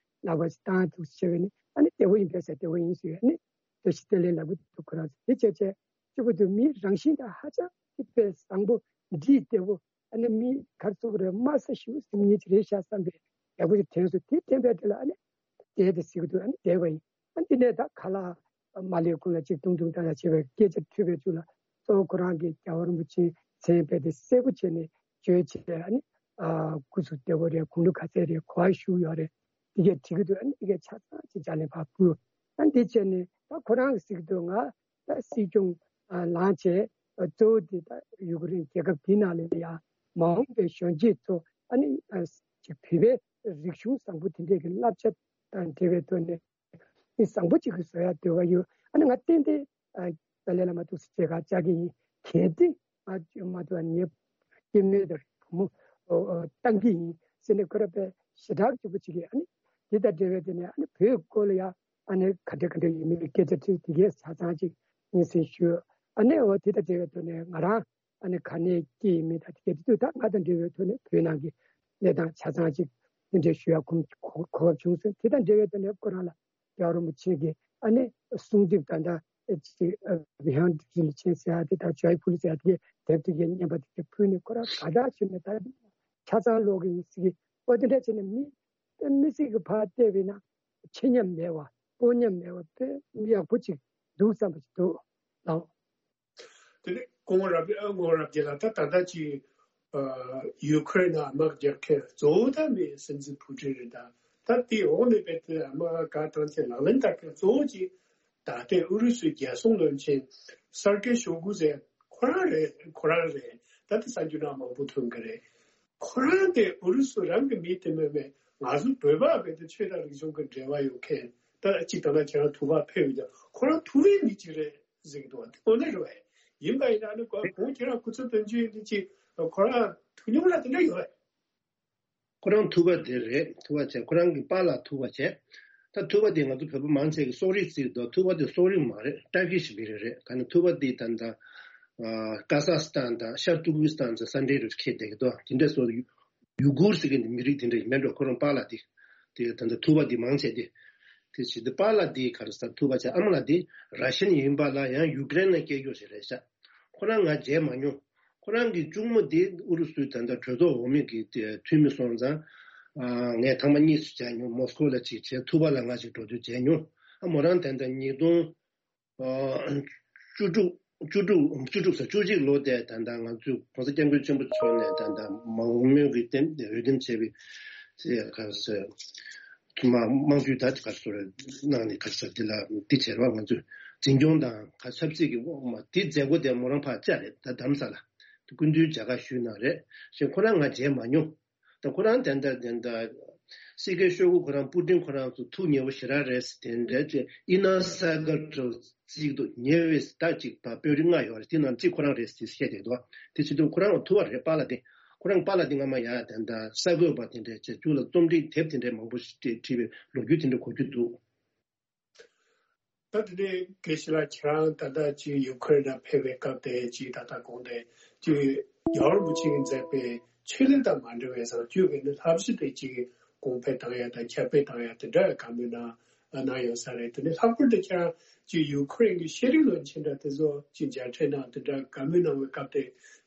ལག་པ་ཅིག་བཏང་འདུག་ཟེར་བྱས་ནས། ཨ་ནི་བདེ་བོ་ཡིན་པས་ཟེར། བདེ་བོ་ཡིན་ཟེར། ཨ་ནི་བཀྲ་ཤིས་བདེ་ལེགས་ལབ་ཀྱི་འདུག་ཁོ་རང་ཚོ་དེ་བྱས་བྱས་གཅིག་པུ་འདུག་མིའི་རང་བཞིན་དང་ཧ་ཅང་གི་དཔེ་བཟང་པོ། འདྲིས་བདེ་བོ། ཨ་ནི་མི་གར་ཚུགས་རེད། དམའ་ས་ཞེ་པོ་སེམས་ཉིད་ཅིག་རེད་ཤག་བསམ་པའི་ཡག་པོ་ཞིག་དྲན་སོང་། དེ་དྲན་པའི་དེ་ལ་ཨ་ནི་བསྡད་དེ་ཟེར་གྱི་འདུག་ཨ་ནི་བསྡད་པ་ཡིན། ཨ་ནི་དེ་ནས་ད་ཁ་ལག་མ་ལས་ཁོང་ལ་ཅིག་ཏུང་ཏུང་ཏང་ཏང་བྱས་པའི་སྐད་ཆ་ཐོས་པའི་ཚུལ་ལ། གཙོ་བོ་ཁོ་རང་གིས་རྒྱལ་བ་རིན་པོ་ཆེའི་མཚན་རྦད་དེ་གསལ་པོ་བྱས་ནས་བརྗོད་བྱས། ཨ་ནི་ཨ་སྐུ་གཟུགས་བདེ་བོ་རེད། དགུང་ལོ་ག་ཚད་རེད། ག་པར་བཞུགས་ཡོད་རེད། དེ་གས་དྲི་གི་འདུག་ཨ་ནི་དེ་གས་ཆ་ཚང་ཅིག་ལྗགས་ལན་ཕར་ཕུལ། ཨ་ནི་དེ་བྱས་ནས་ད་ཁོ་རང་གིས་ཟེར་གྱི་འདུག་ང་ད་སྲིད་སྐྱོང་ཨ་ལངས་བྱས། ཨ་གཙོ་བོ་དེ་ད་ཡུཀ་རེན་རྒྱལ་ཁབ་དེའི་ནང་ལ་ཡ་མ་འོངས་པའི་གཞོན་སྐྱེས་ཚོ་ཨ་ནི་ཨ་ཅིག་བོད་པའི་རིག་གཞུང་བཟང་པོ་དེ་འདྲས་ཀྱི་བསླབ་བྱ་དང་འབྲེལ་བའི་ཐོག་ནས་མི་བཟང་པོ་ཅིག་གི་བཟོ་ཡ་འདོད་པ་ཡོད། ཨ་ནི་ང་ཏན་ཏན་ཨ་ཏཱ་ལའི་བླ་མ་ཐུགས་སུ་ཆེ་ཁ་བཅར་གྱི་ཡིན། གལ་ཏེ་ང་བཅོས་མ་ཐུབ་པ་ངའི་སྐྱེ་དམན་དང་བུ་མོ་ཨོ་ཨོ་བཏང་གི་ཡིན་ཟེར་ནས་ཁོ་ར་དཔེ་ཞེ་དྲག་སྐྱིད་པོ་བྱེད་ཀྱི། ཨ་ནི་དེ་དང་འབྲེལ་བའི་དེ་ནས་ཨ་ནི་བོད་སྐོར་ལ་ཡ་ཨ་ནི་ག་འདྲ་ག་འདྲ་ཡིན་མིན་སྐད་ཆ་དྲིས། དེ་གས་ཆ་ཚང་ཅིག་སྙན་སེང་ཞུས། ཨ་ནི་འོ་དེ་དང་འབྲེལ་བའི་ཐོག་ནས་ང་རང་ཨ་ནི་ག་ནས་སྐྱེས་ཡིན་མིན་དང་དེ་གས་དེ་དུས་ད་ང་དང་འབྲེལ་བའི་ཐོག་ནས་བོད་ནང་གི་གནས་སྟངས་ཆ་ཚང་ཅིག་དེ་འདྲའི་ཞུ་ཡ་གོ་གོ་སྐབས་བྱུང་སོང་། དེ་དང་འབྲེལ་བའི་ཐོག་ནས་ཁོ་རང་ལ་རྒྱལ་བ་རིན་པོ་ཆེ་གིས་ཨ་ནི་གསུང་དེབ་ད་ལྟ་ཅིག་བི་ཧང་རིན་ཆེན་ཟེར་ཡ་དེ་དང་ཇོའི་ཕུ་ལི་ཟེར་ཡ་དེ་གས་དེབ་དེ་གས་རྙིང་པ་དེ་གས་ཕུལ་ནས་ཁོ་རང་དགའ་དྲགས་བྱས་ནས་ད་ཆ་ཚང་ཀློག་གི་ཡིན་ཟེར་གི། ཨོ་དེ་འདྲ་བྱས་ནས་མི་དཔེ་མི་སྲིད་ཀྱི་ཕར་བལྟས་པས་ན་ཆེ་ཉམས་མེད་པ་སྤོ་ཉམས་མེད་པ་དཔེ་མི་ཡག་པོ་ཅིག་འདུག་བསམ་པ་ཅིག་འདུག་ལགས། དེ་ནས་སྐུ་ངོ་རབ་རྒྱས་ལགས། ད་ད་ལྟ་ཅིག་ཡུ་ཁུ་རེན་ནང་དམག་རྒྱག་མཁན་གཙོ་བོ་ད་མི་སྲིད་འཛིན་ཕུ་ཀྲིན་རེད། ད་ད་དེའི་འོག་ནས་དཔེ་དེ་དམག་ག་བཏང་ཚེ་ལག་ལེན་བསྟར་མཁན་གཙོ་བོ་ཅིག་ད་ལྟའི་ཨུ་རུ་སུའི་རྒྱལ་སྲུང་བློན་ཆེན་སར་ཀེ་ཤོ་གུ་ཟེར་ཁོ་རང་རེད། ཁོ་རང་རེད། ད་དེ་གསར་འགྱུར་ནང་མང་པོ་ཐོན་གི་རེད། ཁོ་རང་དེ་ཨུ་རུ་སུ་རང་གི་མི་དེ་མིན་པའི་ང་ཚོ་བོད་པ་བས་དེ་ཆོས་དང་རིག་གཞུང་གི་འབྲེལ་བ་ཡོད་མཁན། ད་གཅིག་ད་ལྟ་ཁྱེད་རང་ཐུ་བ་ཕེབས་ཡོད་ཀྱང་ཁོ་རང་ཐུ་བའི་མི་གཅིག་རེད་ཟེར་གི་འདུག་བ། དེ་དངོས་གནས་རེད་བས། ཡིན་པ་ཡིན་ན་ཨ་ནི་གོང་ཁྱེད་རང་སྐུ་ཚབ་དོན་གཅོད་འདི་ཅིག་ཁོ་རང་ཐུགས་མྱོང་ལ་དེ་འདྲ་ཡོད་བས། ཁོ་རང་ཐུ་བ་དེ་རེད། ཐུ་བ་བྱས། ཁོ་རང་གི་པཱ་ལགས་ཐུ་བ་བྱས། ད་ཐུ་བ་དེ་ང་ཚོ་བོད་པ་མང་ཆེ་གི་སོག་རིགས་བརྩི་འདུག་ཐུ་བ་དེ་སོག་རིགས་མ་རེད། ཊར་ཀི་ཤི་མི་རིགས་རེད། ག་ནི་ཐུ་བ་དེ་ད་ལྟ་ཀ་ཟག་སི་ཐན་དང་ཤར་ཏུར་ཀི་སི་ཐན་ཟེར་ས་འདྲའི་རུ་ཁེལ་བསྡད་ཀྱི་འདུག་དེ་འདྲ་སོགས་ཡུ་གུར་ཟེར་གི་མི་རིགས་དེ་འདྲ་ཡིན་མེད་འགྲོ། ཁོ་རང་པཱ་ལགས་དེ་དེ་ད་ལྟ་ཐུ་བ་དེ་མང་ཆེ་དེ་དེ་བྱེད་དུས་པཱ་ལགས་དེ་ག་རེ་ཟེར། ཐུ་བ་བྱས། ཨ་མ་ལགས་དེ་ར་ཤན་ཡིན་པ་ལ་ཡང་ཡུ་ཀེ་རེན་ནས་སྐྱེས་རྒྱུ་ཞིག་རེད་ཤག་ཁོ་རང་ང་མཇལ་མ་མྱོང་། ཁོ་རང་གི་གཅུང་མོ་དེ་ཨུ་རུ་སུའི་ད་ལྟ་གྲོས་ཚོགས་འོག་མའི་གི་དེ་འཐུས་མི་སོང་ཙང་། ཨ་ངས་ཐེངས་མ་གཉིས་སུ་མཇལ་མྱོང་། མོ་སི་ཀོ་ལ་གཅིག་བྱས། ཐུ་བ་ལ་ང་གཅིག་འགྲོ་དུས་མཇལ་མྱོང་། ཨ་མོ་རང་ད་ལྟ་ཉིས་སྟོང་བཅུ་དྲུག་བཅུ་དྲུག་བཅུ་དྲུག་ས་བཅུ་གཅིག་ལོ་དེ་ད་ལྟ་ང་ཚོའི་༸གོང་ས་༸སྐྱབས་མགོན་ཆེན་པོ་མཆོག་ནས་ད་ལྟ་མ་འོངས་མའི་གི་དེ་འོས་འདེམས་བྱས་པའི་དེ་ག་རེ་ཟེར། མ་དམངས་གཙོའི་ད་དེ་ག་རེ་ཟེར་གནང་ནས་ག་རེ་ཟེར་དེ་ལ་དེ་བྱས་རོགས། ང་ཚོས་འཛིན་སྐྱོང་དང་ག་ཆབ་སྲིད་ཀྱི་འོག་མ་དེ་མཛད་སྒོ་དེ་མོ་རང་ཕར་བཅར་རེད། ད་རྡ་རམ་ས་ལ་དེ་སྐུ་མདུན་མཇལ་ཁ་ཞུས་གནང་རེད། ཞེས་ཁོ་རང་ང་མཇལ་མ་མྱོང་། ད་ཁོ་རང་དེ་འདྲ་དེ་འདྲ་སི་ཀེ་ཤོ་གུ་ཁོ་རང་པུ་ཏིན་ཁོ་རང་ཚོ་ཐུགས་མཉེས་པོ་ཞེ་དྲག་རེད་ཟེར། དེ་འདྲ་ཅིག་ཨི་ན་ས་ག་རུ་གཅིག་ཏུ་ཉེ་བའི་ཟླ་གཅིག་པ་དཔོན་རིགས་ལྔ་ཡོད་རེད། དེ་ནང་གཅིག་ཁོ་རང་རེད་ཟེར་བཤད་བསྡད་འདུག་དེ་བྱེད་དུས་ཁོ་རང་ཐུ་བ་རེད། པཱ་ལགས་དེ་ཁོ་རང་པཱ་ལགས་དེ་སྔ་མ་ཡ་དེ་འདྲ་གསར་འགོད་པ་དེ་འདྲ་བྱས་རྒྱུ་ལ་རྩོམ་སྒྲིག་དེབ་དེ་འདྲ་མང་པོ་ཞིག་བྲིས་པའི་ལོ་རྒྱུས་དེ་འདྲ་གོ་རྒྱུ་འདུག་ད་དེ་ནས་དགེ་བཤེས་ལགས་ཁྱེད་རང་ད་ལྟ་ཅིག་ཡུ་ཁུ་རེན་ལ་ཕེབས་པའི་སྐབས་དེ་ཅིག་ད་ལྟ་གོང་དེ་ཅིག་རྒྱལ་བ་རིན་པོ་ཆེ་གིས་མཛད་པའི་ཆོས་ལུགས་དང་མ་འབྲེལ་བའི་བཟང་སྤྱོད་ཀྱི་ནི་བསླབ་གཞི་དེ་ཅིག་ གོང་འཕེལ་བཏང་ཡ་དང་ཁྱབ་སྤེལ་བཏང་ཡ་དེ་འདྲ་བཀའ་མོལ་གནང་གནང་ཡོད་ས་རེད། དེ་ནས་ལྷག་པར་དུ་ཁྱེད་རང་ཅིག་ཡུ་ཁུ་རེན་གྱི་ཤེས་རིག་བློན་ཆེན་འདྲ་དེ་ཚོ་ཅིག་མཇལ་འཕྲད་གནང་དེ་འདྲ་བཀའ་མོལ་གནང་བའི་སྐབས་དེ་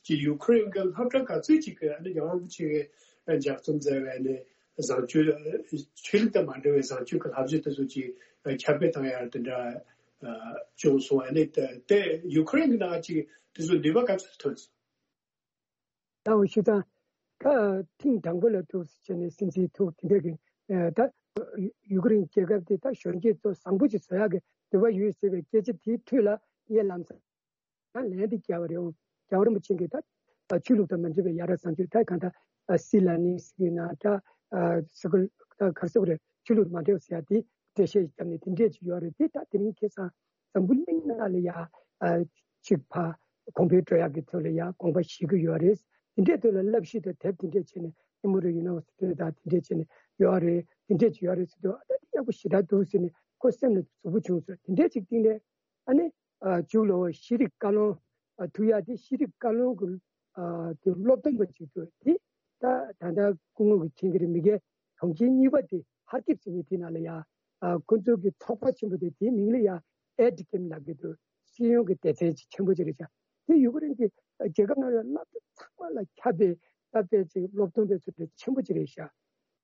ཅིག་ཡུ་ཁུ་རེན་གྱི་སློབ་གྲྭ་ག་ཚོད་ཅིག་གི་ཨ་ནི་རྒྱལ་བ་རིན་པོ་ཆེ་གིས་ལྗགས་རྩོམ་མཛད་པའི་ཨ་ནི་བཟང་སྤྱོད་ཆོས་ལུགས་དང་མ་འབྲེལ་བའི་བཟང་སྤྱོད་ཀྱི་བསླབ་བྱ་དེ་ཚོ་ཅིག་ཁྱབ་སྤེལ་བཏང་ཡ་དེ་འདྲ་བྱུང་སོང་། ཨ་ནི་དེ་ཡུ་ཁུ་རེན་གྱི་ནང་ཅིག་དེ་ཚོ་ནུས་པ་ག་ཚོད་ཐོན་སོང་། ད་འོ་ཞུ་དང་། ད་ཐེངས་དང་པོ་ལ་ཐུག་བྱས་ནས་སྲིད་འཛིན་ཐུག་དེ་འདྲ་གི་ད་ཡུ་ཀེ་རེན་རྒྱལ་ཁབ་དེ་ད་གཞོན་སྐྱེས་ཚོ་བཟང་པོ་ཅིག་བཟོ་ཡག་གི་འདོད་པ་ཡོད་ཟེར་བའི་སྐད་ཆ་དེའི་ཁྲོད་ལ་ངས་ལམ་སང་ལན་དེ་རྒྱལ་བ་རེད། འོང་རྒྱལ་བ་རིན་པོ་ཆེ་གིས་ད་ཆོས་ལུགས་དང་མ་འབྲེལ་བའི་ཡ་རབས་བཟང་སྤྱོད་ད་གང་ལྟར་སྲིད་ལ་ནི་ཟེར་གི་ན་ད་སི་ཀུལ་ད་གར་སོག་རེད། ཆོས་ལུགས་མ་འབྲེལ་བ་ཟེར་ཡ་དེ་འགྲེལ་བཤད་བརྒྱབ་ནས་དེ་འདྲས་ཅིག་ཡོད་རེད། དེ་ད་དེ་རིང་ཁ་སང་འཛམ་བུ་གླིང་ནང་ལ་ཡ་ཨ་གཅིག་ཕ་གོང་འཕེལ་འགྲོ་ཡག་གི་ཐོག་ལ་ཡ་དགོངས་པ་བཞེས་ཀྱི་ཡོད་རེད། དེ་འདྲའི་ཐོག་ལ་བསླབ་གཞི་དང་དེབ་དེ་འདྲས་བྱས་ནས་ཨེ་མོ་རི་ཡུ་ནི་ཝར་སི་ཊི་དང་དེ་འདྲས་བྱས་ནས་ཡོད་རེད། དེ་འདྲས་ཅིག་ཡོད་རེད་ཟེར་དུས་ཨ་ད་དེ་ཡག་པོ་ཞེ་དྲག་འདུག་ཟེར་ནས་ཁོ་སེམས་ལ་གཟུགས་པོ་བྱུང་སོང་། དེ་འདྲས་ཅིག་སྟེང་ནས་ཨ་ནི་ཨ་མཇུག་ལ་འོ་ཤེས་རིག་བཀའ་བློན་ཨ་ཐུག་ཡག་དེ་ཤེས་རིག་བཀའ་བློན་གྱི་ཨ་དེ་སློབ་སྟོན་པ་ཅིག་འདུག་དེ་ད་ད་ལྟ་སྐུ་ངོ་གིས་མཁྱེན་གྱི་རེད། མི་སྒེར་གྲོང་ཁྱེར་གཉིས་པ་དེ་ཧར་ཀིབ་ཟེར་མཁན་དེ་ནང་ལ་ཡ། ཨ་ཁོ་ཚོ་གི་ཚོགས་པ་ཆེན་པོ་དེ་དེའི་མིང་ལ་ཡ་ཨེ་ཌི་ཀེམ་ལབ་ཀྱི་འདུག་སྤྱི་ཡོངས་ཀྱི་སྡེ་ཚན་ཅིག་ཆེན་པོ་ཅིག་རེད་ཤག་དེ་ཡུ་ཀེ་རེན་གྱི་རྒྱལ་ཁབ་ནང་ལ་སློབ་གྲྭ་ཚང་མ་ལ་ཁྱབ་པའི་སློབ་གྲྭ་ཅིག་སློབ་སྟོན་པའི་ཚོགས་སྡེ་ཆེན་པོ་ཅིག་རེད་ཤག་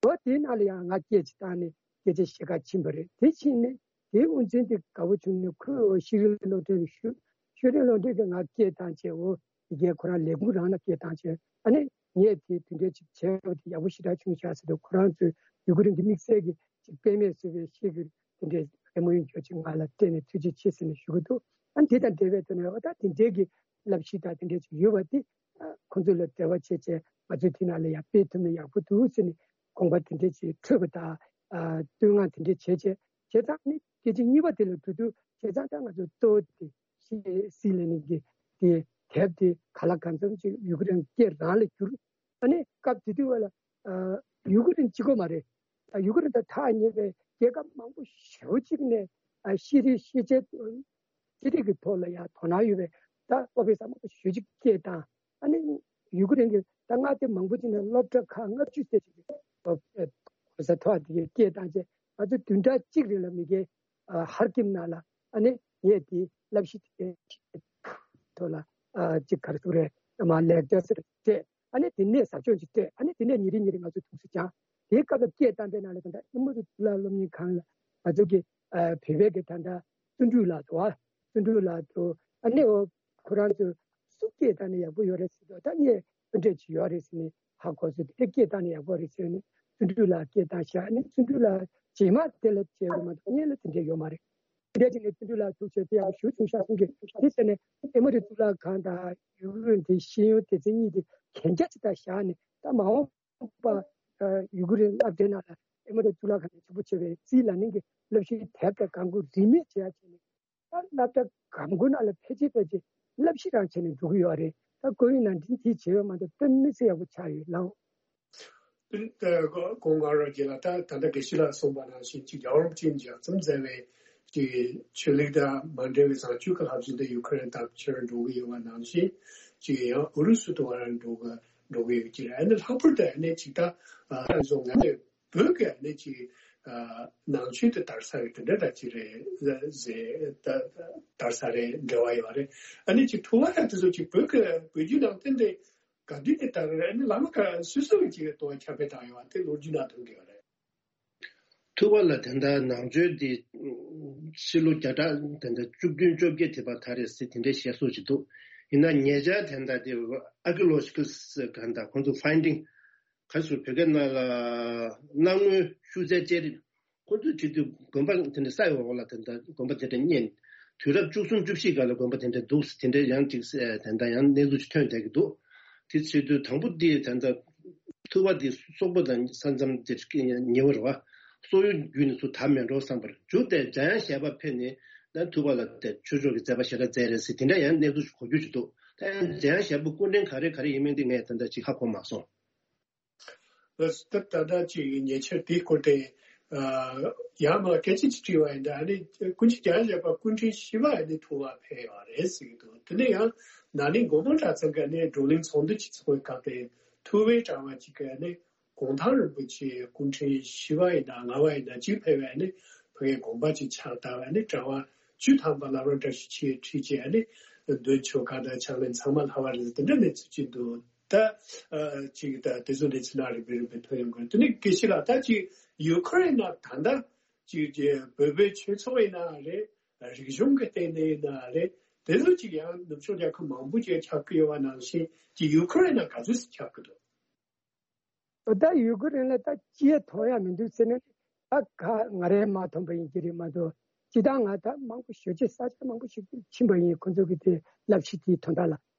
འོ་དེའི་ནང་ལ་ཡང་ང་སྐད་ཅིག་བཏང་ནས་སྐད་ཆ་བཤད་ག་ཕྱིན་པ་རེད། དེ་ཕྱིན་ནས་དེའི་དབུ་འཛིན་དེ་དགའ་པོ་བྱུང་ནས་ཁོས་འོ་ཤེས་རིག་སློབ་གྲྭའི་ཤོ་ཤེས་རིག་སློབ་གྲྭའི་གི་ང་སྐད་བཏང་བྱས་འོ་དེ་གའི་ཁོ་རང་ལས་ཁུངས་རང་ལ་སྐད་བཏང་བྱས་ཨ་ནི། ངས་དེ་དེ་འདྲའི་ཅིག་བྱས་པ་དེ་ཡག་པོ་ཞེ་དྲག་བྱུང་ཤག་ཟེར་དུས་ཁོ་རང་ཚོས་ཡུ་གུ་རིན་གྱི་དམིགས་བསལ་གྱི་ཅིག་དཔེ་མེད་བཟོ་བའི་ཤེས་ཀྱི་དེ་འདྲའི་ཨེ་མོ་ཡུ་འཇོག་ཅིག་ང་ལ་སྤྲད་ནས་ཐུགས་རྗེ་ཆེ་ཟེར་ནས་ཞུ་གི་འདུག་ཨ་དེ་དང་འབྲེལ་བའི་ཐོག་ནས་འོ་ད་དེ་འདྲའི་གི་བསླབ་གཞི་དང་དེ་འདྲའི་ཅིག་ཡོད་པ་དེ་ཨ་ཁོང་ཚོ་ལ་འབྲེལ་བ་བྱས་བྱས་ང་ཚོས་དེ་ནང་ལ་ཡང་སྤེལ་ཐུབ་ན་ཡག་པོ་འདུག་ཟེར་ནས་དགོངས་པ་དེ་འདྲའི་ཅིག་འཕྲོད་པ་དང་ཨ་བསྟོད་བསྔགས་དེ་འདྲའི་བྱས་བྱས་བྱས་ཙང་ནི་སྐད་ཆ་གཉིས་པ་དེ་ལ་འགྲོ་དུས་བྱས་ཙང་ད་ང་ཚོ་གཙོ་བོ་དེ། ཤེས་སྲིད་ལས་ནི་གི་དེ་དེབ་དེ་ག་ལ་གང་འཚམ་ཅིག་ཡུ་ཀེ་རེན་སྐད་རང་ལ་བསྒྱུར། ཨ་ནི་སྐབས་དེ་དུས་བ་ལ་ཨ་ཡུ་ཀེ་རེན་གཅིག་པོ་མ་རེད། ཨ་ཡུ་ཀེ་རེན་དང་ཐག་ཉེ་བའི་རྒྱལ་ཁབ་མང་པོ་ཞེ་པོ་ཅིག་ནས་ཨ་ཤེས་རིག་ཤེས་བྱའི་ཤེས་རིག་གི་ཐོག་ལ་ཡང་དོ་སྣང་ཡོད་པའི་ད་ཨོ་ཕི་སར་མང་པོ་ཞེ་པོ་ཅིག་སྐད་བཏང་། ཨ་ནི་ཡུ་ཀེ་རེན་གྱི་ད་མངའ་སྡེ་མང་པོ་ཅིག་ནས་སློབ་གྲྭ་ཁག་ལྔ་བཅུ་ཙམ་ཅིག་གི་སློབ་གྲྭ་གོ་ས་མཐོ་བ་དེ་གའི་སྐད་བཏང་རྗེས་ང་ཚོ་བདུན་ཕྲག་གཅིག་རིང་ལ་མི་སྒེར་ཨ་ཧར་ཀིམ་ནང་ལ་ཨ་ནི་ངས་དེ་བསླབ་གཞི་དེ་ཐོག་ལ་ཨ་ཅིག་ག་རེ་ཟེར་དགོས་རེད། མ་ལེགས་སྦྱར་ཟེར་སྤྲད། ཨ་ནི་དེ་ནས་ཟབ་སྦྱོང་ཅིག་སྤྲད། ཨ་ནི་དེ་ནས་ཉིན་རེ་ཉིན་རེ་ང་ཚོ་ཐུགས་སུ་བཅངས། དེའི་སྐབས་ལ་སྐད་བཏང་པའི་ནང་ལ་ད་ལྟ་ཨེ་མོ་རི་གཙུག་ལག་སློབ་གཉེར་ཁང་ལ་ང་ཚོ་གི་ཨ་བོད་པའི་གི་ད་ལྟ་བརྩོན་འགྲུས་ལགས་འདུག་བ། བརྩོན་འགྲུས་ལགས་འདུག་ཨ་ནི་འོ་ཁོ་རང་ཚོ་སུ་སྐད་བཏང་ནས་ཡག་པོ་ཡོད་རེད་ཟེར་དུས་ད་ངས་འདི་འདྲས་ཅིག་ཡོད་རེད་ཟེར་ནས་ཧ་གོ་སོང་། དེ་སྐད་བཏང་ནས་ཡག་པོ་རེད་ཟེར་ནས་བརྩོན་འགྲུས་ལགས་སྐད་བཏང་ཤག་ཨ་ནི་བརྩོན་འགྲུས་ལགས་རྗེས་མ་དེ་ལ་བྱས་པ་མ་གཏོགས་སྔོན་ལ་དེ་འདྲས་ཡོད་མ་རེད། དེ་འདྲས་ཅིག་ནས་བརྩོན་འགྲུས་ལགས་ཐུག་བྱས་དེ་ཡག་པོ་ཞེ་པོ་བྱུང་ཤག་གསུང་གི། དེ་བྱས་ནས་ཨེ་མོ་རི་གཙུག་ལག་ཁང་དང་ཡུ་གུར་དེ་ཤེས་ཡོན་སྡེ་ཚན་གཉིས་དེ་གན་རྒྱ་ཅིག་ད་བཞག་ནས་ད་མ་འོངས་པ་ཡུ་གུར་སློབ་གྲྭའི་ནང་ལ་ཨེ་མོ་རི་གཙུག་ལག་ཁང་ནས་ཆེན་པོ་བྱས་པའི་རྩིས་ལ་ནིང་གི་སློབ་གཞིའི་དེབ་དང་གང་དགོས་རིན་མེད་བྱེད་ཡག་བྱས་ནས། ད་སློབ་གྲྭ་གང་དགོས་ནང་ལ་ཕལ་ཆེར་ཕལ་ཆེར་བསླབ་གཞི་རང་བྱས་ནས་འགྲོ་གི་ཡོད་རེད། ད་ཁོ་ཡིན་ན་འདི་འདི་བྱས་ཡོད་མ་གཏོགས་དཔེ་མི་སྲིད་ཡག་པོ་ཆགས་ཡོད་ལགས། དེ་ནི་ད་གོང་དཀར་རོ་རྒྱལ་ལགས་ད་ད་ལྟ་དགེ་བཤེས་ལགས་གསུངས་པ་ནང་བཞིན་ཅིག་རྒྱལ་བ་རིན་པོ་ཆེས་ལྗགས་རྩོམ་མཛད་པའི་ཅིག་ཆོས་ལུགས་དང་མ་འབྲེལ་བའི་བཟང་སྤྱོད་ཀྱི་བསླབ་བྱ་འདི་ཡུ་ཁུ་རེན་དང་ཕྱིར་འགྲོ་གི་ཡོད་པ་ནང་བཞིན་ཅིག་ཡང་ཨུ་རུ་སུ་དུ་བ་རང་འགྲོ་གི་འགྲོ་གི་ཡོད་ཀྱི་རེད། ཨ་ནི་ལྷག་པར་དུ་ཨ་ནི་ཅིག་ད་ཨ་བཟོ་ང་ཚོས། བོད་ཀྱི་ཨ་ནི་ཅིག་ཨ་ནང་ཆོས་དེ་དར་ས་ཡོད་དེ་འདྲ་འདྲ་ཅིག་རེད་ཟེར། ད་དར་ས་རེད། འབྲེལ་བ་ཡོད་རེད། ཨ་ནི་ཅིག་ཐུབ་པ་ཡང་དེ་ཚོ་ཅིག་བོད་ཀྱི་བོད་བརྒྱུད་ནང་བསྟན་དེ་ག་དུས་ནས་དར་རེད། ཨ་ནི་བླ་མ་ག་སུ་སུ་ཅིག་གི་ཐུབ་པ་ཁྱབ་སྤེལ་བཏང་ཡོད་པ་དེ་ལོ་རྒྱུས་ནང་ཐོན་གྱི་ཡོད་རེད། ཐུབ་པ་ལ་དེ་འདྲ་ནང་ཆོས་དེ་ཕྱི་ལོ་བརྒྱ་ཕྲག་དེ་འདྲ་བཅུ་བདུན་བཅོ་བརྒྱད་དེ་བར་དར་རེད་ཟེར་དེ་འདྲའི་བཤད་སྲོལ་ཅིག་འདུག་ཡིན་ན་ཉེ་ཆར་དེ་འདྲ་དེ་ཨར་ཀི་ཡོ་ལོ་ཇི་ཀལ་ག་འདྲ་ཁོང་ཚོ་ཕའིན་ཌིང་ག་སུ་བོད་སྐད་ནང་ལ་གནའ་སྔོན་ཤུལ་རྫས་དཔྱད་རིག་ཁོ་ཚོས་བྲིས་དུས་དགོན་པ་དེ་འདྲ་ས་ཡི་འོག་ལ་དེ་འདྲ་དགོན་པ་དེ་འདྲ་རྙེད། དུས་རབས་བཅུ་གསུམ་བཅུ་བཞི་སྒང་ལ་དགོན་པ་དེ་འདྲ་འདུག་དེ་འདྲ་ཡང་ཅིག་དེ་འདྲ་ཡང་གནས་ཚུལ་ཅིག་ཐོན་བསྡད་ཀྱི་འདུག་དེ་བྱེད་དུས་དང་པོ་དེ་དེ་འདྲ་ཐུབ་པ་དེ་སོག་པོ་དང་ས་མཚམས་དེ་ཉེ་བོ་རེད་བ། སོག་ཡུལ་བརྒྱུད་ནས་ཚུར་དར་མེད་འགྲོ་བསམ་པར་མཇུག་དེ་འཇམ་དབྱངས་བཞད་པ་ཕེབས་ནས་ད་ཐུབ་པ་ལ་དེ་ཆོས་ཕྱོགས་ཀྱི་མཛད་པ་ཞེ་དྲག་མཛད་རེད་ཟེར་དེ་འདྲ་ཡང་གནས་ཚུལ་ཅིག་གོ་རྒྱུ་ཅིག་འདུག་ད་ཡང་འཇམ་དབྱངས་བཞད་པ་སྐུ་ཕྲེང་ག་རེ་ག་རེ་ཡིན་མིན་དེ་ངས་ད་ལྟ་ཅིག་ཧ་གོ་མ་སོང་། ད་ད་ལྟ་ཅིག་ཉེ་ཆར་དེའི་སྐོར་དེ་ཡང་མ་སྐད་ཆ་ཅིག་དྲིས་པ་ཡིན་ད། ཨ་ནི་སྐུ་མཆེད་རྒྱལ་བཞད་པ་སྐུ་ཕྲེང་བཞི་པ་ཨ་ནི་ཐུབ་པ་ཕེབས་ཡོད་རེད་ཟེར་གྱི་འདུག་དེ་ནས་ཡང་ན་ནིང་དགོང་དག་གྲྭ་ཚང་གི་ཨ་ནི་བགྲོ་གླེང་ཚོགས་འདུ་ཅིག་ཚོགས་པའི་སྐབས་དེ་ཐུབ་པའི་གྲྭ་པ་ཅིག་གིས་ཨ་ནི་ གུང་ཐང་རིན་པོ་ཆེ་སྐུ་ཕྲེང་བཞི་པ་ཡིན་ན་ལྔ་པ་ཡིན་ན་གཅིག་ཕེབས་པའི་ཨ་ནི་ཕ་གིའི་དགོངས་པ་ཅིག་ཕྱག་བཏབ་པའི་ཨ་ནི་གྲྭ་པ་བཅུ་ཐམ་པ་བླ་བྲང་བཀྲ་ཤིས་འཁྱིལ་ཁྲིད་ཅིག་ཨ་ནི་འདོན་ཆོ་ག་དང་ཕྱག་ལེན་ཚང་མ་ལྷག་པ་རེད། དེ་འདྲ་གནས་ཚུལ་ཅིག་འདུག་ད་ཨ་ཅིག་ད་དེ་ཚོ་གནས་ཚུལ་ནང་རིམ་པས་རིམ་པས་ཐོན་ཡོང་གི་རེད། དེ་ནས་དགེ་བཤེས་ལགས། ད་ཅིག་ཡུ་ཁུ་རེན་ནང་ད་ལྟ་ཅིག་ཅིག་བོད་པའི་ཆོས་ཚོགས་ཡིན་ན་རེད། རིག་གཞུང་གི་སྟེང་ནས་ཡིན་ན་རེད། དེ་ཚོ་ཅིག་ཡང་ནུབ་ཕྱོགས་རྒྱལ་ཁབ་མང་པོ་ཅིག་ཁྱབ་ཀྱི་ཡོད་པ་ནང་བཞིན་ཅིག་ཡུ་ཁུ་རེན་ནང་ག་ཚོད་ཅིག་ཁྱབ་ཀྱི་འདུག་ད་ཡུ་ཁུ་རེན་ལ་ད་ཅི་ཡང་མཐོང་ཡ་མི་འདུག་ཟེར་ན། ད་ག་ང་རས་མ་མཐོང་པ་ཡིན་གྱི་རེད་མ་གཏོགས། ཅི་ད་ང་ད་མང་པོ་ཞེ་ཅིག་ས་ཆ་མང་པོ་ཞིག་ཏུ་ཕྱིན་པ་ཡིན། ཁོ་ཚོ་གི་དེ་བསླབ་གཞི་དེའི་དོན་དག་ལ་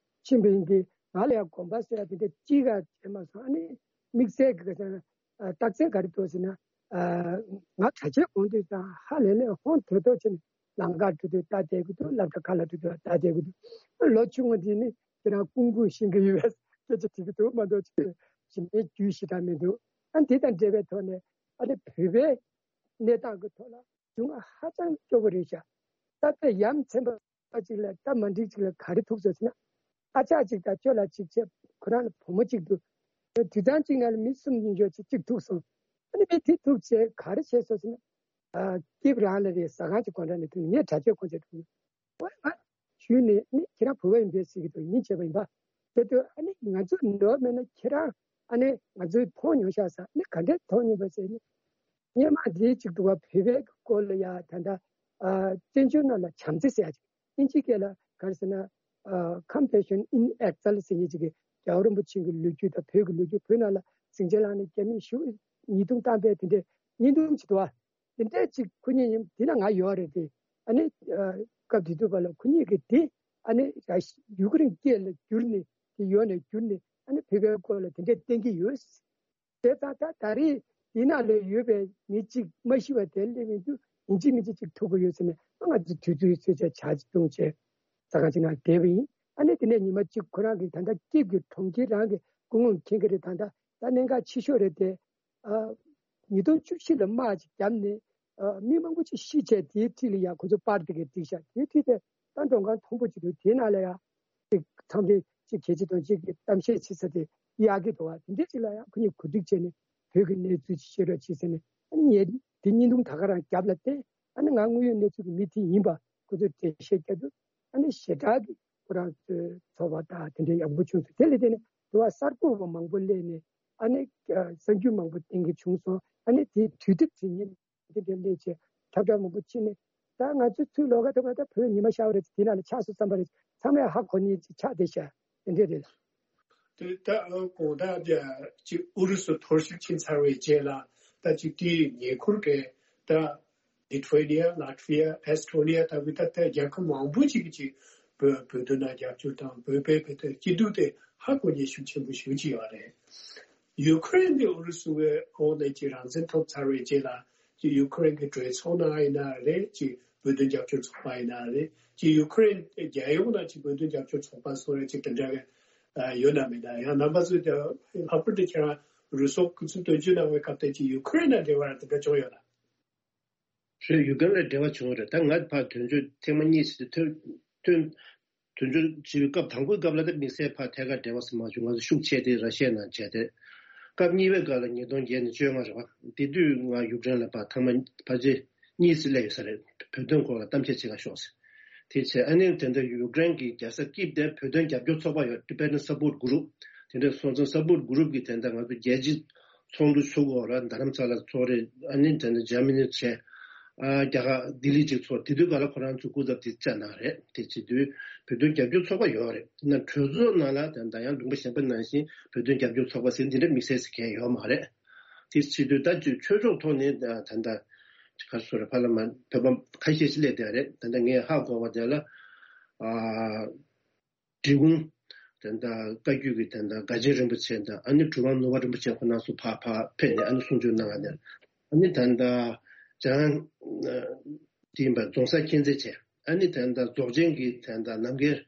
ཕྱིན་པ་ཡིན་གྱི། ང་ལ་ཡང་དགོངས་པ་ཟེར་ཡ་དེ་འདྲ་ཅི་ག་བྱས་མ་སོང་། ཨ་ནི་དམིགས་བསལ་གྱི་རྟགས་མཚན་ག་རེ་འདུག་ཟེར་ན། ང་གྲྭ་ཆས་གོན་དུས་ཙང་ཧ་ལས་ལས་ཧོན་ཐོད་ཐོད་བྱས་ནས་ལམ་ཁར་འགྲོ་དུས་ལྟ་བསྡད་ཀྱི་འདུག་ལམ་ཁ་ཁ་ལ་འགྲོ་དུས་ལྟ་བསྡད་ཀྱི་འདུག་ལོ་ཆུང་ངུ་འདི་ནི་ཁྱེད་རང་ཀུང་ཀུང་ཤེས་ཀྱི་ཡོད་པའི་སྐད་ཆ་དྲིས་ཀྱི་འདུག་མ་གཏོགས་ཅིག་གཞན་པའི་རྒྱུས་ཞེ་དྲག་མི་འདུག་ཨ་འདི་དང་འབྲེལ་བའི་ཐོག་ནས་ཨ་ནི་བོད་པའི་གནས་སྟངས་ཀྱི་ཐོག་ལ་སྡུག་བསྔལ་ཧ་ཅང་སྐྱོ་པོ་རེད་ཤག་ད་ལྟ་ཡ་མཚན་པ་ཅིག་ལ་ད་མ་འགྲིག་ཅིག་ལ་ག་རེ་ཐུག་སོང་ཟེར་ན། ཨ་ཅག་ཅིག་དང་ཅོ་ལགས་ཅིག་བྱས། ཁོ་རང་ལ་བུ་མོ་ཅིག་འདུག་དུས་ཚང་གཅིག་ནང་ལ་མི་གསུམ་ཉིན་འཇོག་ཅིག་ཅིག་ཐུག་སོང་། ཨ་ནི་མི་དེ་ཐུག་བྱས་ག་རེ་བྱས་སོང་ཟེར་ན། ཨ་སྐྱིབས་རང་ལ་རེད། ཟ་ཁང་ཅིག་སྒོ་འགྲམ་ནས་ཐུག་ངས་གྲྭ་ཆས་གོན་བྱས་འགྲོ། ཨོ་ང་ཞུས་ནས་ནི་ཁྱེད་རང་བོད་པ་ཡིན་པས་ཟེར་གྱི་འདུག་ཡིན་བྱས་པ་ཡིན་པ། དེ་དུས་ཨ་ནི་ང་ཚོ་ནོར་མེད་ན་ཁྱེད་རང་ཨ་ནི་ང་ཚོས་མཐོང་མྱོང་ཤག་ཟེར། ཨ་ནི་ག་འདྲས་མཐོང་མྱོང་པ་ཟེར་ནི། སྔོན་མ་འདི་གཅིག་འདུག་བ། བོད་པའི་སྐོར་ལ་ཡ་ད་ལྟ་ཨ་བཙན་བྱོལ་ནང་ལ་བྱམས་བརྩེ་ཟེར་ཡ་ཅིག་ཨིན་ཇི་སྐད་ལ་ག་རེ་ཟེར་ན། ཨ་Compassion in Exile ཟེར་མཁན་ཅིག་གི་རྒྱལ་བ་རིན་པོ་ཆེ་གི་ལོ་རྒྱུས་དང་བོད་ཀྱི་ལོ་རྒྱུས། བོད་ནང་ལ་ཟིང་ཆ་ལངས་ནས་རྒྱ་མིས་ཞེ་པོ་ཉེས་རྡུང་བཏང་པའི་དེ་འདྲའི་བརྙན་ཐུང་ཅིག་འདུག་བ། དེ་འདྲས་ཅིག་ཁོ་གཉིས་ཡིན་དེ་ན་ང་ཡོད་རེད་དེ། ཨ་ནི་ཨ་སྐབས་དེ་དུས་བར་ལ་ཁོ་གཉིས་ཀྱིས་དེ་ཨ་ནི་ཡུ་ཀེ་རེན་སྐད་ལ་བསྒྱུར་ནས་དེ་ཡོད་ནས་བསྒྱུར་ནས་ཨ་ནི་བོད་པའི་སྐོར་ལ་དེ་འདྲས་བསྟན་གྱི་ཡོད། དེ་ཙང་ད་ད་རེས་འདི་ནང་ལ་ཡོད་པའི་མི་གཅིག་མ་ཤི་བ་དེ་སླེབས་མི་འདུག་ཡིན་གཅིག་མིན་གཅིག་ཅིག་ཐུག་གི་ཡོད་ཟེར་ནས་ང་ཚོ་དུས་ཚོད་ཚོད་ཆ་ཆ་ཅིག་བཏུང་བྱས་ས་ཁང་ཅིག་ནང་བསྡད་པ་ཡིན། ཨ་ནི་དེ་ནས་ཉི་མ་གཅིག་ཁོ་རང་གི་ད་ལྟ་སྐྱིབས་ཀྱི་གྲོང་ཁྱེར་རང་གི་སྐུ་ངོ་མཁྱེན་གྱི་རེད། ད་ལྟ་ད་གནད་འགག་ཆེ་ཤོས་རེད་དེ། ཨ་ཉིས་སྟོང་བཅུ་བཞི་ལ་དམག་ཅིག་བརྒྱབ་ནས་ཨ་མི་མང་པོ་ཅིག་ཤི་བྱས་དེའི་འཁྲིས་ལ་ཡང་ཁོ་ཚོ་པར་དེ་གས་བསྒྲིགས་ཤག་དེའི་འཁྲིས་དེ་ད་མགྲོན་ཁང་མཐོན་པོ་ཅིག་འདུག་དེའི་ནང་ལ་ཡང་ཅིག་ཚང་མས་ཅིག་གལ་ཆེ་དང་ཅིག་གི་གཏམ་བཤད་བྱེད་ས་དེ་གཡར་གྱི་འདུག་བ། དེ་འདྲས་ཅིག་ལ་ཡང་ཁོ་གཉིས་གོ་སྒྲིག་བྱས་ནས་བོད་ཀྱི་གནས་ཚུལ་ཅིག་བཤད་རོགས་བྱེད་ཟེར་ནས། ཨ་ནི་ངས་དེ་བརྙན་ཐུང་ད་ག་རང་བརྒྱབ་ལ་བརྟེན་ཨ་ནི་ང་དངོས་ཡོད་གནས་ཚུལ་གྱི་མི་དེ་ཡིན་པ་ཁོ་ཚོས་འགྲེལ་བཤད་བརྒྱབ་འདུག་ཨ་ནི་ཞེ་དྲག་གི་ཁོ་རང་ཚོའི་ཚོར་བ་དང་དེ་འདྲའི་ཡག་པོ་བྱུང་སོང་། དེ་ལ་བརྟེན་ནས་དུ་བ་གསར་འགོད་པ་མང་པོ་སླེབས་ནས་ཨ་ནི་གསར་འགྱུར་མང་པོ་བསྟན་གྱི་བྱུང་སོང་། ཨ་ནི་དེའི་དུས་དེབ་ཚིག་ཉིན་དེ་འདྲའི་སླེབས་བྱས་ཁྱབ་བསྒྲགས་མང་པོ་ཕྱིན་ནས། ད་ང་ཚོའི་ཚུར་ལོག་ག་ཐུབ་པ་ད་བོད་ཉི་མ་ཤར་བ་རེད། དེ་ནང་ལ་ཆགས་སོང་བསམ་པ་རེད། ཚང་མས་ཧ་གོ་ནི་ཅིག་ཆགས་བསྡད་ཤག་དེ་འདྲས་རེད། དེ་ད་དགོང་དག་ཅིག་ཨུ་རུ་སུ་ཐོར་ཞིག་ཕྱིན་ཚར་བའི་རྗེས་ལ་ད་ཅིག་དེའི་ཉེ་འཁོར་གྱི་ད་ལི་ཐུ་ཝེ་ནི་ཡ། ལ་ཐི་ཝི་ཡ། ཨེས་ཐོ་ནི་ཡ་ལྟ་བུའི་ད་ད་རྒྱལ་ཁབ་མང་པོ་ཅིག་གིས་ཅིག་བོད་བོད་དོན་ལ་རྒྱབ་སྐྱོར་དང་བོད་པའི་བོད་དོན་སྐྱིད་སྡུག་དེ་ཧ་གོ་ཉེན་ཤུགས་ཆེན་པོ་ཞེ་པོ་ཅིག་ཡོད་རེད། ཡུ་ཁུ་རེན་གྱིས་ཨུ་རུ་སུའི་འོག་ནས་ཀྱི་རང་བཙན་ཐོབ་ཚར་བའི་རྗེས་ལ་ཀྱི་ཡུ་ཁུ་རེན་གྱི་གྲོས་ཚོགས་ནང་ཡིན་ན་རེད། ཀྱི་བོད་དོན་རྒྱབ་སྐྱོར་ཚོགས་པ་ཡིན་ན་རེད། ཀྱི་ཡུ་ཁུ་རེན་རྒྱལ་ཡོངས་ནང་ཀྱི་བོད་དོན་རྒྱབ་སྐྱོར་ཚོགས་པ་སོགས་རེད། ཀྱི་དེ་འདྲ་གི་ཡོད་ན་མེད་ན། ཡང་རྣམ་པ་ཚོས་ཀྱི་ལྷག་པར་དུ་ཁྱེད་རང་རུ་སོག་སྐུ་ཚབ་དོན་གཅོད་གནང་བའི་སྐབས་དེ་ཀྱི་ཡུ་ཁུ་རེན་དང་འབྲེལ་བ་དེ་འདྲ་བྱུང་ཡོད་ན། རེད། ཡུ་ཀེ་རེན་ལ་འབྲེལ་བ་བྱུང་བ་རེད། ད་ང་ཕར་དོན་གཅོད་ཐེངས་མ་གཉིས་ཤིག་ཐོན་ཐོན། དོན་གཅོད་བྱས་པའི་སྐབས་དང་པོའི་སྐབས་ལ་ད་དམིགས་བསལ་ཕར་ཐད་ཀར་འབྲེལ་བ་ཟེར་མ་བྱུང་། ང་ཚོ་ཤུགས་ཆེ་དེ་ར་ཤི་ཡ་ནང་བྱས་ཏེ། སྐབས་གཉིས་པའི་སྐབས་ལ་ཉིས་སྟོང་བརྒྱད་ནས་བཅོ་ལྔ་རེད་བ། དེ་དུས་ང་ཡུཀ་རེན་ལ་ཕར་ཐེངས་མ་ཕལ་ཆེར་གཉིས་ཙམ་སླེབས་ཡོད་ས་རེད། བོད་དོན་སྐོར་ལ་གཏམ་བཤད་བྱེད་ག་ཤོག་ཟེར། དེ་བྱས་ཨ་ནི་དེ་འདྲ་ཡུཀ་རེན་གྱི་རྒྱལ་ས་ཀིབ་དེ་བོད་དོན་རྒྱབ་སྐྱོར་ཚོགས་པ་ཡོད། Tibetan Support Group། དེ་འདྲ་སོང་ཙང་Support Group་གི་དེ་འདྲ་ང་ཚོ་རྒྱལ་སྤྱི་ཚོགས་འདུ་ཚུགས་འོག་ར་རྡ་རམ་ས་ལ་ཚོགས་རེད། ཨ་ནི་དེ་འདྲ་འཇར་མ་ནི་བྱས། ཨ་རྒྱ་གར་ལྡི་ལི་ཅིག་ཚོགས། དེ་དུས་ག་ལ་ཁོ་རང་ཚོ་སྐུ་ཚབ་དེ་བཅར་གནང་རེད། དེ་བྱེད་དུས་བོད་དོན་རྒྱབ་སྐྱོར་ཚོགས་པ་ཡོད་རེད། ན་གྲོས་ཚོགས་ནང་ལ་ད་ལྟ་ཡང་ལུང་པ་གཞན་པ་ནང་བཞིན་བོད་དོན་རྒྱབ་སྐྱོར་ཚོགས་པ་ཟེར་འདི་འདྲ་དམིགས་བསལ་ཟེར་མཁན་ཡོད་མ་རེད། དེ་བྱེད་དུས་ད་ཅིག་ཆོས་ཕྱོགས་ཐོག་ནས་ད་ད་ལྟ་ག་རེ་ཟེར་རེད། ཕ་ལ་མ་བོད་པ་ཁ་ཤས་ཤིག་སླེབས་བསྡད་རེད། ད་ལྟ་ངས་ཧ་གོ་བ་དེ་ལ་ཨ། འབྲི་གུང་། དེ་འདྲ་བཀའ་བརྒྱུད་ཀྱི་དེ་འདྲ་དགའ་ཆེན་རིན་པོ་ཆེ་དང་། ཨ་ནི་གྲུབ་དབང་ནོར་བུ་རིན་པོ་ཆེ་ཁོ་རང་ཚོ་ཕར་ཕར་ཕེབས་ནས་ཨ་ནི་གསུང་ཆོས་གནང་བ་ནས། ཨ་ནི་ད་ལྟ་འཇང་དེ་ཡིན་པ་རྫོང་སར་མཁྱེན་བརྩེ་ཆེ། ཨ་ནི་ད་ལྟ་རྫོགས་ཆེན་གྱི་ད་ལྟ་རྣམ་རྒྱལ་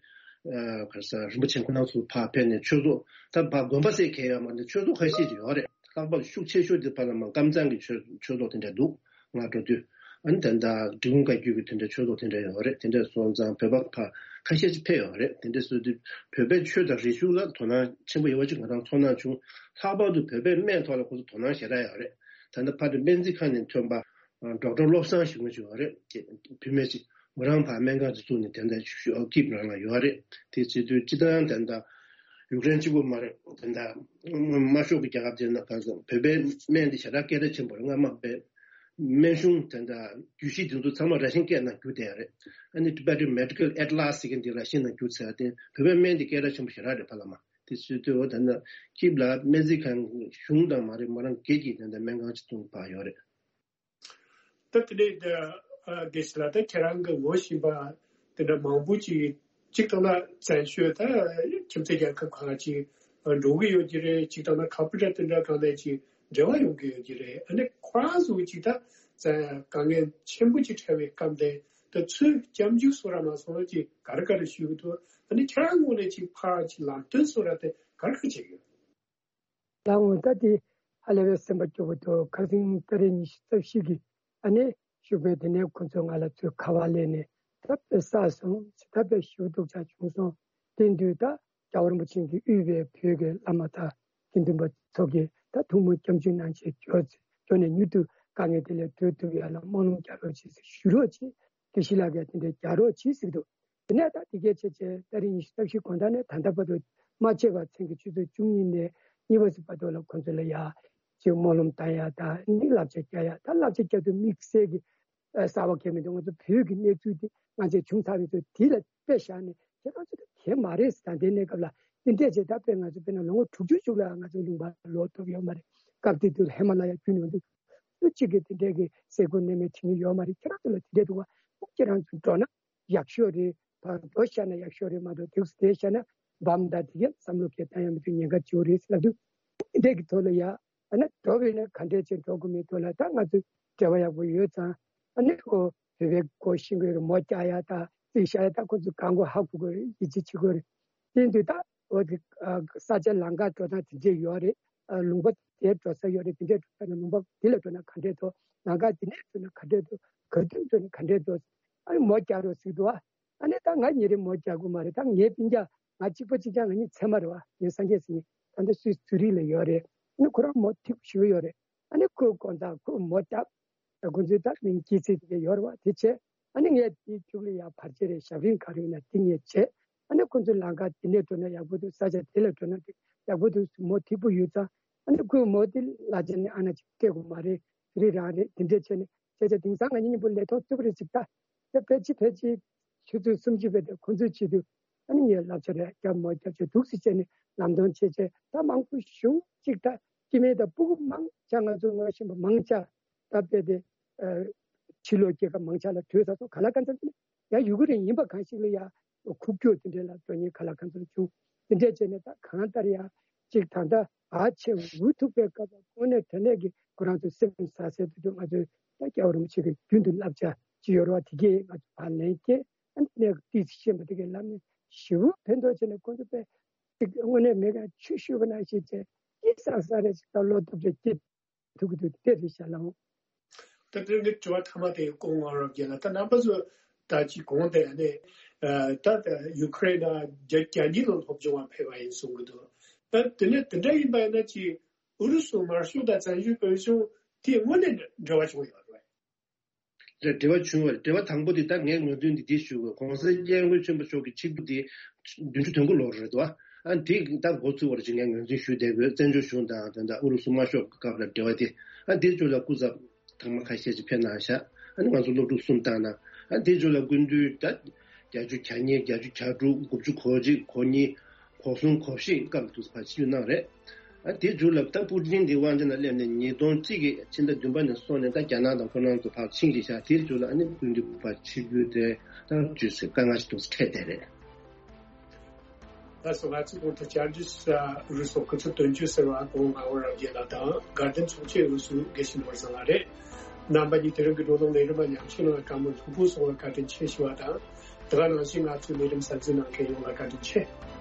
ག་རེ་ཟེར་རིན་པོ་ཆེ་ཁོ་རང་ཚོ་ཕར་ཕེབས་ནས་ཆོས་ཚོགས། ད་ཕར་དགོན་པ་ཟེར་མཁན་ཡོད་མ་རེད། ཆོས་ཚོགས་ཁ་ཤས་ཅིག་ཡོད་རེད། ལྷག་པར་ཤུགས་ཆེ་ཤོས་དེ་ཕར་ལ་མར་ཀམ་ཚང་གི་ཆོས་ཆོས་ཚོགས་དེ་འདྲ་འདུག་ང་འགྲོ་དུས། ཨ་ནི་ད་ལྟ་འབྲི་གུང་བཀའ་བརྒྱུད་ཀྱི་དེ་འདྲ་ཆོས་ཚོགས་དེ་འདྲ་ཡོད་རེད། དེ་འདྲ་སོང་ཙང་བོད་པ་ཕར་ ཁ་ཤས་ཅིག་ཕེབས་ཡོད་རེད། དེ་འདྲ་བཟོས་དུས་བོད་པའི་ཆོས་དང་རིག་གཞུང་ལ་དོ་སྣང་ཆེན་པོ་ཡོད་པ་ཅིག་ང་རང་ཚོར་སྣང་བྱུང་། ལྷག་པར་དུ་བོད་པའི་སྨན་ཐོག་ལ་ཁོ་ཚོ་དོ་སྣང་ཞེ་དྲག་ཡོད་རེད། ད་ལྟ་ཕ་དེ་སྨན་རྩིས་ཁང་ནས་ཐོན་པ་ཌོག་ཊར་བློ་བཟང་ཞེས་པ་ཅིག་ཡོད་རེད། བུད་མེད་ཅིག་མོ་རང་ཕར་སྨན་ཁང་དུ་བཙུགས་ནས་དེ་འདྲ་ཞུ་ཀིབ་རང་ལ་ཡོད་རེད། དེ་བྱེད་དུས་སྤྱི་བཏང་དེ་འདྲ་ཡུཀ་རེན་གཅིག་པོ་མ་རེད། དེ་འདྲ་དམར་ཤོག་གི་རྒྱལ་ཁབ་དེ་ན་གང་སོང་བོད་པའི་སྨན་དེ་ཞེ་དྲག་སྐད་གྲགས་ཆེན་པོ་རེད། སྔ་མ་བོད་སྨན་གཞུང་དེ་འདྲ་རྒྱུད་བཞི་དེ་ཚོ་ཚང་མ་ར་ཤན་སྐད་ནང་བསྒྱུར་བསྡད་ཡོད་རེད། ཨ་ནི་Tibetan Medical Atlas་ཟེར་མཁན་དེ་ར་ཤན་ནང་བསྒྱུར་ཚར་ཏེ་བོད་པའི་སྨན་དེ་སྐད་གྲགས་ཆེན་པོ་ཞེ་དྲག་རེད་ཕ་ལ་མ། དེ་བྱེད་དུས་འོ་དེ་འདྲ་ཀིབ་ལ་སྨན་རྩིས་ཁང་གཞུང་དང་མ་རེད་མོ་རང་སྒེར་གྱི་དེ་འདྲ་སྨན་ཁང་ཅིག་བཙུགས་ཕར་ཡོད་རེད། ད་དེ་ནས་ད་ཨ་དགེ་བཤེས་ལགས་ད་ཁྱེད་རང་གི་ངོ་ཤེས་པ་དེ་འདྲ་མང་པོ་ཅིག་གཅིག་ཐོག་ན་བཙན་བྱོལ་ད་ཁྱིམ་མཚེས་རྒྱལ་ཁབ་ཁག་ཅིག་འགྲོ་གི་ཡོད་ཀྱི་རེད། གཅིག་ཐོག་ན་ཁ་པར་དང་དེ་འདྲ་གང་ལས་ཅིག་འབྲེལ་བ་ཡོང་གི་ཡོད་ཀྱི་རེད། ཨ་ནི་ཁོ་རང་ཚོ་ཅིག་ད་བཙན་དཀའ་ངལ་ཆེན་པོ་ཅིག་འཕྲད་པའི་སྐབས་དེ་ད་ཚུར་སྐྱབས་འཇུག་སོགས་ར་མ་སོང་ཅིག་ག་རེ་ག་རེ་ཞུ་གི་འདུག་ཨ་ནི་ཁྱེད་རང་ངོས་ནས་ཅིག་ཕར་ཅིག་ལམ་སྟོན་སོགས་ར་དེ་ག་རེ་ག་རེ་བྱེད་ཀྱི་ཡོད། ལགས་འོང་། ད་དེ་ཧ་ལས་པའི་སེམས་པ་སྐྱོ་པོ་འདུག་ཁ་སང་ཏ་རིག་ཉི་ཤུ་རྩ་བཞི་གི་ཨ་ནི་ཞུགས་པའི་དེ་ནས་ཁོ་ཚོས་ང་ལ་ཚུར་ཁ་པར་སླེབས་ནས་ད་དཔེ་བསགས་སོང་ཟེར། ད་དཔེ་ཞེ་པོ་སྡུག་ཅག་བྱུང་སོང་། དེ་དུས་ད་རྒྱལ་བ་རིན་པོ་ཆེ་གིས་དབུས་པའི་བོད་ཀྱི་བླ་མ་དང་དགེ་འདུན་པ་ཚོ་གིས་ད་ཐུགས་སྨོན་སྐྱབས་འཇུག་གནང་བྱས་འབྱོར་ཚེ་འབྱོར་ནས་མྱུར་དུ་དཀའ་ངལ་དེ་ལས་སྒྲོལ་ཐུབ་ཡ་ལ་སྨོན་ལམ་རྒྱག་རོགས་བྱེད་ཟེར་ཞུ་རོགས་བྱེད། དགེ་བཤེས་ལགས་ཀྱིས་དེ་འདྲའི་རྒྱག་རོགས་བྱེད་ཟེར་གྱི་འདུག་དེ་ནས་ད་དེ་གའི་ཆེ་ཆེ་ཏ་རིག་ཉི་ཤུ་རྩ་བཞི་དགོང་དག་ནས་ད་ལྟ་བར་དུ་མ་ཆད་པར་མཚན་གྱི་ཆུ་ཚོད་བཅུ་གཉིས་ནས་གཉིས་པ་ཟིག་བར་དུ་ལ་ཁོང་ཚོ་ལ་ཡ་ཅིག་སྨོན་ལམ་བཏང་ཡ་ད་ནི་བསླབ་བྱ་རྒྱག་ཡ་ད་བསླབ་བྱ་རྒྱག་དུས་དམིགས་བསལ་གྱི་ཨ་གསར་པ་གང་མི་འདུག་ང་ཚོ་བོད་ཀྱི་གནས་ཚུལ་དེ་ང་ཚོས་བྱུང་ཚར་བའི་ཚོ་དེ་ལ་དཔེ་བཞག་ནས་ཁྱེད་རང་ཚོ་ད་དེ་མ་རེད་ཟེར། ད་ལྟའི་གནས་སྐབས་ལ་དེ་འདྲས་བྱས་ད་དཔེ་ང་ཚོ་དཔེར་ན་ལོ་ངོ་དྲུག་ཅུ་ཅིག་ལ་ང་ཚོ་ལུང་པ་ལོག་ཐུབ་ཡོད་མ་རེད། སྐབས་དེ་དུས་ཧི་མ་ལ་ཡ་རྒྱུད་ནས་འདུག་སུ་གཅིག་གིས་དེ་འདྲས་ཀྱི་སེ་གོལ་གནས་མལ་བྱེད་མཁན་ཡོད་མ་རེད། ཁྱེད་རང་ཚོ་ལ་དེ་འདྲས་འདུག་བ། ཁྱེད་རང་ཚོ་འགྲོ་ན་ཡག་ཤོས་རེད། ཕར་འགྲོ་བཞག་ན་ཡག་ཤོས་རེད་མ་གཏོགས་དུས་སུ་བསྡད་བཞག་ན་བམ་དང་དེ་གས་བསམ་བློ་གས་བཏང་ཡ་མི་འདུག་ཉེན་ཁ་ཆེ་བོ་རེད་ཟེར་ལབ་དུས་དེ་འདྲས་ཀྱི་ཐོག་ལ་ཡ་ཨ་ན་འགྲོ་བས་ན་ག་འདྲས་བྱས་འགྲོ་དགོས་མིན་ཐོག་ལ་ད་ང་ཚོ་འབྲེལ་བ་ཡག་པོ་ཡོད་ཙང་ཨ་ནི་ཁོ་བོད་པའི་སྒོ་ཤེས་དགོས་རེད། མོ་རྒྱག་ཡ་ད་རྩིས་བཞག་ཡ་ད་ཁོ་ཚོ་གང་དགོས་ཧ་གོ་དགོས་རེད། ཡིད་ཆེས་བྱེད་དགོས་རེད། དེ་འདུག་ད་འོ་དེ་ས་ཆ་ལམ་ཁ་འགྲོ་སྟངས་དེ་འདྲས་ཡོད་རེད། ལུང་པ་དེ་འགྲོ་ས་ཡོད་རེད། དེ་འདྲས་འགྲོ་ས་ན་ལུང་པ་དེ་ལ་འགྲོ་ན་ག་འདྲས་འདུག་ལམ་ཁ་དེ་ནས་འགྲོ་ན་ག་འདྲས་འདུག་ག་དུས་འགྲོ་ན་ག་འདྲས་འདུག་ཨ་ནི་མོ་རྒྱག་རོགས་ཟེར་འདུག་ཨ་ནི་ད་ང་ཉིན་རེ་མོ་རྒྱག་དགོས་མ་རེད། ད་ངའི་སྤུན་ཀྱག་ང་གཅིག་པ་གཅིག་རྐྱང་ང་གཉིས་ཚད་མ་རེད་བ། ངའི་སངས་རྒྱས་ཟེར་མཁན་ད་ལྟ་སུད་སི་ཛུ་རིག་ལ་ཡོད་རེད། ཨ་ནི་ཁོ་རང་མོ་ཐིག་ཞུ་ཡོད་རེད། ཨ་ནི་ཁོའི་དགོང་དག་ཁོས་མོ་རྒྱབ། ད་ཁོ་ཚོའི་ད་མིང་སྐྱེས་ཚེས་དེ་ག་ཡོད་རེད་བ། དེ་བྱས་ཨ་ནི་ངས་དེའི་རྒྱུགས་ལ་ཡར་བར་ཆད་རེད། ཞབས་རིམ་ག་རེ་ཡོད་ན་དེ་ངས་བྱས། ཨ་ནི་ཁོ་ཚོའི་ལམ་ཁ་དེ་ནས་འགྲོ་ན་ཡག་པོ་འདུག་ས་ཆ་དེ་ལ་འགྲོ་ན་དེ་ཡག་པོ་འདུག་མོ་ཐིག་པོ་ཡོད་ཙང་ཨ་ནི་ཁོའི་མོ་དེ་ལ་ཅན་ནི་ཨ་ན་ཅིག་སྤྲད་དགོས་མ་རེད། དེ་རིགས་རང་རེད། དེ་འདྲས་བྱས་ནས་བྱས་བྱས་དེང་སང་ང་གཉིས་མཉམ་པོ་ལས་ཐོག་ཐུབ་རེད་ཅིག་ད་དེ་ཕལ་ཆེར་ཕལ་ཆེར་ཆུ་ཚོད་སུམ་ཅུ་བས་དེ་ཁོ་ཚོའི་ཆེད་དུ་ཨ་ནི་ངས་བསླབ་བྱ་རེ་རྒྱབ་མ་རྒྱབ་བྱས་འདུག་སེ་བྱས་ནས་ལམ་སྟོན་བྱས་བྱས་ད་མང་པོ་ཞེ་པོ་ཅིག་ད་སྐྱེ་དམན་དང་སྤུ་གུ་མང་ཆ་ང་ཚོ་ངོ་ཤེས་པ་མང་ཆ་ད་དཔེ་དེ་ཕྱི་ལོགས་སྐྱེས་སྐར་མང་ཆ་ལ་བྲོས་ཚར་སོང་། ག་ལ་གང་འཚམ་ཡང་ཡུ་ཀེ་རེན་ཡིན་པ་གང་ཞིག་ལ་ཡང་ཁུག་ཀྱོག་དེ་འདྲས་ལ་འགྲོ་མཁན་ག་ལ་གང་འཚམ་བྱུང་། དེ་འདྲས་བྱས་ནས་ད་གང་ལྟར་ཡང་ཅིག་ད་ལྟ་བར་ཆད་འུ་ཐུག་པའི་སྐབས་ལ་དངོས་གནས་དྲང་གནས་ཀྱི་ཁོ་རང་ཚོ་སེམས་ཟ་ཟེར་དུ་འགྲོ། ང་ཚོས་ད་སྐྱབས་རིན་པོ་ཆེ་གི་རྒྱུན་དུ་བསླབ་བྱ་ཅིག་ཡོད་རེད་བ། དེ་གས་ང་ཚོ་ཕར་ལེན་སྐྱེས་ཨ་ནི་གནས་ཏིས་ཤེས་པ་དེ་གས་ལམ་ནས་ཞེ་པོ་ཕན་ཐོགས་བྱས་ནས་ཁོང་ཚོ་དཔེ་ཅིག་དངོས་གནས་མེད་ཀྱང་ཆོས་ཞུས་པ་ནང་བཞིན་བྱས་སྐྱིད་སང་ས་རེ་ཞིག་ད་བློ་སྟོབས་ཀྱིས་སྐྱིད་ཐུག་གི་འདུག་དེ་རེད་ཤག་ལགས། ད་དེ་ནི་དྲི་བ་མཐའ་མ་དེ་སྐུ་ངོ་རབ་རྒྱས་ལགས། ད་རྣམ་པ་ཚོ་ད་ཅིག་གོང་དེ་ནས་ད་ཡུ་ཀེ་རེན་ན་རྒྱ་རྒྱ་གཉིས་ལ་སློབ་སྦྱོང་བ་ཕེབས་པ་ཡིན་གསུང་གི་འདུག་ད་དེ་ནས་དེ་འདྲ་ཡིན་པ་ཡིན་ན་ཅིག་ཨུ་རུ་སུ་དམར་ཤོག་དང་བཙན་བྱོལ་བོད་གཞུང་དེ་དངོས་གནས་འབྲེལ་བ་བྱུང་ཡོད་རེད། རེད། འབྲེལ་བ་བྱུང་བ་རེད། འབྲེལ་བ་དང་པོ་དེ་ད་ངས་ངོས་འཛིན་འདི་འདི་ཞུ་དགོས། ༸གོང་ས་༸སྐྱབས་མགོན་ཆེན་པོ་མཆོག་གི་ཆིག་སྟོང་དེ་བདུན་ཅུ་དོན་དགུ་ལོར་རེད་དོ། ཨ་འདི་ད་འགོ་ཚུགས་པར་ཅིག་ངས་ངོས་འཛིན་ཞུ་བསྡད་དགོས། བཙན་བྱོལ་གཞུང་དང་དེ་འདྲ་ཨུ་རུ་སུ་དམར་ཤོག་གི་སྐབས་ལ་འབྲེལ་བ་དེ་ཨ་འདིའི་ཚུལ་ལ་སྐུ་ཚབ་ཐེངས་མ་ཁ་ཤས་ཅིག་ཕེབས་གནང་ཤག་ཨ་ནི་ང་ཚོ་སློབ་ཕྲུག་གསུམ་བཏང་ན་ཨ་འདིའི་ཚུལ་ལ་སྐུ་མདུན་ད་བརྒྱད་ཅུ་གྱ་གཉིས་བརྒྱད་ཅུ་གྱ་དྲུག་དགུ་བཅུ་གོ་གཅིག་གོ་གཉིས་གོ་གསུམ་གོ་བཞི་སྐབས་དུས་ཕར་ཕྱིར་གནང་རེད། ཨ་དེ་མཇུག་ལ་ད་པུ་ཏིན་དེ་དབང་ཆེན་ལ་སླེབས་ནས་ཉིས་སྟོང་གཅིག་གི་ཕྱི་ཟླ་བདུན་པ་ནས་བཟུང་ནས་ད་རྒྱ་ནག་དང་ཁོ་རང་ཚོ་ཕར་ཕྱིན་གྱི་ཤག་དེའི་མཇུག་ལ་ཨ་ནི་སྐུ་མདུན་ཕར་ཕྱིར་འབུད་དེ་ད་བརྗོད་ཚེ་དཀའ་ངལ་ཞིག་འདུག་སེ་འཕྲད་བསྡད་རེད། ད་སོ་ང་ཚོ་གོང་དུ་བཅར་འདྲི་ས་རུ་སོ་སྐུ་ཚབ་དོན་གཅོད་ཟེར་བ་གོང་མ་འོ་རབ་རྒྱས་ལགས་དང་དགའ་ལྡན་ཚོགས་ཆེན་རུ་སུ་དགེ་བཤེས་ནོར་བཟང་ལགས་རེད། རྣམ་པ་གཉིས་དེ་རིང་གི་བགྲོ་གླེང་ལས་རིམ་པ་ཉམས་ཞིབ་གནང་བའི་བཀའ་མོལ་ལྷུག་པོ་གསུང་བར་བཀའ་དྲིན་ཆེ་ཞུ་བ་དང་། དེ་ག་ནང་བཞིན་ང་ཚོའི་ལས་རིམ་གསན་གཟིགས་གནང་མཁན་ཡོངས་ལ་བཀའ་དྲིན་ཆེ།